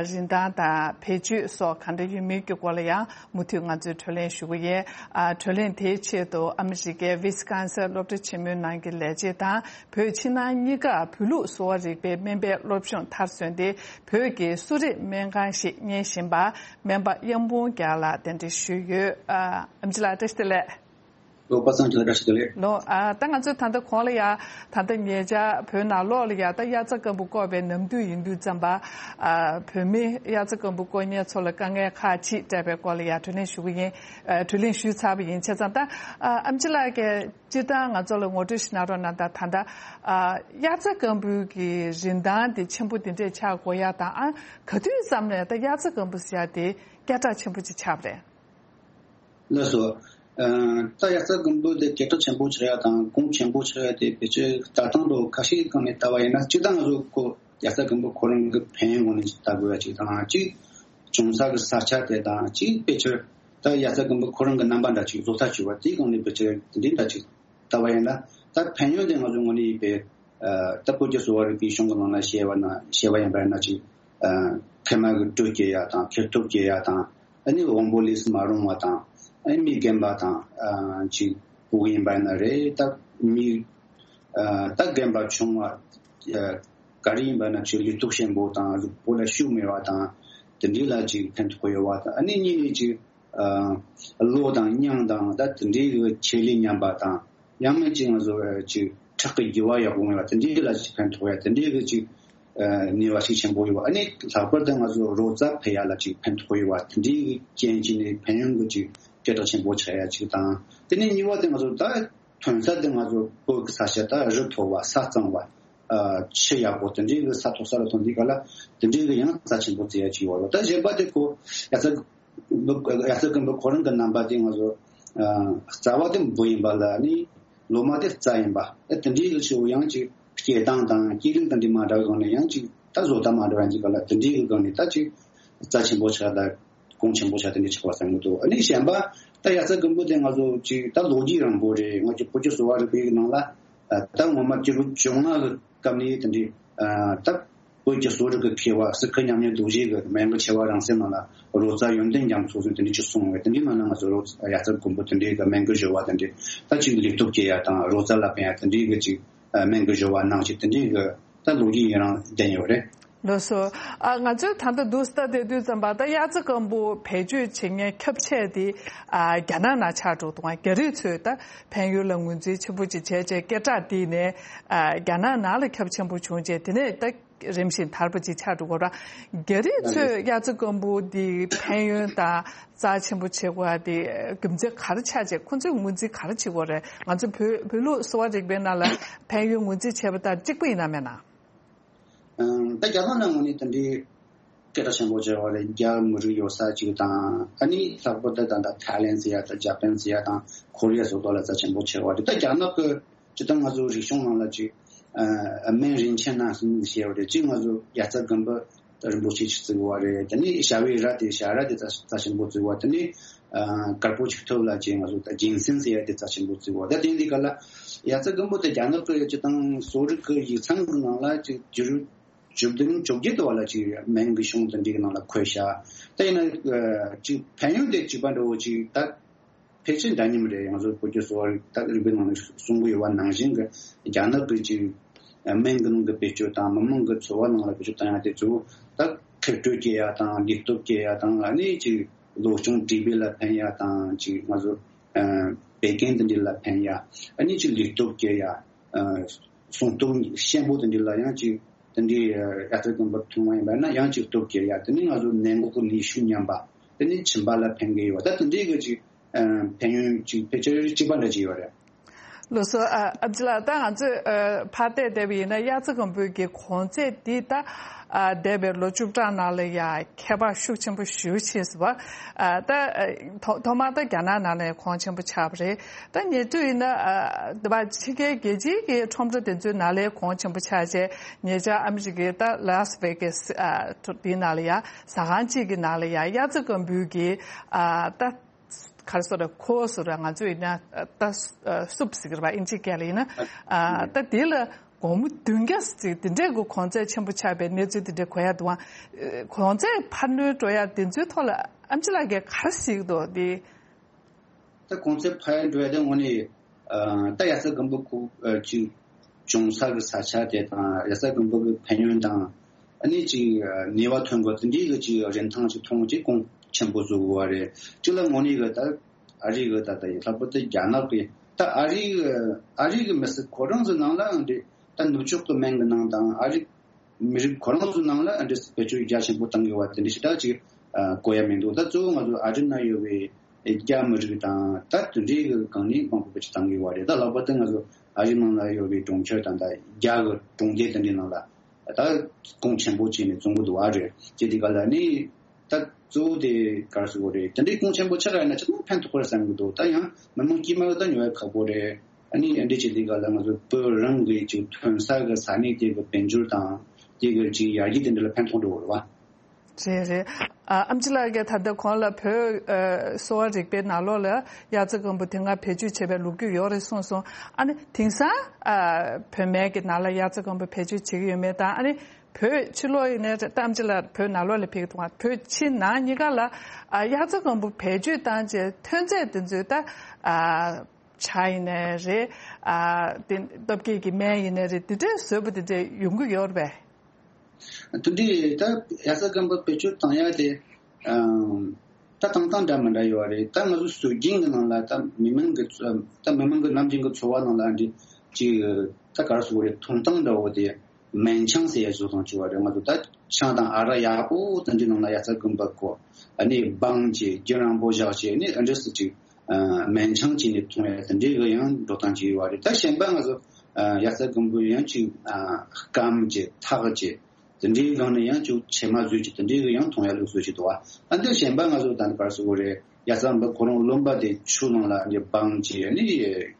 རིན་ཐང་དང་བེད་སྤྱོད་སོགས་ག་འདྲ་ཡོད་མེད་ཀྱི་སྐོར་ལ་ཡང་མུ་མཐུད་ང་ཚོས་གྲོས་གླེང་ཞུ་གི་ཡིན། ཨ་གྲོས་གླེང་དེའི་ཆེད་དུ་ཨ་མི་རི་ཀའི་ཝི་སི་ཀོན་སིན་སློབ་གྲྭ་ཆེན་མོའི་ནང་གི་ལས་བྱེད་དང་བོད་ཕྱི་ནང་གཉིས་ཀ་བོད་ལུགས་གསོ་བ་རིག་པའི་སྨན་པའི་སློབ་སྦྱོང་མཐར་སོན་ཏེ། བོད་ཀྱི་གསོ་རིག་སྨན་ཁང་ཞིག་གཉེར་བཞིན་པ་སྨན་པ་དབྱངས་སྤུངས་རྒྱལ་ལགས་གདན་འདྲེན་ཞུས་ཡོད། ཨ་ཨེམ་ཆི་ལགས་བཀྲ་ཤིས་བདེ་ལེགས། ལོ་པ་སངས་ཆོས་བཀྲ་ཤིས་བདེ་ལེགས། ལོ། ཨ་ད་ང་ཚོས་ད་ལྟ་གོང་ལ་ཡ་ད་ལྟ་ཉེ་ཆར་བོད་ནང་ལོགས་ལ་ཡ་ད་དབྱར་རྩྭ་དཀར་པོ་བསྐོར་བའི་ནམ་དུས་ཡིན་དུས་ཙམ་པ། ཨ་བོད་མི་དབྱར་རྩྭ་དཀར་པོ་བསྐོར་མཁན་ཚོ་ལ་དཀའ་ངལ་ཁག་ཅིག་འཕྲད་པའི་སྐོར་ལ་ཡ་གྲོས་གླེང་ཞུ་གི་ཡིན། ཨ་གྲོས་གླེང་ཞུས་ཚར་བ་ཡིན། བྱས་ཙང་ད་ཨ་ཨེམ་ཆི་ལགས་ཀྱིས་སྤྱིར་བཏང་ང་ཚོ་ལ་ངོ་སྤྲོད་ཞིག་གནང་རོགས་གནང་དང་། ད་ལྟ་ཨ་དབྱར་རྩྭ་དཀར་པོའི་གི་རིན་ཐང་དེ་ཆེན་པོ་དེ་འདྲས་ཆགས་དགོས་ཡ་དང་། ཨ་ག་དུས་ཙམ་ནས་ད་དབྱར་རྩྭ་དཀར་པོ་ཟེར་ཡ་དེ་སྐད་གྲགས་ཆེན་པོ་ཅིག་ཆགས་པ་རེད། ལགས་སོ། ཨ་ད་དབྱར་རྩྭ་དཀར་པོ་དེ་སྐད་གྲགས་ཆེན་པོ་ཆགས་ཡ་དང་གོང་ཆེན་པོ་ཆགས་ཡ་དེ་ཕལ་ཆེར་ལྟ་སྟངས་དང་ཁ་ཤས་སྒང་ནས་ལྟ་བ་ཡིན་ན། སྤྱིར་བཏང་ང་ཚོ་ཁོ་དབྱར་རྩྭ་དཀར་པོ་ཁོ་རང་གི་ཕན་ཡོན་ངོས་ནས་ལྟ་དགོས་ཡ་གཅིག་དང་། གཅིག་བྱུང་ས་གི་ས་ཆ་དེ་དང་། གཅིག་ཕལ་ཆེར་ད་དབྱར་རྩྭ་དཀར་པོ་ཁོ་རང་གི་རྣམ་པ་འདྲ་ཅིག་བཟོ་ས་བྱུང་བ་དེའི་སྒང་ནས་ཕལ་ཆེར་དེ་འདྲའི་འདྲ་ཅིག་ལྟ་བ་ཡིན་ན། ད་ཕན་ཡོན་དེ་ང་ཚོའི་ངོས་ནས་ཡིན་པས། ཨ་ད་བོད་ཀྱི་གསོ་བ་རིག་པའི་གཞུང་གི་ནང་ན་བཤད་པ་ན་བཤད་པ་ཡིན་པ་ཡིན་ན། ཅིག་ཨ་མཁལ་མ་གི་དྲོད་སྐྱེད་ཡ་དང་། མཁལ་སྟོབས་སྐྱེད་ཡ་དང་། ཨ་ནི་དབང་པོ་ལས་སུ་མ་རུང་བ་དང་། ཨ་མི་རྒན་པ་དང་ཨ་ཅིག་ཕྲུ་གུ་ཡིན་པ་ན་རེད། ད་མི་ཨ་ད་རྒན་པ་ཆུང་བ་ཨ་ག་རེ་ཡིན་པ་ན་ཅིག་ལུས་སྟོབས་ཆེན་པོ་དང་གཟུགས་པོ་ལ་ཤུགས་མེད་པ་དང་དེ་འདྲའི་ལ་ཅིག་ཕན་ཐོགས་ཡོད་པ་དང་། ཨ་ནི་གཉིས་ནས་ཅིག་ཨ་གློ་དང་སྙིང་དང་ད་དེ་འདྲའི་གི་ཆེད་ལས་ཉམས་པ་དང་། ཡང་མིན་ཅིག་ང་ཚོ་ཅིག་ཁྲག་གི་རྒྱུ་བ་ཡག་པོ་མེད་པ་དེ་འདྲའི་ལ་ཅིག་ཕན་ཐོགས་ཡ་དེ་འདྲའི་གི་ཅིག་ཨ་ནུས་པ་ཤུགས་ཆེན་པོ་ཡོད་པ། ཨ་ནི་ལྷག་པར་དུ་ང་ཚོ་རོ་རྩ་འཕེལ་ཡ་ལ་ཅིག་ཕན་ཐོགས་ཡོད་པ་དེ་འདྲའི་གི་རྐྱེན་གྱིས་ནི་ཕན་ཡོན་གི་ཅིག་སྐད་གྲགས་ཆེན་པོ་ཆགས་ཡ་ཅིག་དང་། དེ་ནས་གཉིས་པ་དེ་ང་ཚོ་ད་ཐོན་ས་དེ་ང་ཚོ་བོད་ཀྱི་ས་ཆ་ད་རི་མཐོ་བ་ས་གཙང་བ་ཨ་ཆུ་ཡག་པོ་དེ་འདྲའི་གི་ས་མཐོ་ས་ལ་ཐོན་དུས་ག་ལ་དེ་འདྲའི་གི་ཡང་རྩ་ཆེན་པོ་བརྩི་ཡ་ཅིག་ཡོད་པ། ད་གཞན་པ་དེ་ཁོ་ཡ་ཚ་ཡ་ཚ་རྒན་པོ་ཁོ་རང་གི་རྣམ་པ་དེ་ང་ཚོ་ཨ་རྩ་བ་དེ་འབུ་ཡིན་པ་ལ་ནི་ལོ་མ་དེ་རྩྭ་ཡིན་པ། ཨ་དེ་འདྲའི་གི་ཞོ་ཡང་ཅིག་སྐྱེ་སྟངས་དང་སྐྱེ་རིམ་དང་འདི་མ་འདྲ་བའི་སྒང་ནས་ཡང་ཅིག་ད་བཟོ་ལྟ་མ་འདྲ་བ་ཡང་ཅིག་ག་ལ་དེ་འདྲའི་གི་སྒང་ནས་ད་ཅིག་རྩ་ཆེན་པོ་ཆགས། ད་གོང་ཆེན་པོ་ཆགས་དེ་འདྲའི་ཆགས་པ་བསམ་གི་འདུག་ཨ་ནི་གཞན་པ་ད་ཡ་ཚ་རྒན་པོ་དེ་ང་ཚོ་ཅིག་ད་ལོ་རྒྱུས་རིང་པོ་རེད། ང་ཚོ་བོད་ཀྱི་གསོ་བ་རིག་པའི་ནང་ལ་ཨ་ད་ངོ་མ་སྤྱི་ལོ་བཅོ་ལྔ་གི་སྐབས་ནས་དེ་འདྲའི་ཨ་ད་བོད་ཀྱི་གསོ་རིག་གི་མཁས་པ་སི་ཁི་མཉམ་ཉིད་རྡོ་རྗེ་གི་སྨན་གྱི་ཆེ་བ་རང་སེམས་ནང་ལ་རོ་རྩ་ཡོན་ཏན་རྒྱ་མཚོ་ཟེར་དེ་འདྲའི་ཅིག་གསུངས་པས། དེ་འདྲའི་ནང་ན་ང་ཚོ་རོ་ཡ་ཚ་རྒན་པོ་དེ་འདྲའི་གི་སྨན་གྱི་སྦྱོར་བ་དེ་འདྲའི་ད་ཅིག་ལུས་སྟོབས་སྐྱེ་ཡ་དང་རོ་རྩ་ལ་ཕན་ཡ་དེ་འདྲའི་གི་ཅིག་ཨ་སྨན་གྱི་སྦྱོར་བ་ནང་ཅིག་དེ་འདྲའི་གི་ད་ལོ་རྒྱུས་ཡིན་རང་ལྡན་ཡོད་རེད། ལགས་སོ། ཨ་ང་ཚོས་ད་ལྟ་འདུག་སེ་ལྟ་བསྡད་དུས་ཙམ་པ་ད་གཡག་རྩེ་རྐང་པོ་བེད་སྤྱོད་བྱེད་མཁན་ཁྱབ་ཆེ་དེ་ཨ་རྒྱ་ནག་ནང་ཆགས་འགྲོ་འདུག་རྒྱ་རིགས་ཚོས་ད་ཕན་ཡོན་ལ་ངོས་འཛིན་ཆེན་པོ་ཅིག་བྱས་བྱས་སྐད་གྲགས་དེ་ནས་ཨ་རྒྱ་ནག་ནང་ལ་ཁྱབ་ཆེན་པོ་བྱུང་རྗེས་དེ་ནས་ད་རིམ་བཞིན་དར་བ་ཅིག་ཆགས་འགྲོ་གི་རེད། རྒྱ་རིགས་ཚོས་གཡག་རྩེ་རྐང་པོ་འདི་ཕན་ཡོན་དང་རྩ་ཆེན་པོ་བྱེད་དགོས་པ་དེ་རྒྱུ་མཚན་ག་རེ་ཆགས་བྱས་ཁོང་ཚོས་ངོས་འཛིན་ག་རེ་བྱེད་དགོས་རེད། ང་ཚོ་བོད་བོད་ལུགས་གསོ་བ་རིག་པའི་ནང་ལ་ཕན་ཡོན་ངོས་འཛིན་བྱས་པ་དང་གཅིག་པ་ཡིན་ན་མེད་ན། ཨང་། ད་རྒྱ་ནག་ནང་ངོས་ནས་དེ་འདྲའི་སྐད་གྲགས་ཆེན་པོ་བྱས་པ་རེད། རྒྱ་མི་རིགས་ཡོད་ས་ཅིག་དང་། ཨ་ནི་ལྷག་པར་དུ་ད་ལྟ་ཐའི་ལེན་ཟེར་ཡ་དང་ཇ་པན་ཟེར་ཡ་དང་ཁོ་རི་ཡ་སོགས་ཐོག་ལ་རྩ་ཆེན་པོ་བྱས་པ་རེད། ད་རྒྱ་ནག་གི་སྤྱིར་བཏང་ང་ཚོ་རིག་གཞུང་ནང་ལ་ཅིག་ཨ་སྨན་རིན་ཆེན་སྣ་གསུམ་ཞེས་པ་རེད། གཅིག་ང་ཚོ་གཡག་རྩེ་རྐང་པ་རིན་པོ་ཆེ་ཅིག་བརྩི་བ་རེད། དེ་ནས་ཞྭ་བའི་རྭ་དེ་ཞྭ་རྭ་དེ་རྩ་རྩ་ཆེན་པོ་བརྩི་བ། དེ་ནས་ཨ་དཀར་པོ་ཆིག་ཐུབ་ལ་ཅིག་ང་ཚོ་ད་ཇིན་སན་ཟེར་ཡ་དེ་རྩ་ཆེན་པོ་བརྩི་བ། ད་དེ་འདི་ག་ལ་གཡག་རྩེ་རྐང་པ་དེ་རྒྱ་ནག་གི་སྤྱིར་བཏང་གསོ་རིག་གི་ཡིག་ཚང་གི་ནང་ལ་ཅིག་བཅུ་བཅུ་བདུན་བཅོ་བརྒྱད་དུ་བ་ལ་ཅིག་སྨན་གྱི་གཞུང་དེ་འདྲའི་ནང་ལ་འཁོད་བཞག་ད་ཡིན་ན་ཅིག་ཕན་ཡོན་དེ་གཅིག་པ་འདྲ་བོ་ཅིག་ད་ཕལ་ཆེར་འདྲ་མཉམ་རེད། ང་ཚོ་བོད་ཀྱི་གསོ་བ་རིག་ད་རིག་པའི་ནང་ནས་གསུང་གི་ཡོད་པ་ནང་བཞིན་གྱི་རྒྱ་ནག་གི་ཅིག་སྨན་གྱི་ནང་གི་བེད་སྤྱོད་དང་མི་མང་གི་འཚོ་བ་ནང་ལ་བེད་སྤྱོད་བཏང་ཡ་དེ་ཚོ་ད་མཁལ་སྐྲོད་སྐྱེ་ཡ་དང་ལུས་སྟོབས་སྐྱེ་ཡ་དང་། ཨ་ནི་ཅིག་གློ་གཅོང་དྲེག་པོ་ལ་ཕན་ཡ་དང་། ཅིག་ང་ཚོ་བད་ཀན་དེ་འདྲ་ལ་ཕན་ཡ། ཨ་ནི་ཅིག་ལུས་སྟོབས་སྐྱེ་ཡ། ཨ་གསུང་སྟོབས་ཤེད་པོ་དེ་འདྲ་ལ་ཡང་ཅིག་དེ་འདྲའི་ཨ་གཡག་རྩེ་རྐང་པ་འཐུང་བ་ཡིན་པ་ན་ཡང་ཅིག་སྟོབས་སྐྱེ་ཡ། དེ་ནས་ང་ཚོ་ནད་འགོག་གི་ནུས་ཤུགས་ཉམས་པ། དེ་ནས་མཆིན་པ་ལ་ཕན་གི་ཡོད་པ། ད་དེ་འདྲའི་གི་ཅིག་ཨ་ཕན་ཡོན་ཅིག་ཕལ་ཆེར་གཅིག་པ་འདྲ་ཅིག་ཡོད་རེད། ལགས་སོ། ཨ་ཨེམ་ཆི་ལགས། ད་ང་ཚོས་ཨ་ཕར་བལྟས་བསྡད་པ་ཡིན་ན་གཡག་རྩེ་རྐང་པའི་གི་གོང་ཚད་འདི་ད་ཨ་འདས་པའི་ལོ་བཅུ་ཕྲག་ནང་ལ་ཡ་ཁྱད་པར་ཤུགས་ཆེན་པོ་ཞེ་པོ་ཕྱིན་སོང་བ། ཨ་ད་ཨ་ཐོག་ཐོག་མར་ད་རྒྱ་ནག་ནང་ལ་གོང་ཆེན་པོ་ཆགས་པ་རེད། ད་ཉེ་དུས་ཡིན་ན་ཨ་འདི་པ་ཕྱི་རྒྱལ་རྒྱལ་སྤྱིའི་གི་ཁྲོམ་ར་དེ་ཚོའི་ནང་ལ་གོང་ཆེན་པོ་ཆགས་རྗེས་ཉེ་ཆར་ཨ་མི་རི་ཀའི་ད་ལཱ་སི་ཝེ་གྷ་སི་ཨ་འདིའི་ནང་ལ་ཡ་ཟ་ཁང་གཅིག་གི་ནང་ལ་ཡ་གཡག་རྩེ་རྐང་པའི་གི་ཨ་ད། ག་རེ་ཟེར་རེད། ཁོ་ཟེར་རེད། ང་ཚོ་ཡིན་ན་ད་སུབ་ཟེར་གི་རེད་པ། ཨིན་ཇིའི་སྐད་ལ་ཡིན་ན། ཨ་ད་དེ་ལ་སྒོར་མོ་བདུན་བརྒྱ་ཟེར་དེ་འདྲས་གི་གོང་ཚད་ཆེན་པོ་ཆགས་པའི་གནས་ཚུལ་དེ་འདྲས་གོ་ཡ་འདུག་པ། གོང་ཚད་འཕར་སྣོན་འགྲོ་ཡ་དེ་ཚོའི་ཐོག་ལ་ཨེམ་ཆི་ལགས་ཀྱིས་ག་རེ་གཟིགས་འདུག་དེ། ད་གོང་ཚད་འཕར་འགྲོ་ཡ་དེ་དངོས་གནས་ཨ་ད་གཡག་རྩེ་རྐང་པ་ཁོ་ཨ་ཅིག་བྱུང་ས་གི་ས་ཆ་དེ་དང་གཡག་རྩེ་རྐང་པ་གི་ཕན་ཡོན་དང་། ཨ་ནི་ཅིག་ནུས་པ་ཐོན་དགོས་དེ་འདྲའི་གི་ཅིག་རིན་ཐང་ཅིག་མཐོང་ཅིག་གོང་ཆེན་པོ་བཟོ་དགོས་པ་རེད། གཅིག་ལ་དངོས་གནས་གི་ད་ཨ་རི་གི་ད་ལྟ་ཡི་ལྷག་པར་དུ་རྒྱ་ནག་གི་ད་ཨ་རི་གི་ཨ་རི་གི་མི་སེར་ཁོ་རང་ཚོའི་ནང་ལའང་འདི་ད་ནུབ་ཕྱོགས་གི་སྨན་གི་ནང་དང་ཨ་རི་མི་རིགས་ཁོ་རང་ཚོའི་ནང་ལ་འདི་བེད་སྤྱོད་རྒྱ་ཆེན་པོ་གཏང་དགོས་པ་དེ་འདྲ་ཞིག་ད་ཅིག་ཨ་གོ་ཡ་མི་འདུག་ད་གཙོ་བོ་ང་ཚོ་ཨ་རི་ན་ཡོད་པའི་རྒྱ་མི་རིགས་དང་ད་དེ་འདྲའི་གི་སྒང་ནས་མང་པོ་བེད་སྤྱོད་གཏང་གི་ཡོད་རེད། ད་ལྷག་པར་དུ་ང་ཚོ་ཨ་རི་ནང་ལ་ཡོད་པའི་གྲོང་ཁྱེར་དང་ད་རྒྱ་གི་གྲོང་སྡེ་དེ་འདྲའི་ནང་ལ་ད་གོང་ཆེན་པོ་བྱས་ནས་བཙོང་གི་འདུག་པ་རེད། ཅེས་དེ་ག་ལ་ནི་ད་གཙོ་བོ་དེ་ག་རེ་ཟེར་དགོས་རེད། དེ་འདྲའི་གོང་ཆེན་པོ་ཆགས་ཡོད་ན་ཅི་ཐུབ་ཕན་ཐོགས་པ་རེད་བསམ་གི་འདུག་ད་ཡང་མི་མང་དཀྱུས་མ་གི་ད་ཉོ་ཡ་ཁག་པོ་རེད། ཨ་ནི་འདི་ཅེས་དེ་ག་ལ་ང་ཚོ་བོད་རང་གི་ཅིག་ཐོན་ས་གི་ས་གནས་དེ་གི་དཔལ་འབྱོར་དང་དེ་གི་ཅིག་ཡར་རྒྱས་དེ་འདྲ་ལ་ཕན་ཐོགས་འགྲོ་གི་རེད་པ། རེད་རེད། ཨ་ཨེམ་ཆི་ལགས་ཀྱིས་ད་ལྟ་གོང་ལ་བོད་ཨ་གསོ་བ་རིག་པའི་ནང་ལོགས་ལ་དབྱར་རྩྭ་དགུན་འབུ་དེ་སྔ་བེད་སྤྱོད་བྱས་པའི་ལོ་རྒྱུས་ཡོད་རེད་གསུངས་སོང་། ཨ་ནི་དེང་སང་ཨ་བོད་སྨན་གྱི་ནང་ལ་དབྱར་རྩྭ་དགུན་འབུ་བེད་སྤྱོད་བྱེད་ཀྱི་ཡོད་མེད་དང་། ཨ་ནི་བོད་ཕྱི་ལོགས་ཡིན་ནའི་རེད། ད་ཨེམ་ཆི་ལགས་བོད་ནང་ལོགས་ལ་ཕེབས་ཀྱི་འདུག་ག་བོད་ཕྱི་ནང་གཉིས་ཀ་ལ་ཨ་དབྱར་རྩྭ་དགུན་འབུ་བེད་སྤྱོད་བཏང་བྱས་ཐོན་རྫས་དེ་ཚོའི་ད་ཨ་ཇ་ཡིན་ནའི་རེད། ཨ་དེ་སྟོབས་སྐྱེད་ཀྱི་སྨན་ཡིན་ནའི་རེད། དེ་འདྲའི་བཟོས་པ་དེ་འདྲ་ཡོང་གི་ཡོད་རེད་པས། དེ་འདྲའི་ད་དབྱར་རྩྭ་དགུན་འབུ་བེད་སྤྱོད་བཏང་ཡ་དེ་ཨམ་ད་བཏང་སྟངས་འདྲ་མི་འདྲ་ཡོད་རེད། ད་ང་ཚོ་སྲོལ་རྒྱུན་གྱི་ནང་ལ་ད་མི་མང་གི་ཚོ་ད་མི་མང་གི་ནམ་རྒྱུན་གྱི་འཚོ་བ་ནང་ལ་འདི་ཅིག་ད་ག་རེ་ཟེར་དགོས་རེད། ཐོན་སྟངས་འདྲ་བོ་དེ་སྨན་ཆང་ཟེར་ཡ་བཟོ་སྟངས་ཅིག་ཡོད་རེད། ང་ཚོ་ད་ཆང་དང་ཨ་རག་ཡག་པོ་དེ་འདྲའི་ནང་ལ་དབྱར་རྩྭ་དགུན་འབུ་བསྐོལ། ཨ་ནི་སྦང་བྱས་རྒྱུན་རིང་པོ་བཞག་བྱས། ཨ་ནི་ཨ་འདྲ་སེ་ཅིག་ཨ་སྨན་ཆང་བྱས་ནས་འཐུང་ཡ་དེ་འདྲའི་གི་ཡང་འགྲོ་སྟངས་ཅིག་ཡོད་རེད། ད་གཞན་པ་ང་ཚོ་ཨ་དབྱར་རྩྭ་དགུན་འབུ་ཡང་ཅིག་ཨ་སྐམ་བྱས་འཐག་བྱས་དེ་འདྲའི་སྒང་ནས་ཡང་ཅིག་ཕྱེ་མ་བཟོས་བྱས་དེ་འདྲའི་གི་ཡང་འཐུང་ཡ་ལུགས་སྲོལ་ཅིག་འདུག་བ། ཨ་འདི་གཞན་པ་ང་ཚོ་ད་ནི་ག་རེ་ཟེར་དགོས་རེད། དབྱར་རྩྭ་དགུན་འབུ་ཁོ་རང་རློན་པ་དེ་ཆུ་ནང་ལ་ཨ་ནི་སྦང་བྱས། ཨ་ནི་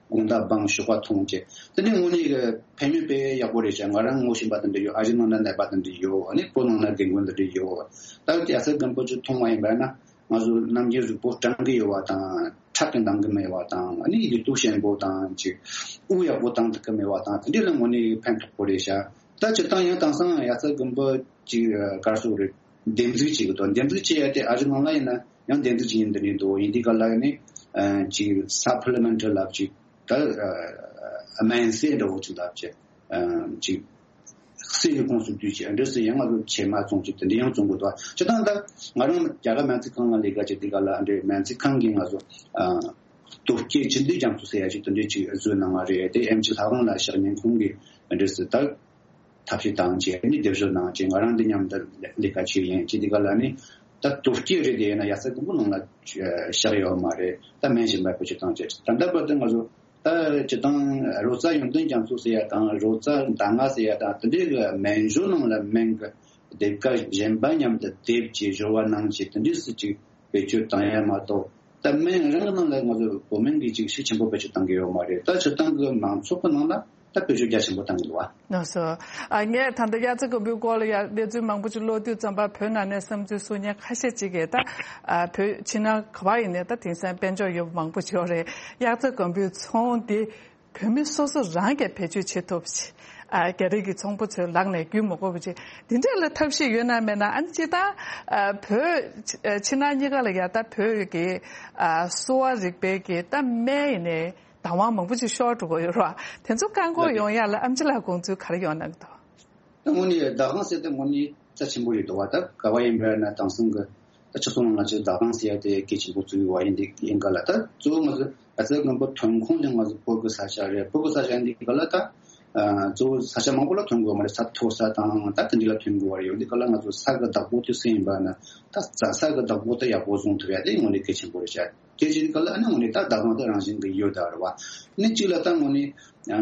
དགོང་དག་སྦང་ཞོགས་པ་འཐུང་བྱས། དེ་ནི་དངོས་གནས་གི་ཕན་ནུས་དཔེ་ཡག་པོ་རེད་ཤག་ང་རང་ངོ་ཤེས་པ་དེ་འདྲ་ཡོད། ཨ་ཞེ་ནང་ན་ནད་པ་དེ་འདྲ་ཡོད། ཨ་ནི་སྤོ་ནང་ན་རྒན་རྒོན་དེ་འདྲ་ཡོད། ད་དབྱར་རྩྭ་དགུན་འབུ་ཅིག་འཐུང་བ་ཡིན་པ་ན་ང་ཚོ་ནམ་རྒྱུན་གཟུགས་པོ་སྐྲངས་ཀྱི་ཡོད་པ་དང་ཁྲག་གི་འདང་གི་མེད་པ་དང་། ཨ་ནི་ལུས་སྟོབས་ཞན་པོ་དང་ཅིག་དབུགས་ཡག་པོ་བཏང་ཐུབ་ཀྱི་མེད་པ་དང་། དེ་འདྲ་ལ་དངོས་གནས་ཕན་ཐོགས་པོ་རེད་ཤག་ད་སྤྱིར་བཏང་ཡང་དེང་སང་དབྱར་རྩྭ་དགུན་འབུ་ཅིག་ག་རེ་ཟེར་དགོས་རེད། འདེབས་འཛུགས་བྱེད་ཀྱི་འདུག་འདེབས་འཛུགས་བྱེད་ཡ་དེ་ཨ་རི་ནང་ལ་ཡིན་ན་ཡང་འདེབས་འཛུགས་བྱེད་མཁན་དེ་འདྲ་འདུག་ཡིན་དུས་ག་ལ་ནི་ཨ་ཅིག་སབ་ལི་མེན་ཊི་ལབ་ཅིག་ད་ཨ་སྨན་རྫས་འདྲ་བོ་ཅིག་ལབ་ཅིག་ཨ་ཅིག་གསེར་གྱི་ཁོངས་སུ་བསྡུས་ཅིག་ཨ་འདྲ་སེ་ཡང་ང་ཚོ་བྱེ་མ་བཙོང་ཅིག་དེ་འདྲ་ཡང་བཙོང་གི་འདུག་སྤྱིར་བཏང་ད་ང་རང་རྒྱ་གར་སྨན་རྩིས་ཁང་ལ་ལས་ཀ་བྱེད་དུས་ག་ལ་ཨ་འདྲའི་སྨན་རྩིས་ཁང་གིས་ང་ཚོ་ཨ་སྟོབས་སྐྱེད་ཅིག་འདི་རྒྱ་མཚོ་ཟེར་ཡ་ཅིག་དེ་འདྲའི་ཅིག་བཟོས་གནང་བ་རེད། དེ་ཨེམ་ཆི་ལྷ་ཁང་ལ་ཞག་ཉིན་གུང་གི་ཨ་འདྲ་སེ་ད་ཐབས་ཤེས་བཏང་བྱས་ནི་སྡེབ་སྦྱོར་གནང་བྱས་ང་རང་འདི་མཉམ་དུ་ལས་ཀ་བྱས་ཡིན། བྱས་དུས་ག་ལ་ནི་ད་སྟོབས་སྐྱེད་རེད། དེ་ཡིན་ན་དབྱར་རྩྭ་དགུན་འབུ་ནང་ལ་བཞག་ཡོད་མ་རེད། ད་སྨན་གཞན་པ་བེད་སྤྱོད་བཏང་བྱས་ད་ལྟ་བར་དུ་ང་ཚོ་ད་སྤྱིར་བཏང་རོ་ཙ་ཡོན་ཏན་རྒྱ་མཚོ་ཟེར་ཡ་དང་རོ་ཙ་ཟླ་ང་ཟེར་ཡ་དང་དེ་འདྲའི་གི་སྨན་སྦྱོར་ནང་ལ་སྨན་གི་སྡེབ་ཀ་གཞན་པ་མཉམ་དུ་སྡེབ་ཀྱིས་སྦྱོར་བ་གནང་བྱས་དེ་འདྲའི་སྲིད་ཅིག་བེད་སྤྱོད་བཏང་ཡ་མ་གཏོགས། ད་སྨན་རང་གི་ནང་ལ་ང་ཚོ་བོད་སྨན་གྱི་ཅིག་ཤུགས་ཆེན་པོ་བེད་སྤྱོད་བཏང་གི་ཡོད་མ་རེད། ད་སྤྱིར་བཏང་གི་མང་ཚོགས་ཀྱི་ནང་ལ་ད་བེད་སྤྱོད་རྒྱ་ཆེན་པོ་བཏང་གི་འདུག་བ། ལགས་སོ། ཨ་ངས་ད་ལྟ་དབྱར་རྩྭ་དགུན་འབུའི་སྐོར་ལ་ཡ་གནས་ཚུལ་མང་པོ་ཅིག་ཀློག་དུས་ཙམ་པ་བོད་ནང་ནས་བསམ་ཚུལ་གསུང་མཁན་ཁ་ཤས་ཅིག་གིས་ད་ཨ་བོད་ཕྱི་ནང་ག་བ་ཡིན་ནའི་ད་དེང་སང་དཔལ་འབྱོར་ཡོད་པ་མང་པོ་ཅིག་ཡོད་རེད། དབྱར་རྩྭ་དགུན་འབུའི་ཚོང་འདི་བོད་མི་སོ་སོ་རང་གིས་བེད་སྤྱོད་བྱེད་ཐུབ་ཅིག་ཨ་རྒྱ་རིགས་ཀྱི་ཚོང་པ་ཚོའི་ལག་ནས་བརྒྱུད་མ་དགོས་པ་ཅིག་འདི་འདྲ་ལ་ཐབས་ཤེས་ཡོད་ན་མེད་ན། ཨ་ནི་སྤྱིར་བཏང་ཨ་བོད་ཕྱི་ནང་གཉིས་ཀ་ལ་ཡ་ད་བོད་ཀྱི་ཨ་གསོ་བ་རིག་པའི་གི་ད་སྨན་ཡིན་ནའི་བདག་དབང་མང་པོ་ཅིག་ཤོར་འགྲོ་གི་ཡོད་རེད་བ། དེ་ཚོ་བཀག་འགོག་ཡོང་ཡ་ལ་ཨེམ་ཆི་ལགས་དགོངས་ཚུལ་ག་རེ་ཡོད་སྣང་གི་འདུག་ད་དངོས་གནས་བདག་དབང་ཟེར་དེ་དངོས་གནས་རྩ་ཆེན་པོ་རེད་འདུག་བ། ད་ག་བ་ཡིན་པ་ན་དེང་སང་གི་ད་ཕྱི་སོང་ང་ཚོས་བདག་དབང་ཟེར་ཡ་དེ་གལ་ཆེན་པོ་བརྩི་བ་ཡིན་དེ་ཡིན་ག་ལ། ད་གཙོ་བོ་ང་ཚོ་ཨ་ཙི་དགོན་པ་ཐོན་ཁུངས་དེ་ང་ཚོ་བོད་ཀྱི་ས་ཆ་རེད། བོད་ཀྱི་ས་ཆ་ཡིན་དེ་ག་ལ་ད་ཨ་གཙོ་བོ་ས་ཆ་མང་པོ་ལ་ཐོན་དགོས་མ་རེད། ས་མཐོ་ས་དང་ད་དེ་འདྲ་ལ་ཐོན་དགོས་བ་རེད། ཡོད་དེ་ག་ལ་ང་ཚོ་ས་གི་བདག་པོ་དེ་སུ་ཡིན་པ་ན་ད་རྩྭ་ས་གི་བདག་པོ་དེ་ཡག་པོ་བཟུང་ཐུབ་ཡ་དེ་དངོས་གནས་གལ་ཆེན་པོ་རེད་ཤག་དེ་བྱེད་དུས་སྐབས་ལ་ཨ་ནི་དངོས་གནས་ད་བདག་དབང་དེ་རང་བཞིན་གྱི་ཡོད་ད་རེད་བ། ནི་གཅིག་ལ་ད་དངོས་གནས་ཨ་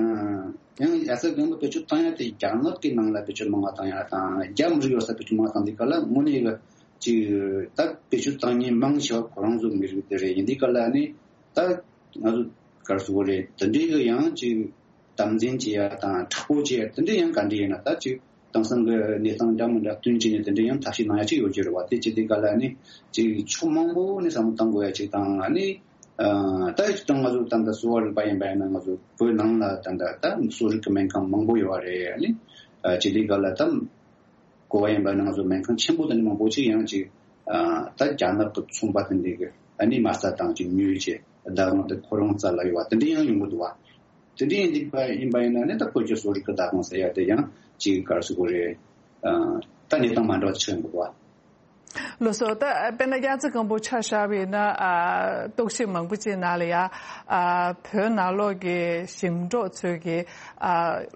ཡང་ཡ་ས་གོང་བུ་བེད་སྤྱོད་བཏང་ཡ་དེ་རྒྱ་ནག་གི་ནང་ལ་བེད་སྤྱོད་མང་བ་བཏང་ཡ་དང་རྒྱ་མི་རིགས་ཡོད་ས་བེད་སྤྱོད་མང་བ་བཏང་དུས་སྐབས་ལ་དངོས་གནས་ཀྱི་ཅིག་ད་བེད་སྤྱོད་བཏང་མཁན་མང་ཆེ་བ་ཁོ་རང་ཚོ་མི་རིགས་དེ་རེད། ཡིན་དུས་སྐབས་ལ་ནི་ད་ང་ཚོ་ག་རེ་ཟེར་དགོས་རེད། དེ་འདྲའི་གི་ཡང་ཅིག་དམ་འཛིན་བྱེད་ཡ་དང་དྲག་པོ་བྱེད་ཡ་དེ་འདྲའི་ཡང་ག་འདྲ་ཡིན་ན་ད་ཅིག་དེང་སང་གི་གནས་སྟངས་འདྲ་མི་འདྲ་བསྟུན་བྱས་ནས་དེ་འདྲའི་ཡང་ཐབས་ཤེས་གནང་ཡ་ཅིག་ཡོད་ཀྱི་རེད་བ། དེ་བྱེད་དུས་སྐབས་ལ་ནི་ཅིག་ཕྱོགས་མང་པོ་ནས་བསམ་བློ་གཏང་དགོས་ཡ་ཅིག་དང་ཨ་ནི་ཨ་ད་ཅིག་ད་ང་ཚོ་ད་ལྟ་གསོ་བ་རིག་པ་ཡིན་པ་ཡིན་ན་ང་ཚོ་བོད་ནང་ལ་ད་ལྟ་ད་གསོ་རིག་གི་སྨན་ཁང་མང་པོ་ཡོད་བ་རེད། ཨ་ནི་ཨ་བྱེད་དུས་སྐབས་ལ་ད་གོ་བ་ཡིན་པ་ཡིན་ན་ང་ཚོ་སྨན་ཁང་ཆེན་པོ་དེ་འདྲ་མང་པོ་ཅིག་ཡང་ཅིག་ཨ་ད་རྒྱ་ནག་གི་ཚོང་པ་དེ་འདྲ་གི་ཨ་ནི་མ་རྩ་དང་ཅིག་ཉོས་བྱས་བདག་དབང་དེ་ཁོ་རང་རྩ་ལ་ཡོད་བ་དེ་འདྲ་ཡང་ཡོང་གི་འདུག་བ། དེ་འདྲ་ཡིན་དུས་པ་ཡིན་པ་ཡིན་ན་ནི་ད་བོད་ཀྱི་གསོ་རིག་གི་བདག་དབང་ཟེར་ཡ་དེ་ཡང་ཅིག་ག་རེ་ཟེར་དགོས་རེད། ཨ་ད་གནས་སྟངས་མ་འདྲ་བ་ཆགས་ཡོང་གི་འདུག་བ། ལགས་སོ། ད་དཔེར་ན་དབྱར་རྩྭ་དགུན་འབུ་ཆ་བཞག་པ་ཡིན་ན་ཨ་རྟོག་ཞིབ་མང་པོ་ཅིག་ནང་ལ་ཡ་ཨ་བོད་ནང་ལོགས་ཀྱི་ཞིང་འབྲོག་ཚོས་ཀྱི་ཨ་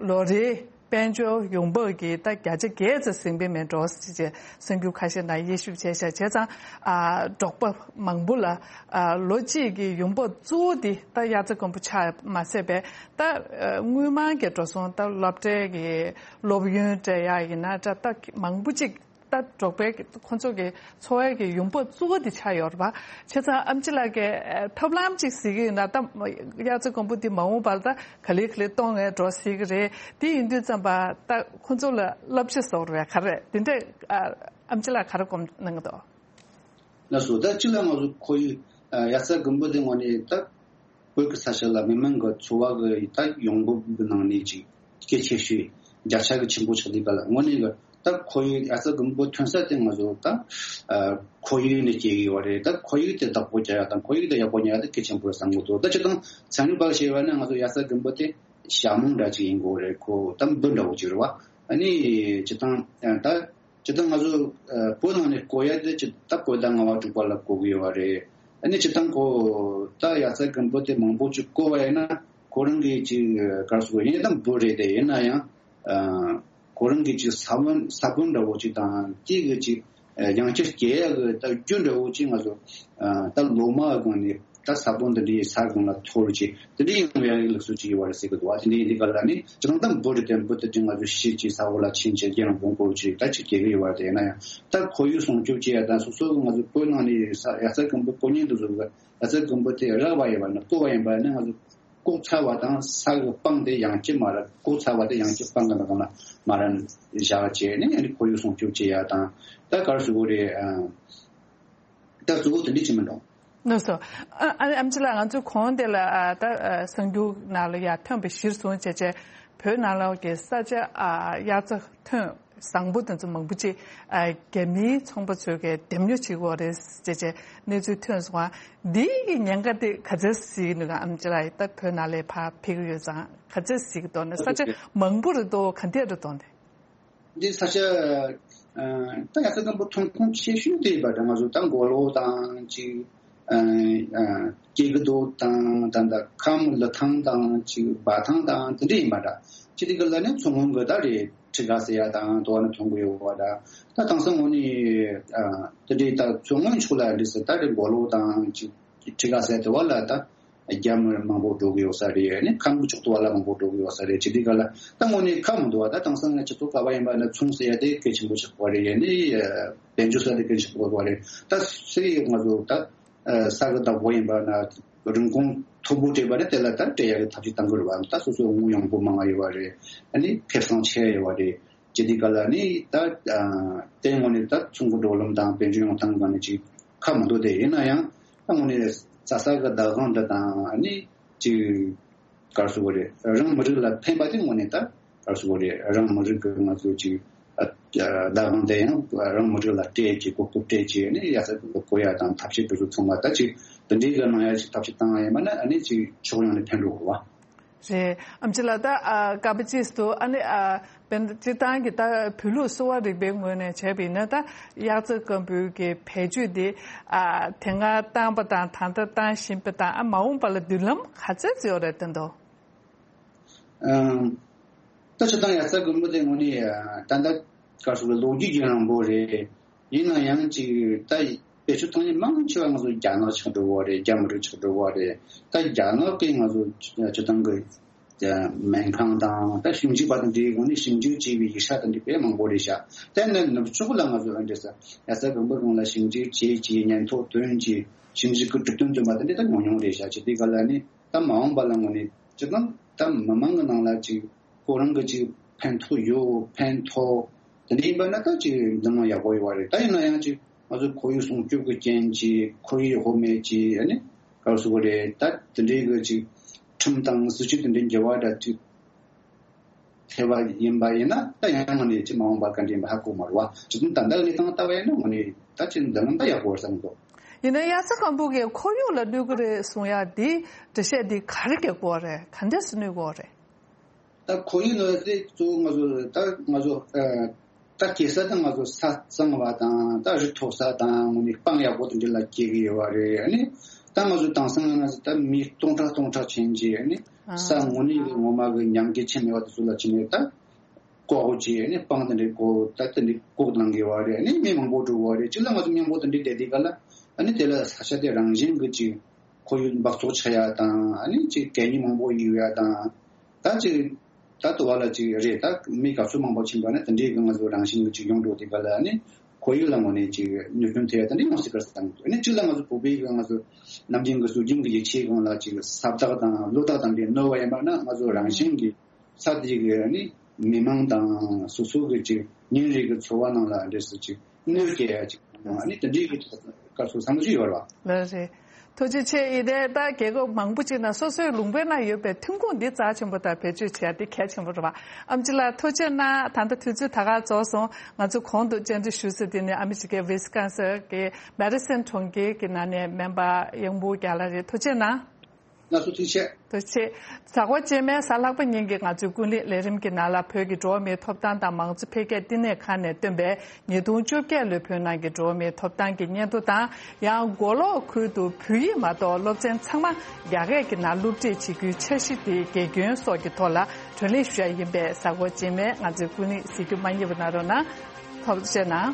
ལོ་རེའི་དཔལ་འབྱོར་ཡོང་འབབ་ཀྱི་ད་བརྒྱ་ཆ་བརྒྱད་ཙམ་ཟིན་པའི་མེད་འགྲོ་ཟེར་བྱས་གསར་འགྱུར་ཁ་ཤས་ནང་དབྱེ་ཞིབ་བྱས་ཤག་བྱས་ཙང་ཨ་འབྲོག་པ་མང་པོ་ལ་ཨ་ལོ་གཅིག་གི་ཡོང་འབབ་གཙོ་བོ་འདི་ད་དབྱར་རྩྭ་དགུན་འབུ་ཆ་མ་ཟད་པས་ད་ཨ་དངུལ་མང་གི་འགྲོ་སོང་ད་སློབ་གྲྭའི་གི་སློབ་ཡོན་སྤྲད་ཡ་ཡིན་ན་འདྲ་ད་མང་པོ་ཅིག་ད་འབྲོག་པའི་ཁོ་ཚོ་གི་འཚོ་བའི་གི་ཡོང་འབབ་གཙོ་བོ་དེ་ཆགས་ཡོད་རེད་པ། བྱས་ཙང་ཨེམ་ཆི་ལགས་ཀྱིས་ཐབས་ལམ་ཅིག་གཟིགས་ཀྱི་ཡོད་ན་ད་དབྱར་རྩྭ་དགུན་འབུ་དེ་མ་འོངས་པར་ད་ག་ལེ་ག་ལེ་གཏོང་ངེས་འགྲོ་སྲིད་ཀྱི་རེད། དེ་ཡིན་དུས་ཙམ་པ་ད་ཁོ་ཚོ་ལ་བསླབ་བྱ་བཟོ་རེད་པས་ག་རེ་དེ་འདྲས་ཨེམ་ཆི་ལགས་ག་རེ་སྒོམ་གནང་གི་འདུག་ལགས་སོ། ད་སྤྱི་ལ་ང་ཚོ་ཁོར་ཡུག་ཨ་ཡ་རྩ་དགུན་འབུ་དེ་དངོས་གནས་ད་བོད་ཀྱི་ས་ཆ་ལ་མི་མང་གི་འཚོ་བ་གི་ད་ཡོང་འབབ་གི་ནང་ནས་ཅིག་གལ་ཆེ་ཤོས་བརྒྱ་ཆ་གི་ཆེན་པོ་ཆགས་དུས་ག་ལ་དངོས་གནས་གི་ད་ཁོར་ཡུག་ཡ་རྩ་དགུན་འབུ་ཐོན་ས་དེ་ང་ཚོ་ད་ཨ་ཁོར་ཡུག་ནས་སྐྱེ་གི་ཡོད་རེད། ད་ཁོར་ཡུག་དེ་བདག་པོ་རྒྱག་ཡ་དང་ཁོར་ཡུག་དེ་ཡག་པོ་ཉར་ཡ་དེ་གལ་ཆེན་པོ་རེད་བསམ་གི་འདུག་ད་སྤྱིར་བཏང་ཚན་རིག་པ་ཞེས་པ་ནི་ང་ཚོ་ཡ་རྩ་དགུན་འབུ་དེ་ཞྭ་མོ་འདྲ་ཅིག་ཡིན་དགོས་རེད། ཁོ་ད་འབུ་འདྲ་བོ་ཅིག་རེད་བ། ཨ་ནི་སྤྱིར་བཏང་ད། ཇི་ལྟར་ང་ཚོ་ཨ་བོད་ནང་ནས་བཀོལ་ཡ་དེ་ཇི་ལྟར་བཀོལ་ད་ལྔ་བ་དྲུག་པ་ལ་བཀོལ་གི་ཡོད་པ་རེད། ཨ་ནི་ཇི་ལྟར་ཁོ་ད་ཡ་རྩ་དགུན་འབུ་དེ་མང་པོ་ཅིག་བཀོལ་བ་ཡིན་ན་ཁོ་རང་གི་ཅིག་ག་རེ་ཟེར་དགོས་ཡིན་ད་འབུ་རེད་དེ། ཡིན་ན་ཡང་ཨ་ཁོ་རང་གི་ཅིག་ས་བོན་ས་བོན་འདྲ་བོ་ཅིག་དང་དེ་གི་ཅིག་ཨ་ཡང་བསྐྱར་སྐྱེ་ཡ་གི་ད་རྒྱུ་འདྲ་བོ་ཅིག་ང་ཚོ་ཨ་ད་ལོ་མ་སྒང་ནས། ད་ས་བོན་འདི་འདྲའི་ས་སྒང་ལ་འཐོར་ཅིག་དེ་འདྲའི་ཡོང་ཡ་ལུགས་སྲོལ་ཅིག་ཡོད་པ་རེད་ཟེར་གི་འདུག་བ། དེ་འདྲའི་འདི་ག་ལ་ནི་ཅི་ལྟར་ད་འབུ་རེད་དེ་འབུ་དེ་ཅིག་ང་ཚོ་ཤི་ཅིག་ས་འོག་ལ་ཕྱིན་ཅིག་རྒྱལ་རང་བོང་ཀོ་ཅིག་ད་ཅིག་སྐྱེ་གི་ཡོད་པ་རེད། དེ་ཡིན་ན་ཡང་ད་ཁོར་ཡུག་སྲུང་སྐྱོབ་བྱེད་ཡ་དང་སོ་སོ་གི་ང་ཚོ་བོད་ནང་ནས་ས་ཡ་རྩ་དགུན་འབུ་བཀོལ་མཁན་དེ་ཚོ་གི་ཡ་རྩ་དགུན་འབུ་དེ་རག་པ་ཡིན་པ་ནི་བཀོལ་བ་ཡིན་པ་ནི་ང་ཚོ་བཀོག་ཚར་བ་དང་ས་གི་སྤང་དེ་ཡང་བསྐྱར་མ་ར་བཀོག་ཚར་བ་དེ་ཡང་བསྐྱར་སྤང་གི་ནང་ལ་མ་ར་བཞག་བྱས་ནས་ཡང་ཁོར་ཡུག་སྲུང་སྐྱོབ་བྱེད་ཡ་དང་ད་ག་རེ་ཟེར་དགོས་རེད། ཨ། ད་གཙོ་བོ་དེ་འདྲ་ཅིག་མིན་འགྲོ། ལགས་སོ། ཨ་ཨ་ཨེམ་ཆི་ལགས་ང་ཚོའི་གོང་དེ་ལ་ཨ་ད་ཨ་གསར་འགྱུར་ནང་ལ་ཡ་ཐོན་པ་གཞིར་བཟུང་བྱས་བྱས་བོད་ནང་ལོགས་ཀྱི་ས་ཆ་ཨ་དབྱར་རྩྭ་ཐོན་བཟང་པོ་དེ་ཚོ་མང་པོ་ཅིག་ཨ་རྒྱ་མིའི་ཚོང་པ་ཚོས་ཀྱི་འདེམས་ཉོ་བྱེད་ཀྱི་ཡོད་རེད་ཅེས་བྱས་གནས་ཚུལ་ཐོན་སོང་བ། འདིའི་གི་ཉེན་ཁ་དེ་ག་ཚོད་གཟིགས་འདུག་ག་ཨེམ་ཆི་ལགས་ད་བོད་ནང་ལ་ཕར་ཕེབས་ཀྱི་ཡོད་ཙང་ག་ཚོད་གཟིགས་ཀྱི་འདུག་ན། ས་ཆ་མང་པོ་རེད་འདུག་ག་འདྲ་རེད་འདུག་ན། འདི་ས་ཆ་ཨ་ད་ཡ་ས་དང་པོ་ཐོན་ཁུངས་ཆེ་ཤོས་དེ་ཡིན་པ་འདྲ། ང་ཚོ་ད་མགོ་ལོག་དང་ཅིག་ཨ་ཨ་སྐྱེ་རྒུ་མདོ་དང་ད་ད་ཁམས་ལི་ཐང་དང་ཅིག་འབའ་ཐང་དང་དེ་འདྲ་ཡིན་པ་འདྲ། ཅི་སྟེ་གི་ལ་ནི་མཚོ་སྔོན་གི་ད་རེད། ཁྲི་ཀ་ཟེར་ཡ་དང་དོ་ནི་ཐོན་གི་ཡོད་པ་འདྲ། ད་དེང་སང་ངོ་ནི་ཨ་དེ་འདྲའི་ད་མཚོ་སྔོན་ཕྱོགས་ལ་འདི་ཟེར་ད་རེད། མགོ་ལོག་དང་ཅིག་ཁྲི་ཀ་ཟེར་དེ་བ་ལ་ད། རྒྱ་མི་མང་པོ་འགྲོ་གི་ཡོད་ས་རེད། ཨ་ནི་ཁམས་ཕྱོགས་དུ་བ་ལ་མང་པོ་འགྲོ་གི་ཡོད་ས་རེད། ཅི་སྟེ་ག་ལ་ད་དངོས་གནས་ཁ་མི་འདུག་བ། ད་དེང་སང་ང་ཅི་ཐུབ་ག་བ་ཡིན་པ་ན་ཚོང་ཟེར་ཡ་དེ་གལ་ཆེན་པོ་ཆགས་པ་རེད། ཨ་ནི་དཔལ་འབྱོར་ཟེར་ཡ་དེ་གལ་ཆེན་པོ་ཆགས་པ་རེད། ད་སེ་ང་ཚོ་ད་ས་གི་བདག་པོ་ཡིན་པ་ན་རིན་གོང་མཐོ་པོ་སྤྲད་པ་ན་དེ་ལ་ད་སྤྲད་ཡ་གི་ཐབས་ཤེས་གཏང་གི་རེད་བ། ད་སོ་སོ་དངུལ་ཡོང་སྒོ་མང་ང་ཡོད་པ་རེད། ཨ་ནི་ཁེ་བཟང་ཆེ་ཡོད་པ་རེད། ཅི་སྟེ་ག་ལ་ནི་ད་ཨ་དེ་དངོས་གནས་ད་ཚོང་གི་འགྲོ་ལམ་དང་དཔལ་འབྱོར་ཡོང་སྟངས་སྒང་ནས་ཅིག་ཁ་མི་འདུག་སྟེ། ཡིན་ན་ཡང་ད་དངོས་གནས་རྩྭ་ས་གི་བདག་དབང་འདི་དང་ཨ་ནི་ཅིག་ག་རེ་ཟེར་དགོས་རེད། རང་མི་རིགས་ལ་ཕན་པ་དེ་དངོས་གནས་ད་ག་རེ་ཟེར་དགོས་རེད། རང་མི་རིགས་ཀྱི་ང་ཚོ་ཅིག་ཨ་བདག་དབང་དེ་ཡང་རང་མི་རིགས་ལ་སྤྲད་ཅིག་གོ་སྐབས་སྤྲད་ཅིག་ཨ་ནི་ཡ་ས་གི་བཀོལ་ཡ་དང་ཐབས་ཤེས་དེ་ཚོ་ཚང་མ་ད་ཅིག་འདི་འདྲའི་གི་གནང་ཡ་ཅིག་ཐབས་ཤེས་བཏང་ཡ་ཡིན་པ་ན་ཨ་ནི་ཅིག་ཕྱོགས་ཡོངས་ནས་ཕན་འགྲོ་དགོས་པ། རེད། ཨེམ་ཆི་ལགས་ད་ཨ་སྐབས་ཅིག་ཏུ་ཨ་ནི་ཨ་དཔེར་ན་སྤྱིར་བཏང་གི་ད་བོད་ལུགས་གསོ་བ་རིག་པའི་ངོས་ནས་བྱས་པ་ཡིན་ན་ད་དབྱར་རྩྭ་དཀོན་པོའི་གི་བེད་སྤྱོད་དེ་ཨ་དེ་སྔ་བཏང་པ་དང་ད་ལྟ་བཏང་བཞིན་པ་དང་ཨ་མ་འོངས་པ་ལ་མདུན་ལམ་ག་ཚད་ཡོད་རེད་བསྟན་ཏོ། ཨམ། ད་ཆ་ཚང་ཡ་རྩྭ་དཀོན་པོ་དེ་དངོས་གནས་ད་ལྟ་ག་རེ་ཟེར་ལོ་རྒྱུས་ཀྱི་རིང་པོ་རེད། ཡིན་ན་ཡང་ཅིག་ད་བེད་སྤྱོད་གཏོང་མཁན་མང་ཆེ་བ་ང་ཚོ་རྒྱ་ནག་ཆགས་འགྲོ་བ་རེད། རྒྱ་མི་རིགས་ཆགས་འགྲོ་བ་རེད། ད་རྒྱ་ནག་གིས་ང་ཚོ་སྤྱི་བཏང་གི་སྨན་ཁང་དང་ད་ཞིབ་འཇུག་པ་དང་འབྲེལ་སྒོ་ནས་ཞིབ་འཇུག་བྱས་པའི་ཡིག་ཆ་དང་འབྲེལ་དཔེ་མང་པོ་རེད་ཤག་དེ་ནི་ནུབ་ཕྱོགས་ལ་ང་ཚོ་ཨ་འདྲས་ས་ཡ་རྩྭ་དཀོན་པོ་སྒང་ལ་ཞིབ་འཇུག་བྱས་ཀྱི་ཉེན་རྟོག་བཏོན་གྱི་ཞིབ་འཇུག་གི་གྲུབ་དོན་བཏོན་པ་དེ་འདྲ་ད་ཉུང་ཉུང་རེད་ཤག་ཅི་སྟེ་ག་ལ་ནི་ད་མ་འོངས་པ་ལ་ངོ་ནས་སྤྱི་བཏང་ད་མི་མང་གི་ནང་ལ་ཅིག་ཁོ་རང་གི་ཅིག་ཕན་ཐོགས་ཡོད་ཕན་ཐོགས་དེ་འདྲ་ཡིན་པ་ན་ད་ཅིག་འདི་མ་ཡག་པོ་ཡོད་པ་རེད། ད་ཡིན་ན་ཡང་ཅིག་ང་ཚོ་ཁོར་ཡུག་སྲུང་སྐྱོབ་ཀྱི་རྐྱེན་གྱིས་ཁོར་ཡུག་ཧོ་མེད་ཀྱིས་ཨ་ནི་ག་རེ་ཟེར་དགོས་རེད། ད་དེ་འདྲའི་གི་ཅིག་ཁྲིམས་དང་སྲིད་ཇུས་དེ་འདྲའི་འགྱུར་བ་འདྲ་ཅིག་ཐེབས་པ་ཡིན་པ་ཡིན་ན་ད་ཡང་ངོ་ནས་ཅིག་མ་འོངས་པ་ག་འདྲ་ཡིན་པ་ཧ་གོ་མ་རེད་བ། ཅིག་ད་ལྟ་གནས་སྟངས་ལྟ་བ་ཡིན་ན་ངོ་ནས་ད་ཅིག་འདི་ལམ་ད་ཡག་པོ་རེད་བསམ་གི་འདུག་ཡིན་ན་དབྱར་རྩྭ་དཀོན་པོ་གིས་ཁོར་ཡུག་ལ་གནོད་གི་རེད་གསུང་ཡ་འདི་འགྲེལ་བཤད་འདི་ག་རེ་རྒྱག་དགོས་རེད། ག་འདྲས་སེ་གནོད་དགོས་རེད། ད་ཁོར་ཡུག་ལ་དེ་གཙོ་བོ་ང་ཚོ་ད་ང་ཚོ་ཨ་ད་སྐྱེ་ས་ད་ང་ཚོ་ས་གཙང་བ་དང་ད་རི་མཐོ་ས་དང་ངོ་ནས་སྤང་ཡག་པོ་དེ་འདྲ་ལ་སྐྱེ་གི་ཡོད་པ་རེད། ཨ་ནི་ད་ང་ཚོ་དེང་སང་ང་ཚོ་ད་མི་སྟོང་ཕྲག་སྟོང་ཕྲག་ཕྱིན་རྗེས་ཨ་ནི་ས་ངོ་ནས་གི་ངོ་མ་གི་མྱང་གི་ཆེ་མེད་པ་དེ་ཚོ་ལ་ཕྱིན་ནས་ད་བཀོག་བྱས་ཨ་ནི་སྤང་དེ་འདྲ་བཀོག་ད་དེ་འདྲ་བཀོག་གནང་གི་ཡོད་པ་རེད། ཨ་ནི་མི་མང་པོ་འགྲོ་གི་ཡོད་པ་རེད། གཅིག་ལ་ང་ཚོ་མཉམ་པོ་དེ་འདྲ་བསྡད་དེ་ག་ལ་ཨ་ནི་དེ་ལ་ས་ཆ་དེ་རང་བཞིན་གི་ཅིག་ཁོར་ཡུག་འབག་བཙོག་ཆགས་ཡ་དང་ཨ་ནི་ཅིག་གད་སྙིགས་མང་པོ་ཡོད་ཡ་དང་། ད་ཅིག་ད་དུ་བ་ལ་ཅིག་རེད། ད་མི་ག་ཚོད་མང་པོ་ཕྱིན་པ་ན་དེ་འདྲའི་གི་ང་ཚོ་རང་བཞིན་གྱི་ཅིག་ཡོང་འགྲོ་དེ་ག་ལ་ཨ་ནི་ཁོར་ཡུག་ལ་ངོ་ནས་ཅིག་གནོད་སྐྱོན་ཐེབས་ཡ་དེ་འདྲ་ཡོང་སྲིད་ག་བསམ་གི་འདུག་ཨ་ནི་གཅིག་ལ་ང་ཚོ་བོད་པའི་གི་ང་ཚོ་ནམ་རྒྱུན་གི་སྲོལ་རྒྱུན་གི་ཡིད་ཆེས་སྒང་ལ་ཅིག་ས་བདག་དང་ལོ་བདག་དང་འདྲའི་གནོད་པ་ཡིན་པ་ན་ང་ཚོ་རང་བཞིན་གྱི་ས་དེ་གི་ཨ་ནི་མི་མང་དང་སོ་སོ་གི་ཅིག་ཉིན་རེ་གི་འཚོ་བ་ནང་ལ་འདྲ་སུ་ཅིག་གནོད་སྐྱེལ་ཡ་ཅིག་ཨ་ནི་དེ་འདྲའི་གི་ སྐབས་སུ་བསམ་བློ་ཅིག་ཡོད་རེད་བ། ལགས་རེད། ཐུགས་རྗེ་ཆེ། ཡིན་ནའི་ད་རྒྱལ་ཁབ་མང་པོ་ཅིག་ནང་སོ་སོའི་ལུང་པའི་ནང་ཡོད་པའི་ཐོན་ཁུངས་འདི་རྩ་ཆེན་པོ་དང་བེད་སྤྱོད་བྱེད་ཡ་འདི་གལ་ཆེན་པོ་རེད་བ། ཨེམ་ཆི་ལགས་ཐུགས་རྗེ་གནང་། ད་ལྟ་དུས་ཚོད་ད་ག་རྫོགས་སོང་། ང་ཚོ་གོང་དུ་བཅར་འདྲི་ཞུ་ས་འདི་ནི་ཨ་མི་རི་ཀའི་ཝི་སི་ཀོན་སིན་གྱི་མེ་ཌི་སན་གྲོང་ཁྱེར་གྱི་ནང་ནས་སྨན་པ་གཡང་འབུམ་རྒྱལ་ལགས་རེད། ཐུགས་རྗེ་གནང་། ང་ཚོ་ཐུགས་རྗེ་ཆེ། ཐུགས་རྗེ་ཆེ། གཟའ་འཁོར་རྗེས་མའི་གཟའ་ལྷག་པ་ཉིན་གྱི་ང་ཚོའི་ཀུན་གླེང་ལས་རིམ་གྱི་ནང་ལ་བོད་ཀྱི་འགྲོ་བ་མིའི་ཐོབ་ཐང་དང་མང་གཙོ་འཕེལ་རྒྱས་བསྟི་གནས་ཁང་ནས་བཏོན་པའི་ཉིས་སྟོང་བཅོ་བརྒྱད་ལོའི་བོད་ནང་གི་འགྲོ་བ་མིའི་ཐོབ་ཐང་གི་སྙན་ཐོ་དང་། ཡང་མགོ་ལོག་ཁུལ་དུ་བོད་ཡིག་མ་གཏོགས་སློབ་ཚན་ཚང་མ་རྒྱ་སྐད་ཀྱི་ནང་སློབ་ཁྲིད་བྱེད་རྒྱུའི་འཆར་གཞི་དེའི་དགེ་སྐྱོན་སོགས་ཀྱི་ཐོག་ལ་བགྲོ་གླེང་ཞུ་ཡ་ཡིན་པས། གཟའ་འཁོར་རྗེས་མའི་ང་ཚོའི་ཀུན་གླེང་གཟིགས་རྒྱུ་མ་བསྙེལ་བ་གནང་རོགས་གནང་། ཐུགས་རྗེ་གནང་།